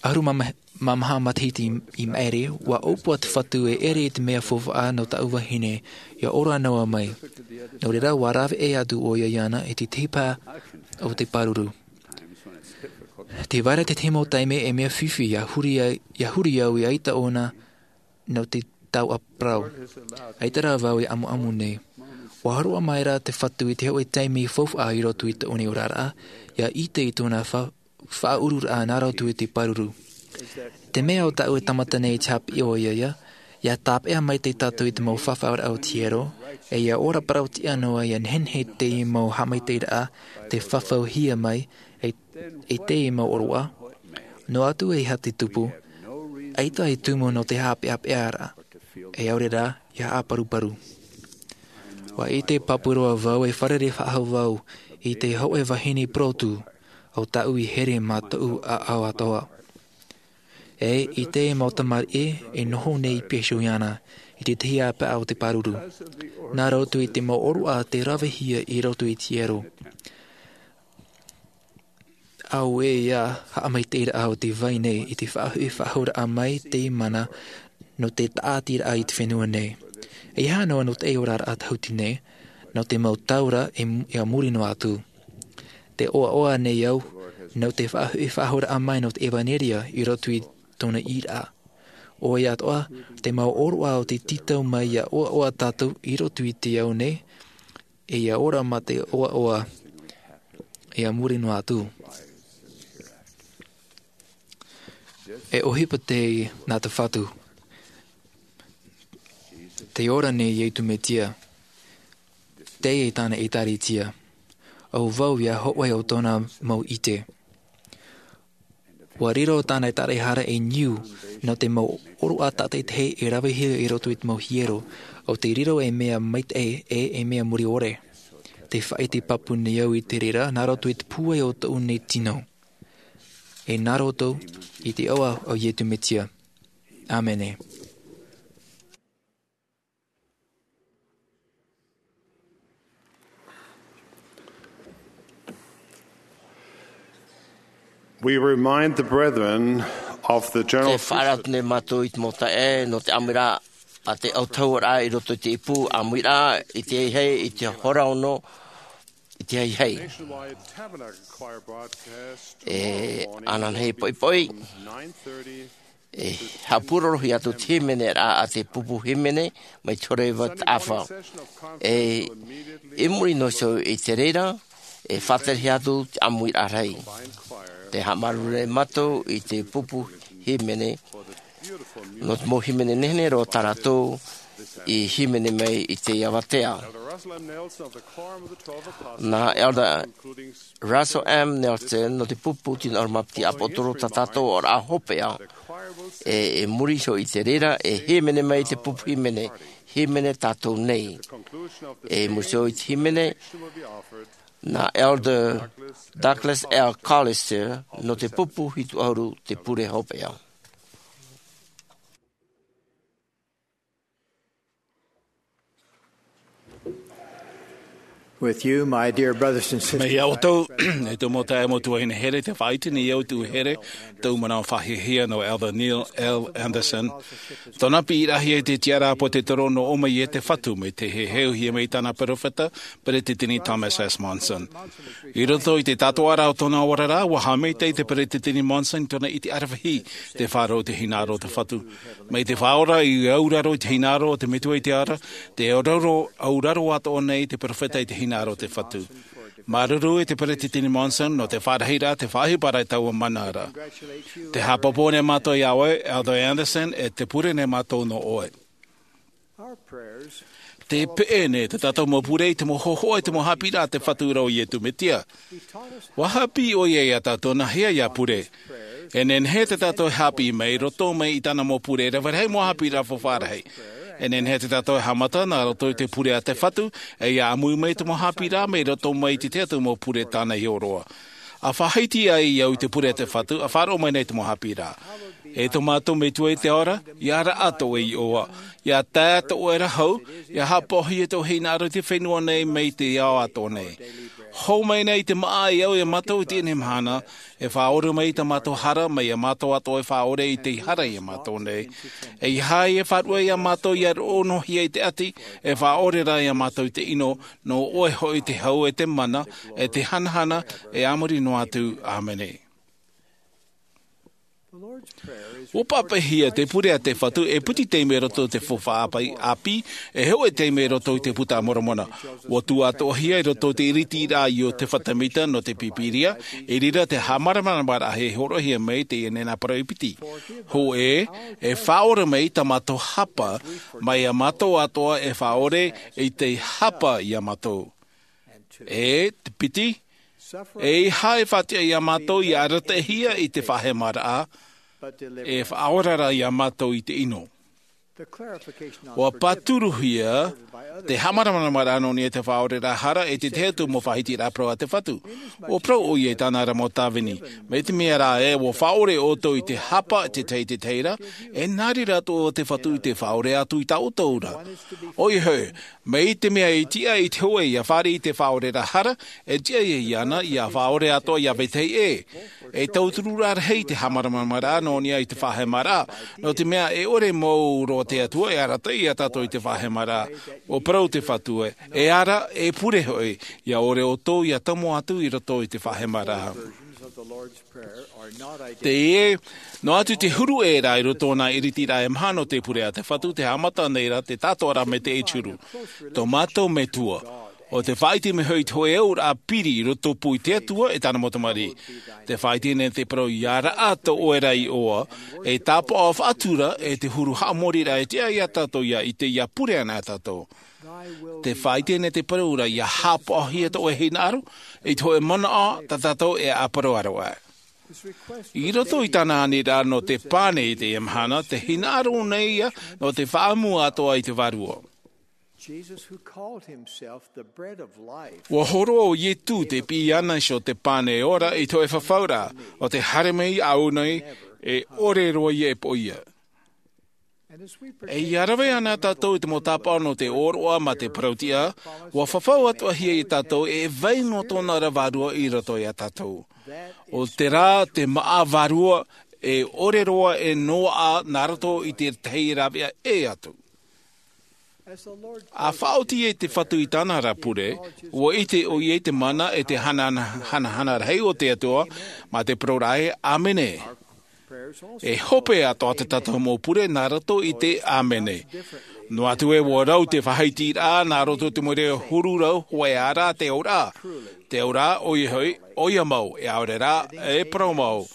ʻAhuru mā, mā maha matahiti i maʻiri, ua ʻōpua te Fatu e ʻere i te mea faufaʻa nō tāʻu vahine, ʻia ora noa mai. Nō reira, ua rave atu ʻoia iāna i te tahi pae o te pāruru. Tē vai ra te tahi mau taime e mea fifi ʻia huri ai, ʻia huri au i ʻaita ʻōna nō te tau ʻāparau. ʻAita rā vau e amuamu nei. Ua hōroʻa mai ra te Fatu i te hōʻē taime faufaʻa i roto i tōʻu nei oraraʻa, ʻia ʻite i tōna fa-, faʻaururaʻa nā roto i te pāruru. Te mea ʻo tāʻu e tāmata nei i te haʻapiʻi ʻoia ïa, ʻia tāpeʻa maitaʻi tātou i te mau fafauraʻa o te hiero, e ʻia ora parau-tiʻa noa ʻia nehenehe te mau haʻamaitaʻiraʻa, tē fafauhia mai, e, e te mau ʻōroʻa. Noa atu e aha te tupu, ʻaita e tumu nō te haʻapeʻapeʻa ra, e ʻaore rā, ʻia haʻaparuparu. Ua ʻite pāpū roa vau e fārerei faʻahou vau i te hōʻē vahine purotu, ʻo tāʻu i here mā tōʻu ʻāʻau atoʻa. E i te mau tamariʻi e noho nei i Pesuiana, i te tahi ʻāpaʻa o te pāruru. Nā roto i te mau ʻōroʻa tē ravehia i roto i te hiero. Auē ïa haʻamaitaʻiraʻa o tē vai nei i te faʻahoʻi faʻahouraʻa mai te mana nō te tāʻatiraʻa i te fenua nei. E aha noa nō te oraraʻa tāhuti nei, nō te mau taura e, ʻia muri noa atu. Tē ʻoaʻoa nei au, nō te faʻahoʻi faʻahouraʻa mai nō te ʻevaneria i roto i tōna ʻīraʻa. ʻOia atoʻa, te mau ʻōroʻa o te tītau mai ʻia ʻoaʻoa tātou i roto i te ao nei, e ʻia ora mā te ʻoaʻoa, ʻia muri noa atu. E ʻohipa teie nā te Fatu. Tē ora nei Iesu Mesia. Teie tāna ʻĒtārētia. ʻO vau ïa hōʻē o tōna mau ʻite. Ua riro tāna ʻĒtārēhara e niu, nō te mau ʻōroʻa tātaʻitahi e ravehia i roto i te mau hiero, ʻo tē riro ei mea maitaʻi e ei mea mure ʻore. Tē faʻaʻite pāpū nei au i te reira, nā roto i te pūai o tōʻu nei tino. E nā roto i te iʻoa o Iesu Mesia. ʻĀmene. We remind the brethren of the general Te faʻaara atu nei mātou i te mau taeaʻe, nō te ʻāmuiraʻa a te autahuʻaraʻa i roto i te ipu, ʻāmuiraʻa i te haihai, i te hora ono, i te haihai. Nationwide Tabernacle Choir broadcast E, tomorrow morning ananahi poʻipoʻi. E haʻapūrorohia atu te hīmeneraʻa a te pupu hīmene mai te hora iva taʻafa. E, i muri noa iho i te reira, e faʻaterehia atu te ʻāmuiraʻa rahi. Tē haʻamāuruuru nei mātou i te pupu hīmene, nō te mau hīmene nehenehe roa tā rātou i hīmene mai i teie avatea. Nā Elder Russell M. Nelson nō te pupu tino ʻahuru mā piti ʻāpōsetolo tā tātou oraraʻa hopeʻa, e, i muri iho i te reira, e hīmene mai te pupu hīmene, hīmene tātou nei. E i muri iho i te hīmene, nā Elder Douglas L. Callister nō te pupu hitu ʻahuru, te pure hopeʻa. With you, my dear brothers and sisters. Mai iā ʻoutou, e tō mau taeaʻe, mau tuahine here, tē faʻaʻite nei au i te here, tōʻu manaʻo faʻahiahia nō Elder Neil L. Andersen. Tōna piʻiraʻa i te tiʻaraʻa ʻāpōsetolo nō ʻō mai e te Fatu, mai te heheuhia mai tāna perofeta, Peresideni Thomas S. Monson. I roto i te tātoʻaraʻa o tōna oraraʻa, ʻua haʻamaitaʻi te Peresideni Monson i tōna ʻite ʻaravihi, te faʻaroʻo i te hinaʻaro o te Fatu. Mai te Faʻaora i auraro i te hinaʻaro o te Metua i te ara, tē auraro, auraro atoʻa nei te perofeta i te hinaʻaro o te Fatu. Māuruuru e te Peresideni Monson nō te faʻarahiraʻa, te faʻaʻohiparaʻa i taua mana ra. Tē haʻapāpū nei mātou iā ʻoe, Elder Andersen, e tē pure nei mātou nō ʻoe. Tē peʻe nei tā tātou mau pure i te mau hōhoʻa, i te mau haʻapiʻiraʻa a te Fatu ra ʻo Iesu Mesia. ʻUa haʻapiʻi ʻoia iā tātou nāhea ʻia pure. E nehenehe tā tātou e haʻapiʻi mai i roto mai i tāna mau pure, rave rahi mau haʻapiʻiraʻa faufaʻa rahi. E nehenehe tā tātou e haʻamata nā roto i te pure a te Fatu, e ʻia ʻāmui mai te mau haʻapiʻiraʻa mai i roto mai i te tahi atu mau pure tāna i hōroʻa. ʻA faʻahiti ai au i te pure a te Fatu, ʻa faʻaroʻo mai nei te mau haʻapiʻiraʻa. E tō mātou Metua i te ao ra, ʻia ara atoʻa ʻoe iʻoa, ʻia tae atoʻa ʻoe ra hau, ʻia haʻapaʻohia tō hinaʻaro i te fenua nei mai te ao atoʻa nei. Hou mai nei i te māʻa e au iā mātou i teie mahana, e faʻaʻore mai tā mātou hara, mai iā mātou atoʻa e faʻaʻore i te hara iā mātou nei. E ʻeiaha e faʻaruʻe iā mātou ʻia roʻohia i te ʻati, e faʻaʻore rā iā mātou i te ʻino, nō ʻoe hoʻi te hau e te mana, e te hanahana, e a muri noa atu. ʻĀmene. ʻUa pāpaʻihia te pure a te Fatu e piti taime i roto i te faufaʻa ʻāpī, e hōʻē taime i roto i te Puta a Moromona. ʻUa tuʻu atoʻahia i roto i te ʻiritiraʻa a Iosepha Semita nō te Pīpīria, i reira te haʻamāramaramaraʻa e hōroʻahia mai i teie nei nā parau e piti. Hōʻē, e faʻaʻore mai tā mātou hapa, mai iā mātou atoʻa e faʻaʻore i te hapa iā mātou. E te piti, e ʻeiaha e faʻatiʻa iā mātou ʻia arataʻihia i te faʻahemaraʻa, e faʻaora rā iā mātou i te ʻino. ʻUa pāturuhia te haʻamāramaramaraʻa nō niʻa i te faʻaʻoreraʻa hara e te tahi atu mau faʻahitiraʻa parau a te Fatu. ʻUa parau ʻoia i tāna ra mau tāvini. Mai te mea rā ē, ʻua faʻaʻore ʻoutou i te hapa te tahi i te tahi ra, e nā reira atoʻa te Fatu i te faʻaʻore atu i tā ʻoutou ra. ʻOia hoʻi, mai te mea i tiʻa i te hōʻē ʻia fāriʻi i te faʻaʻoreraʻa hara, e tiʻa ia iāna ʻia faʻaʻore atoʻa iā vetahi ʻē. E tauturu rā rahi te haʻamāramaramaraʻa nō niʻa i te faʻahemaraʻa, nō te mea e ʻore mau roa te Atua e arataʻi iā tātou i te faʻahemaraʻa. ʻUa parau te Fatu ē, e ara, e pure hoʻi, ʻia ʻore ʻoutou ʻia tomo atu i roto i te faʻahemaraʻa. Teie, noa atu te huru ʻē rā i roto i nā ʻiritiraʻa e maha nō te pure a te Fatu, tē haʻamata nei rā te tātoʻaraʻa mai te ʻEturu. Tō mātou Metua, ʻo tē faʻaʻite mai hoʻi i te hōʻē auraʻa piri i roto pū i te Atua e tāna mau tamariʻi. Tē faʻaʻite nei te parau ʻia ara atoʻa ʻoe ra iʻoa, e tāpaʻo faʻatura, e te huru haʻamoriraʻa e tiʻa iā tātou ʻia ʻite ʻia pure ana tātou. Tē faʻaʻite nei te parau ra ʻia haʻapaʻohia tō ʻoe hinaʻaro, i te hōʻē manaʻo tā tātou e ʻāparau aroʻa. I roto i tāna aniraʻa nō te pane i teie mahana, tē hinaʻaro nei ïa nō te faʻaʻamu atoʻa i te Vārua. Jesus, who called himself the bread of life. ʻUa hōroʻa ʻo Iesu tē piʻi ana iho te pane e ora i te hōʻē fafauraʻa, ʻo tē haere mai iāʻu nei, e ʻore roa ïa e poʻia. E ʻia rave ana tātou i te mau tāpaʻo nō te ʻōroʻa mā te parau-tiʻa, ʻua fafau atoʻahia iā tātou e vai noa tōna ra Vārua i roto iā tātou. ʻO terā te māʻa vārua e ʻore roa e noaʻa nā roto i te tahi rāveʻa ʻē atu. ʻA faʻaoti ai te Fatu i tāna ra pure, ʻua ʻite ʻoia i te mana e te hanahana, hanahana rahi o te Atua, mā te parauraʻa ē, ʻĀmene. E hope atoʻa tā tātou mau pure nā roto i te ʻĀmene. Noa atu ē ua rau te faʻahitiraʻa nā roto i te mau reo huru rau, hōʻē ā rā te auraʻa. Te auraʻa ʻoia hoʻi, ʻoia mau, e ʻaore rā, e parau mau.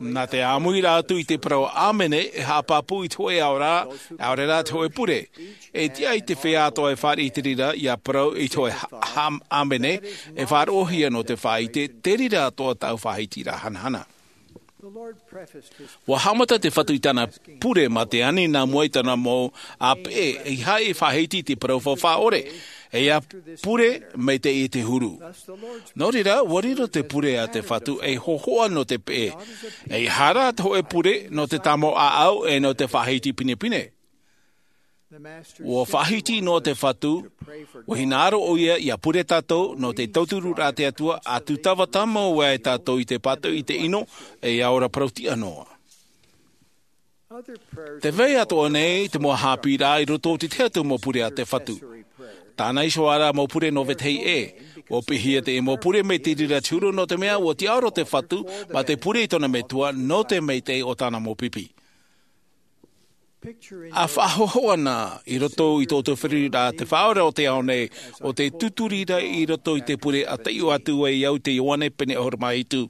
Nā te ʻāmuiraʻa atu i te parau ʻāmene, e haʻapāpū i te hōʻē auraʻa, e ʻaore rā te hōʻē pure. E tiʻa i te feiā atoʻa e fāriʻi i te reira ʻia parau i te hōʻē ha-, ha-, ʻāmene, e faʻaroʻohia nō te faʻaʻite, te reira atoʻa tāʻu faʻahitiraʻa hanahana. Ua haʻamata te Fatu i tāna pure mā te ani nā mua i tāna mau ʻāpeʻe, ʻeiaha e faʻahiti i te parau faufaʻa ʻore, ʻeiaha pure maitaʻi i te huru. Nō reira, ua riro te pure a te Fatu ei hōhoʻa nō te peʻe, ʻeiaha rā te hōʻē pure nō te tāmau ʻāʻau e nō te faʻahiti pinepine. Ua faʻahiti noa te Fatu, ua hinaʻaro ʻoia ʻia pure tātou nō te tautururaʻa a te Atua, ʻa tūtava tāmau ai tātou i te pātoʻi i te ʻino, e ʻia ora parau-tiʻa noa. Tē vai atoʻa nei te mau haʻapiʻiraʻa i roto i te tahi atu mau pure a te Fatu. Tāna iho ā rā mau pure nō vetahi ʻē. Ua piʻihia te mau pure mai te reira te huru nō te mea ua tiʻaoro te Fatu mā te pure i tōna Metua nō te maitaʻi o tāna mau pipi. ʻA faʻahōhoʻa na i roto i tō ʻoutou feruriraʻa te Faʻaora o te ao nei, ʻo tē tūturi ra i roto i te pure ʻa taiʻo atu ai au i te Ioane pene ʻahuru mā hitu.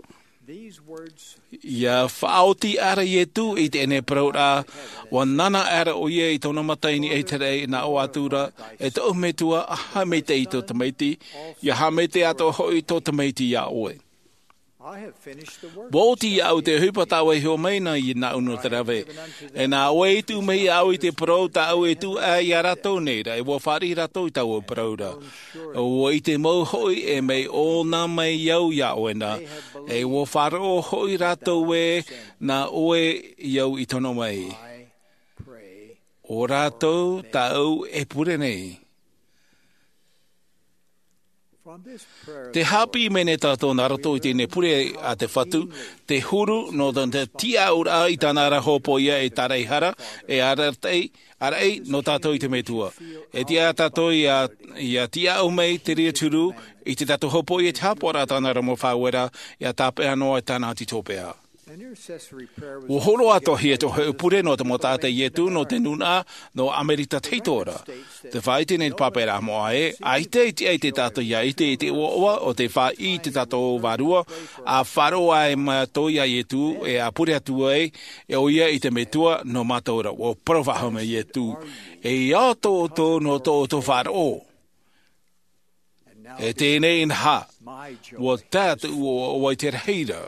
ʻIa faʻaoti aʻera Ietu i teie nei parauraʻa, ua nānā aʻera ʻoia i tōna mata i niʻa i te raʻi, nā ʻō atu ra, e tōʻu Metua, haʻamaitaʻi i tō tamaiti, ʻia haʻamaitaʻi atoʻa hoʻi tō tamaiti iā ʻoe. Ua oti iāʻu te ʻohipa tāʻu e hiʻo mai na iāʻu nō te rave. E nā ʻoe i tuʻu mai iāʻu i te parau tāʻu e tuʻu aʻe iā rātou nei ra, e ua fāriʻi rātou i tāʻu parau ra. ʻUa ʻite mau hoʻi e mea ʻōna mai au iā ʻoe na, e ua faʻaroʻo hoʻi rātou ē nā ʻoe au i tono mai. ʻO rātou tāʻu e pure nei. Te haʻapiʻi mai nei tātou nā roto i teie nei pure a te Fatu, te huru nō te tiʻauraʻa i tāna ra hōpoiʻa e tāraʻehara, e ʻaraʻi, ʻaraʻi nō tātou i te Metua. E tiʻa tātou ʻia, ʻia tiʻaʻu mai te reira te huru i te tātou hōpoiʻa i te haʻapaʻoraʻa tāna ra mau faʻaueraʻa, ʻia tāpeʻa noa i tāna tītōpeʻa. Ua hōroʻa atoʻahia te hōʻē pure nō te mau taʻata a Ietu nō te nūnaʻa nō ʻAmerika tahito ra. Tē faʻaʻite nei te pāpaʻiraʻa moʻa ē, ʻaita e tiʻa i te taʻata ʻia ʻite i te ʻoaʻoa o tē faʻaʻī i tā tātou vārua, ʻa faʻaroʻo ai mātou iā Ietu, e ʻa pure atu ai, e ʻoia i te Metua nō mātou ra. Ua parau faʻahou mai Ietu, e ʻia ʻoutou nō tō ʻoutou faʻaroʻo. E teie nei inaha, ua tae atu ʻoe i te rahi ra.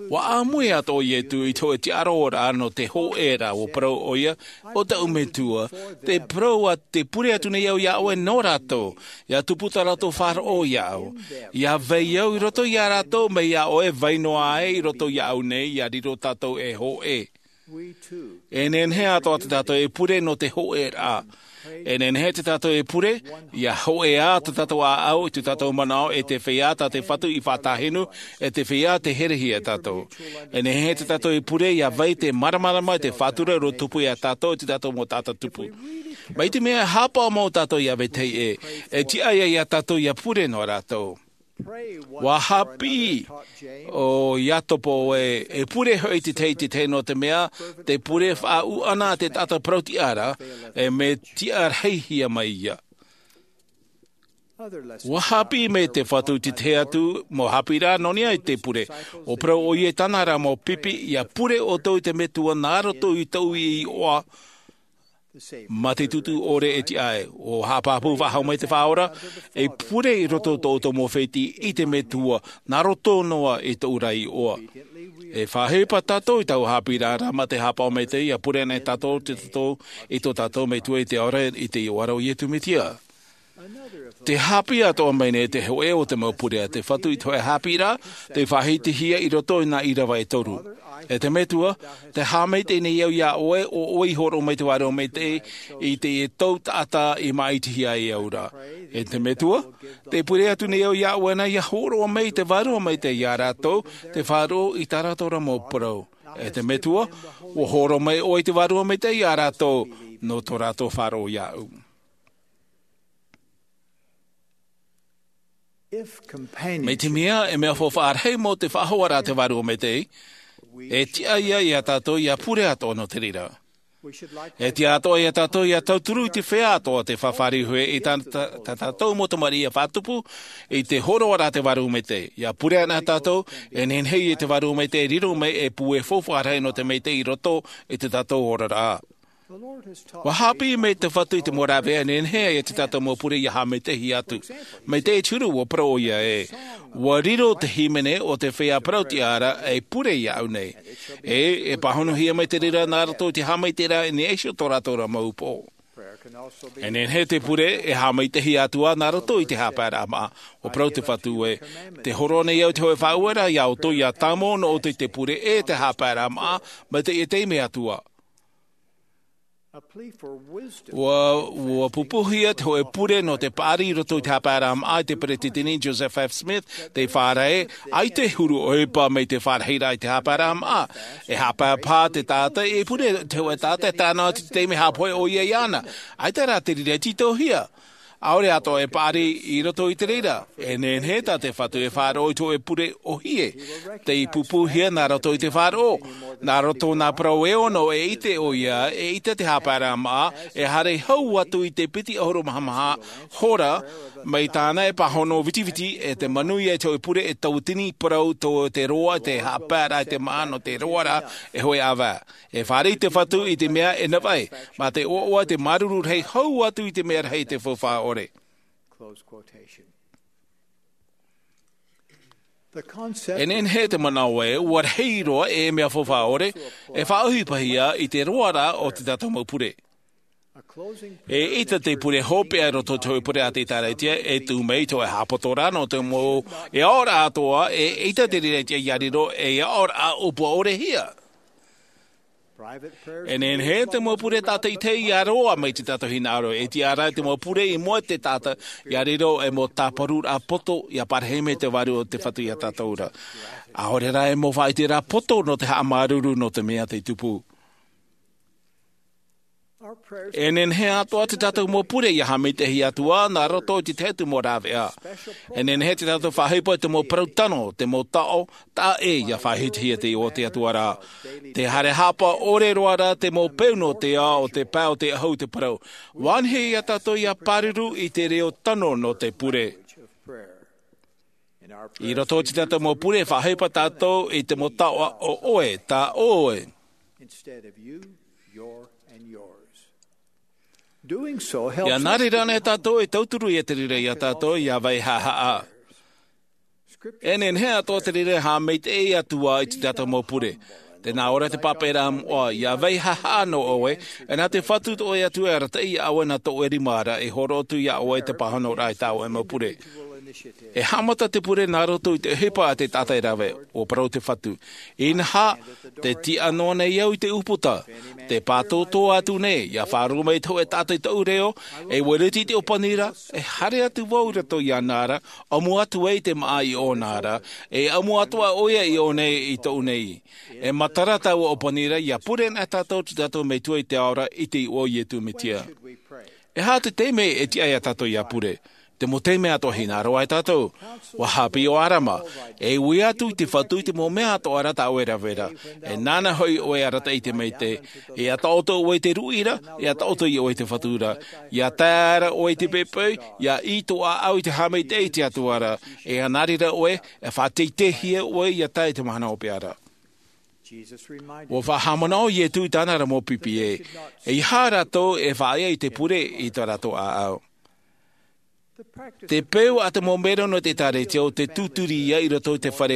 Ua ʻāmui atoʻa Ietu i te hōʻē tiʻaroraʻa nō te hōʻē ra, ua parau ʻoia, ʻo tāʻu Metua, tē parau ā, tē pure atu nei au iā ʻoe nō rātou, ʻia tupu tā rātou faʻaroʻo iāʻu, ʻia vai au i roto iā rātou, mai iā ʻoe vai noa ai i roto iāʻu nei, ʻia riro tātou ei hōʻē. E nehenehe atoʻa tā tātou e pure nō te hōʻēraʻa. E nehenehe tā tātou e pure, ʻia hōʻē tā tātou ʻāʻau, i tā tātou manaʻo, e te feiā tā te Fatu i faʻatāhinu, e te feiā tē herehia iā tātou. E nehenehe tā tātou e pure, ʻia vai te māramarama, te faʻatura, ʻua tupu iā tātou, i tā tātou mau taʻata tupu. Mai te mea e haʻapaʻo mau tātou iā vetahi ʻē, e tiʻa ïa iā tātou ʻia pure nō rātou. ʻUa haʻapiʻi ʻo Iakobo ē, e pure hoʻi te tahi i te tahi nō te mea, te pure faʻaʻūʻana a te taʻata parau-tiʻa ra, e mea tiʻa rahi hia mai ïa. ʻUa haʻapiʻi mai te Fatu i te tahi atu mau haʻapiʻiraʻa nō niʻa i te pure. ʻUa parau ʻoia i tāna ra mau pipi, ʻia pure ʻoutou i te Metua nā roto i tōʻu iʻoa, mā te tūtū ʻore e tiʻa ai. ʻUa haʻapāpū faʻahou mai te Faʻaora, e pure i roto tō ʻoutou mau fētiʻi i te Metua, nā roto noa i tōʻu ra iʻoa. E faʻaʻohipa tātou i taua haʻapiʻiraʻa ra mā te haʻapaʻo maitaʻi, ʻia pure anaʻe tātou, te tātou, i tō tātou Metua i te ao ra, i te iʻoa ra o Iesu Mesia. Tē haʻapiʻi atoʻa mai nei te hōʻē o te mau pure a te Fatu i te hōʻē haʻapiʻiraʻa, tē faʻahitihia i roto i nā ʻīrava e toru. E te Metua, tē haʻamaitaʻi nei au iā ʻoe, ʻo ʻoe i hōroʻa mai te Vārua Maitaʻi i te, i tōʻu taʻata i māʻitihia ai au ra. E te Metua, tē pure atu nei au iā ʻoe na ʻia hōroʻa mai te Vārua Maitaʻi iā rātou, tē faʻaroʻo i tā rātou ra mau parau. E te Metua, ʻua hōroʻa mai ʻoe i te Vārua Maitaʻi iā rātou, nō tō rātou faʻaroʻo iāʻu. Mai te mea, e mea faufaʻa rahi mau te faʻahoaraʻa a te Vārua Maitaʻi, e tiʻa ïa iā tātou ʻia pure atoʻa nō te reira. E tiʻa atoʻa ia tātou ia tauturu i te feiā atoʻa te fāriʻi i tā tātou mau tamariʻi ia faʻatupu i te horoʻa ra te vārua maitaʻi. Ia pure ana tātou, e nehenehe ia te vārua maitaʻi e riro mai ei pū faufaʻa rahi nō te maitaʻi i roto i tō tātou oraraʻa. Ua haʻapiʻi mai te Fatu i te mau rāveʻa e nehenehe ai ia tō tātou mau pure ia haʻamaitaʻi atu. Mai te huru, ua parau ʻoia ē, ua riro te hīmene o te feiā parau-tiʻa ra ei pure iāʻu nei. E e pāhonohia mai te reira nā roto i te haʻamaitaʻiraʻa i niʻa iho i tō rātou ra mau upoʻo. E nehenehe te pure e haʻamaitaʻi atu ā nā roto i te haʻapaeraʻa māʻa. Ua parau te Fatu ē, te hōroʻa nei au i te hōʻē faʻaueraʻa ia ʻoutou, ia tāmau noa ʻoutou i te pure e te haʻapaeraʻa māʻa, mai teie taime atu ā. Ua ua pupuhia te hōʻē pure nō te paʻari i roto i te haʻapaeraʻa māʻa e te peresideni Joseph F Smith, tē fāriʻi ē, ʻaita e huru ʻohipa mai te fārahiraʻa i te haʻapaeraʻa māʻa. E haʻapaʻo paha te taʻata e pure te hōʻē taʻata e tae noa atu i te taime e haʻapohe ʻoia iāna. ʻAita rā te reira e tītauhia. ʻAore atoʻa e paʻari i roto i te reira. E nehenehe tā te Fatu e faʻaroʻo i te hōʻē pure ʻōhie, tei pupuhia nā roto i te faʻaroʻo. Nā roto i nā parau e ono, e ʻite ʻoia, eʻita te haʻapaeraʻa māʻa e haere hau atu i te piti ʻahuru maha maha hora, mai tāna e pāhono vitiviti e te manuia i te hōʻē pure e tauatini parau tō te roa te haʻapaeraʻa i te māʻa nō te roaraʻa e hōʻē ʻāvae. E fāriʻi te Fatu i te mea e navaʻi, mā te ʻoaʻoa te māuruuru rahi hau atu i te mea rahi te faufaʻa ʻore. E nehenehe te manaʻo ē, ua rahi roa ei mea faufaʻa ʻore e faʻaʻohipahia i te roaraʻa o tō tātou mau pure. Eʻita te pure hopeʻa i roto i te hōʻē pure a te ʻĒkālesia e tū mai i te hōʻē haʻapoto ra nō te mau aʻoraʻa atoʻa, eʻita te reira e tiʻa ia riro ei aʻoraʻa ʻōpua ʻore hia. E nehenehe te mau pure tātaʻitahi ia roaʻa mai tō tātou hinaʻaro, e tiʻa ra te mau pure i mua i te taʻata ia riro ei mau tāparuraʻa poto ia parahi mai te Vārua o te Fatu ia tātou ra. ʻAore rā ei mau faʻaʻiteraʻa poto nō te haʻamāuruuru nō te mea tei tupu. E nehenehe atoʻa tō tātou mau pure ia haʻamaitaʻi atu ā nā roto i te tahi atu mau rāveʻa. E nehenehe tō tātou faʻaʻohipa i te mau parau tano, te mau taʻo, taʻa ʻē ia faʻaʻitehia te iʻoa o te Atua ra. Te haere haʻapaʻo ʻore roa rā te mau peu nō te ao o te pae o te ʻahu te parau. ʻUa nehenehe ia tātou ia pāruru i te reo tano nō te pure. I roto i tō tātou mau pure e faʻaʻohipa tātou i te mau taʻo ʻo ʻoe, tā ʻoe. Ia nā reira anaʻe tātou e tauturu ia te reira ia tātou ia vai haʻahaʻa. E nehenehe atoʻa te reira e haʻamaitaʻi atu ā i tō tātou mau pure. Tē nā ʻō ra te pāpaʻiraʻa moʻa, ia vai haʻahaʻa noa ʻoe, e nā te Fatu tō ʻoe Atua e arataʻi iā ʻoe nā tō ʻoe rima ra e hōroʻa atu iā ʻoe te pāhonoraʻa i tā ʻoe mau pure. E haʻamata te pure nā roto i te ʻohipa a te taʻata e rave, ʻua parau te Fatu. Inaha, tē tiʻa noa nei au i te ʻūputa, tē pātōtō atu nei, ia faʻaroʻo mai te hōʻē taʻata i tōʻu reo, e ʻua ʻite i te ʻōpaniraʻa, e haere atu vau i roto iāna ra, ʻamu atu ai te māʻa i ʻōna ra, e ʻamu atoʻa ʻoia i ʻō nei i tōʻu nei. E matara taua ʻōpaniraʻa, ia pure anaʻe tātou i tō tātou Metua i te ao ra i te iʻoa o Iesu Mesia. E aha te taime e tiʻa ai tātou ia pure? Te mau taime atoʻa hinaʻaro ai tātou. ʻUa haʻapiʻi ʻo Arama, e ui atu i te Fatu i te mau mea atoʻa ra tā ʻoe e rave ra. E nāna hoʻi ʻoe e arataʻi i te maitaʻi. E taʻoto ʻoe i te ruʻi ra, e taʻoto ʻoe i te Fatu ra. Ia tae ra ʻoe i te poʻipoʻi, ia ʻī tō ʻāʻau i te haʻamaitaʻi i te Atua ra. E nā reira ʻoe, e faʻateiteihia ʻoe ia tae i te mahana hopeʻa ra. ʻUa faʻahaʻamanaʻo Iesu i tāna ra mau pipi ē, ʻeiaha rātou e faʻaea i te pure i tō rātou ʻāʻau. Te peu a te mau melo nō te ʻĒkālesia ʻo tē tūturi ia i roto i te fare,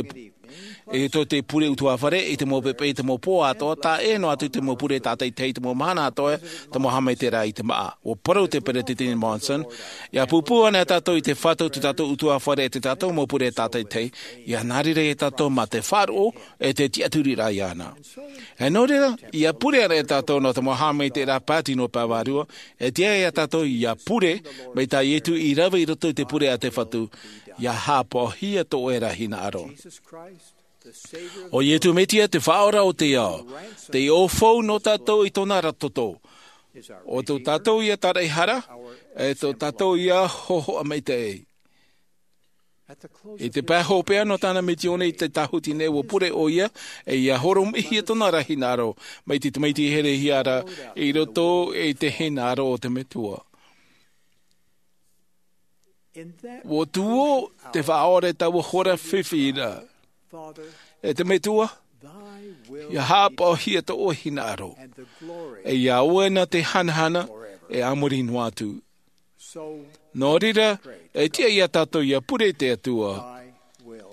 i roto i te pure ʻutuāfare, i te mau poʻipoʻi, i te mau pō atoʻa, tae noa atu i te mau pure tātaʻitahi, i te mau mahana atoʻa, te mau haʻamaitaʻiraʻa i te māʻa. ʻUa parau te Peresideni Monson, ia pūpū anaʻe tātou i te Fatu, tō tātou ʻutuāfare, e tō tātou mau pure tātaʻitahi, ia nā reira ia tātou mā te faʻaroʻo, e te tiʻaturiraʻa iāna. E nō reira, ia pure anaʻe tātou nō te mau haʻamaitaʻiraʻa pae tino pae vārua, e tiʻa ai tātou ia pure, mai tā Iesu i rave i roto i te pure a te Fatu, ia haʻapaʻohia tō ʻoe ra hinaʻaro. ʻO Iesu Mesia te Faʻaora o te ao, te ʻōfau nō tātou i tōna ra toto. ʻO tō tātou ia taraʻehara, e tō tātou ia hōhoʻa maitaʻi. I te pae hopeʻa nō tāna misiōni i te tāhuti nei, ua pure ʻoia, e ʻia horomiʻihia tōna ra hinaʻaro mai te tamaiti herehia ra i roto i te hinaʻaro o te Metua. Ua tuō te faʻaora taua hora fifi ra. E te Metua, ʻia haʻapaʻohia tō ʻoe hinaʻaro, e ʻia ʻoe na te hanahana e a muri noa atu. Nō reira, e tiʻa ia tātou ʻia pure i te Atua,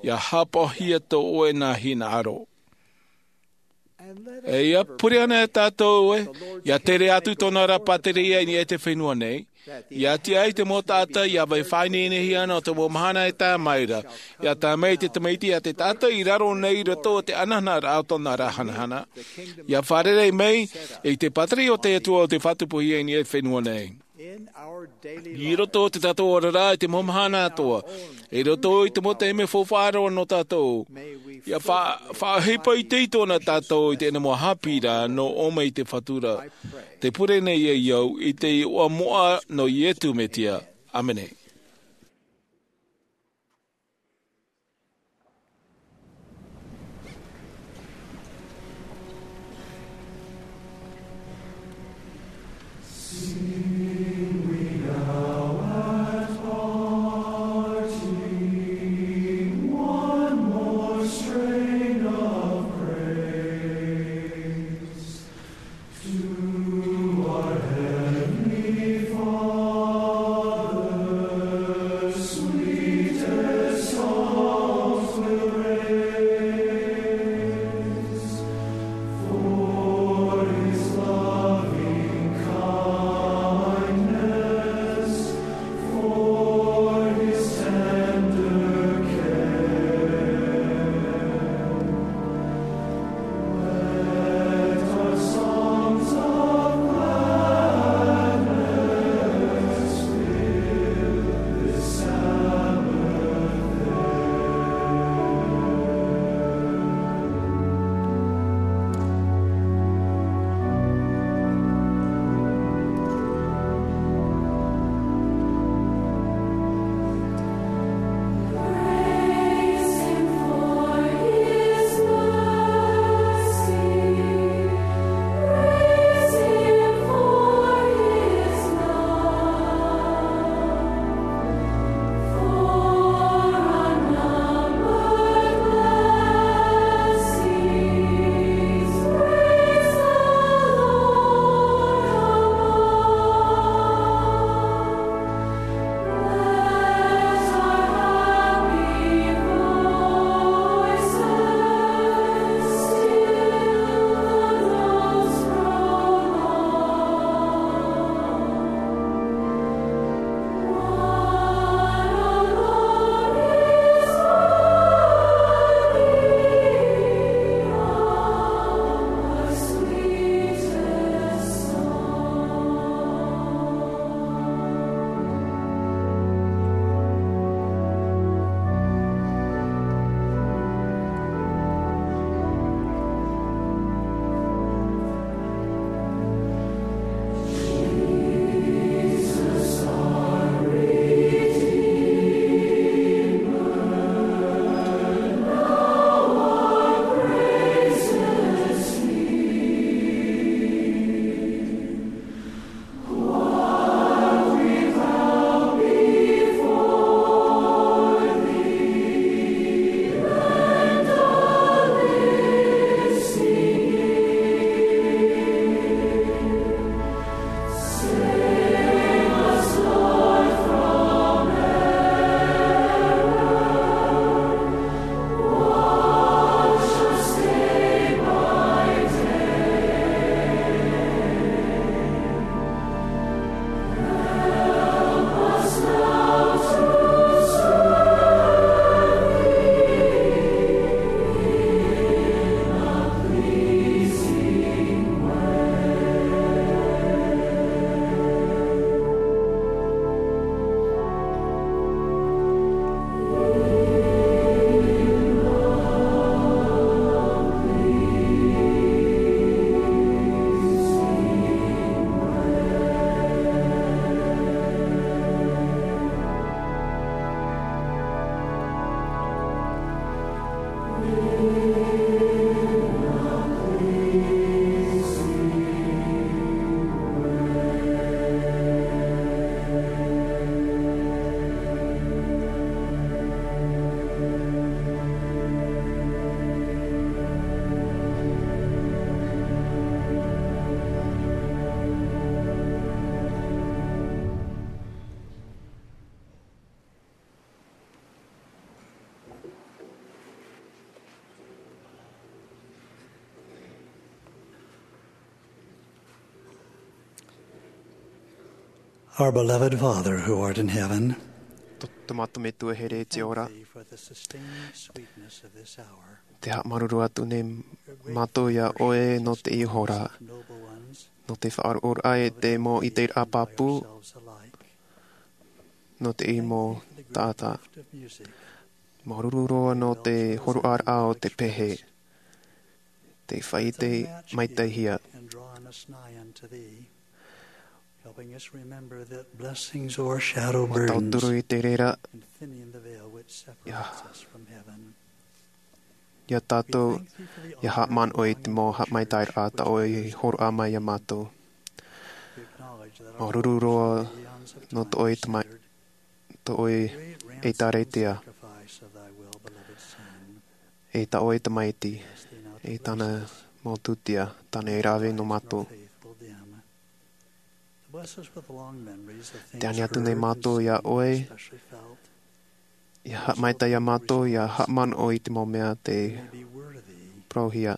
ʻia haʻapaʻohia tō ʻoe na hinaʻaro. E ʻia pure ana e tātou ē, ʻia tere atu tōna ra pātireia i niʻa i te fenua nei, ʻia tiʻa ai te mau taʻata ʻia vai faʻaineinehia ana o te mau mahana e tae mai ra, ʻia tae mai te tamaiti iā te taʻata i raro nei i roto o te ananaʻa o tōna ra hanahana, ʻia fārerei mai i te pātireia o te Atua o te faʻatupuhia i niʻa i te fenua nei. I roto o te tātou oraraʻa i te mau mahana atoʻa, i roto i te mau taime faufaʻa roa nō tātou, ʻia fa-, faʻaʻohipa i te ito na tātou i teie mau haʻapiʻiraʻa nō ʻō mai i te Fatu ra. Te pure nei ē au i te iʻoa moʻa nō Iesu Mesia. ʻĀmene. Our beloved Father who art in heaven, Tō, tō mātou Metua here i te ora, thank thee for the sustaining sweetness of this hour. Te haʻamāuruuru atu nei mātou iā ʻoe nō teie hora, nō te faʻaroʻoraʻa e te mau ʻiteraʻa pāpū, nō teie mau taʻata. Māuruuru roa nō te hōroʻaraʻa o te pehe, te faʻaʻite maitaʻihia. Mā tauturu i te reira, ia, ia tātou, ia haʻamanaʻo i te mau haʻamaitaʻiraʻa tā ʻoe i hōroʻa mai iā mātou. Māuruuru roa nō tō ʻoe tamai-, tō ʻoe ʻĒtārētia, e tā ʻoe tamaiti, e tāna mau tūtia, tāna e rave nō mātou. Tē ani atu nei mātou iā ʻoe, ia haʻamaitaʻi iā mātou, ia haʻamanaʻo i te mau mea tē parauhia.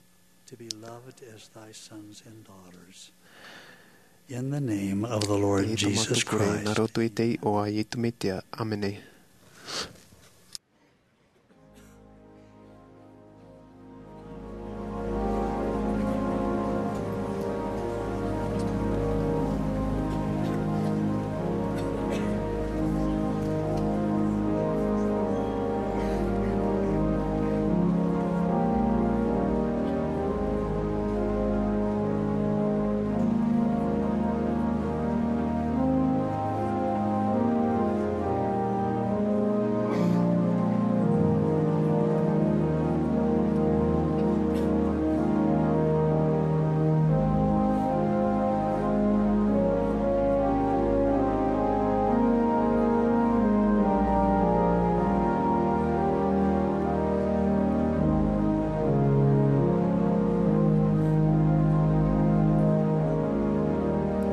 Nā roto i te iʻoa a Iesu Mesia. ʻĀmene.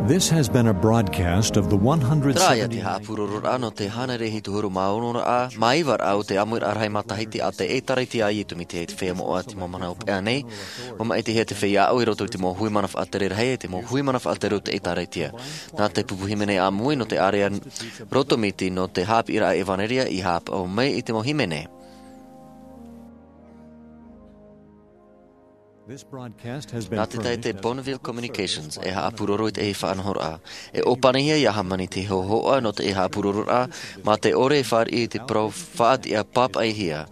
This has been a broadcast of the one hundred seventy-ninth. Terā ia te haʻapurororaʻa nō te hānere hitu huru mā ono raʻa, mā iva raʻa o te ʻāmuiraʻa rahi matahiti a te ʻĒtārētia a Iesu Mesia i te feiā moʻa i te mau mahana hopeʻa nei. ʻUa māʻitihia te feiā aʻo i roto i te mau hui mana faʻatere rahi, e te mau hui mana faʻatere o te ʻĒtārētia. Nā te pupu hīmene ʻāmui nō te ʻārea roto miti nō te haʻapiʻiraʻa ʻevanelia i haʻapaʻo mai i te mau hīmene. Nā te taʻata Bonneville Communications e haʻapuroro i teie faʻanahoraʻa. E ʻōpanihia ia hāmani te hōhoʻa nō teie haʻapurororaʻa, mā te ʻore e fāriʻi i te parau faʻatiʻa pāpaʻihia.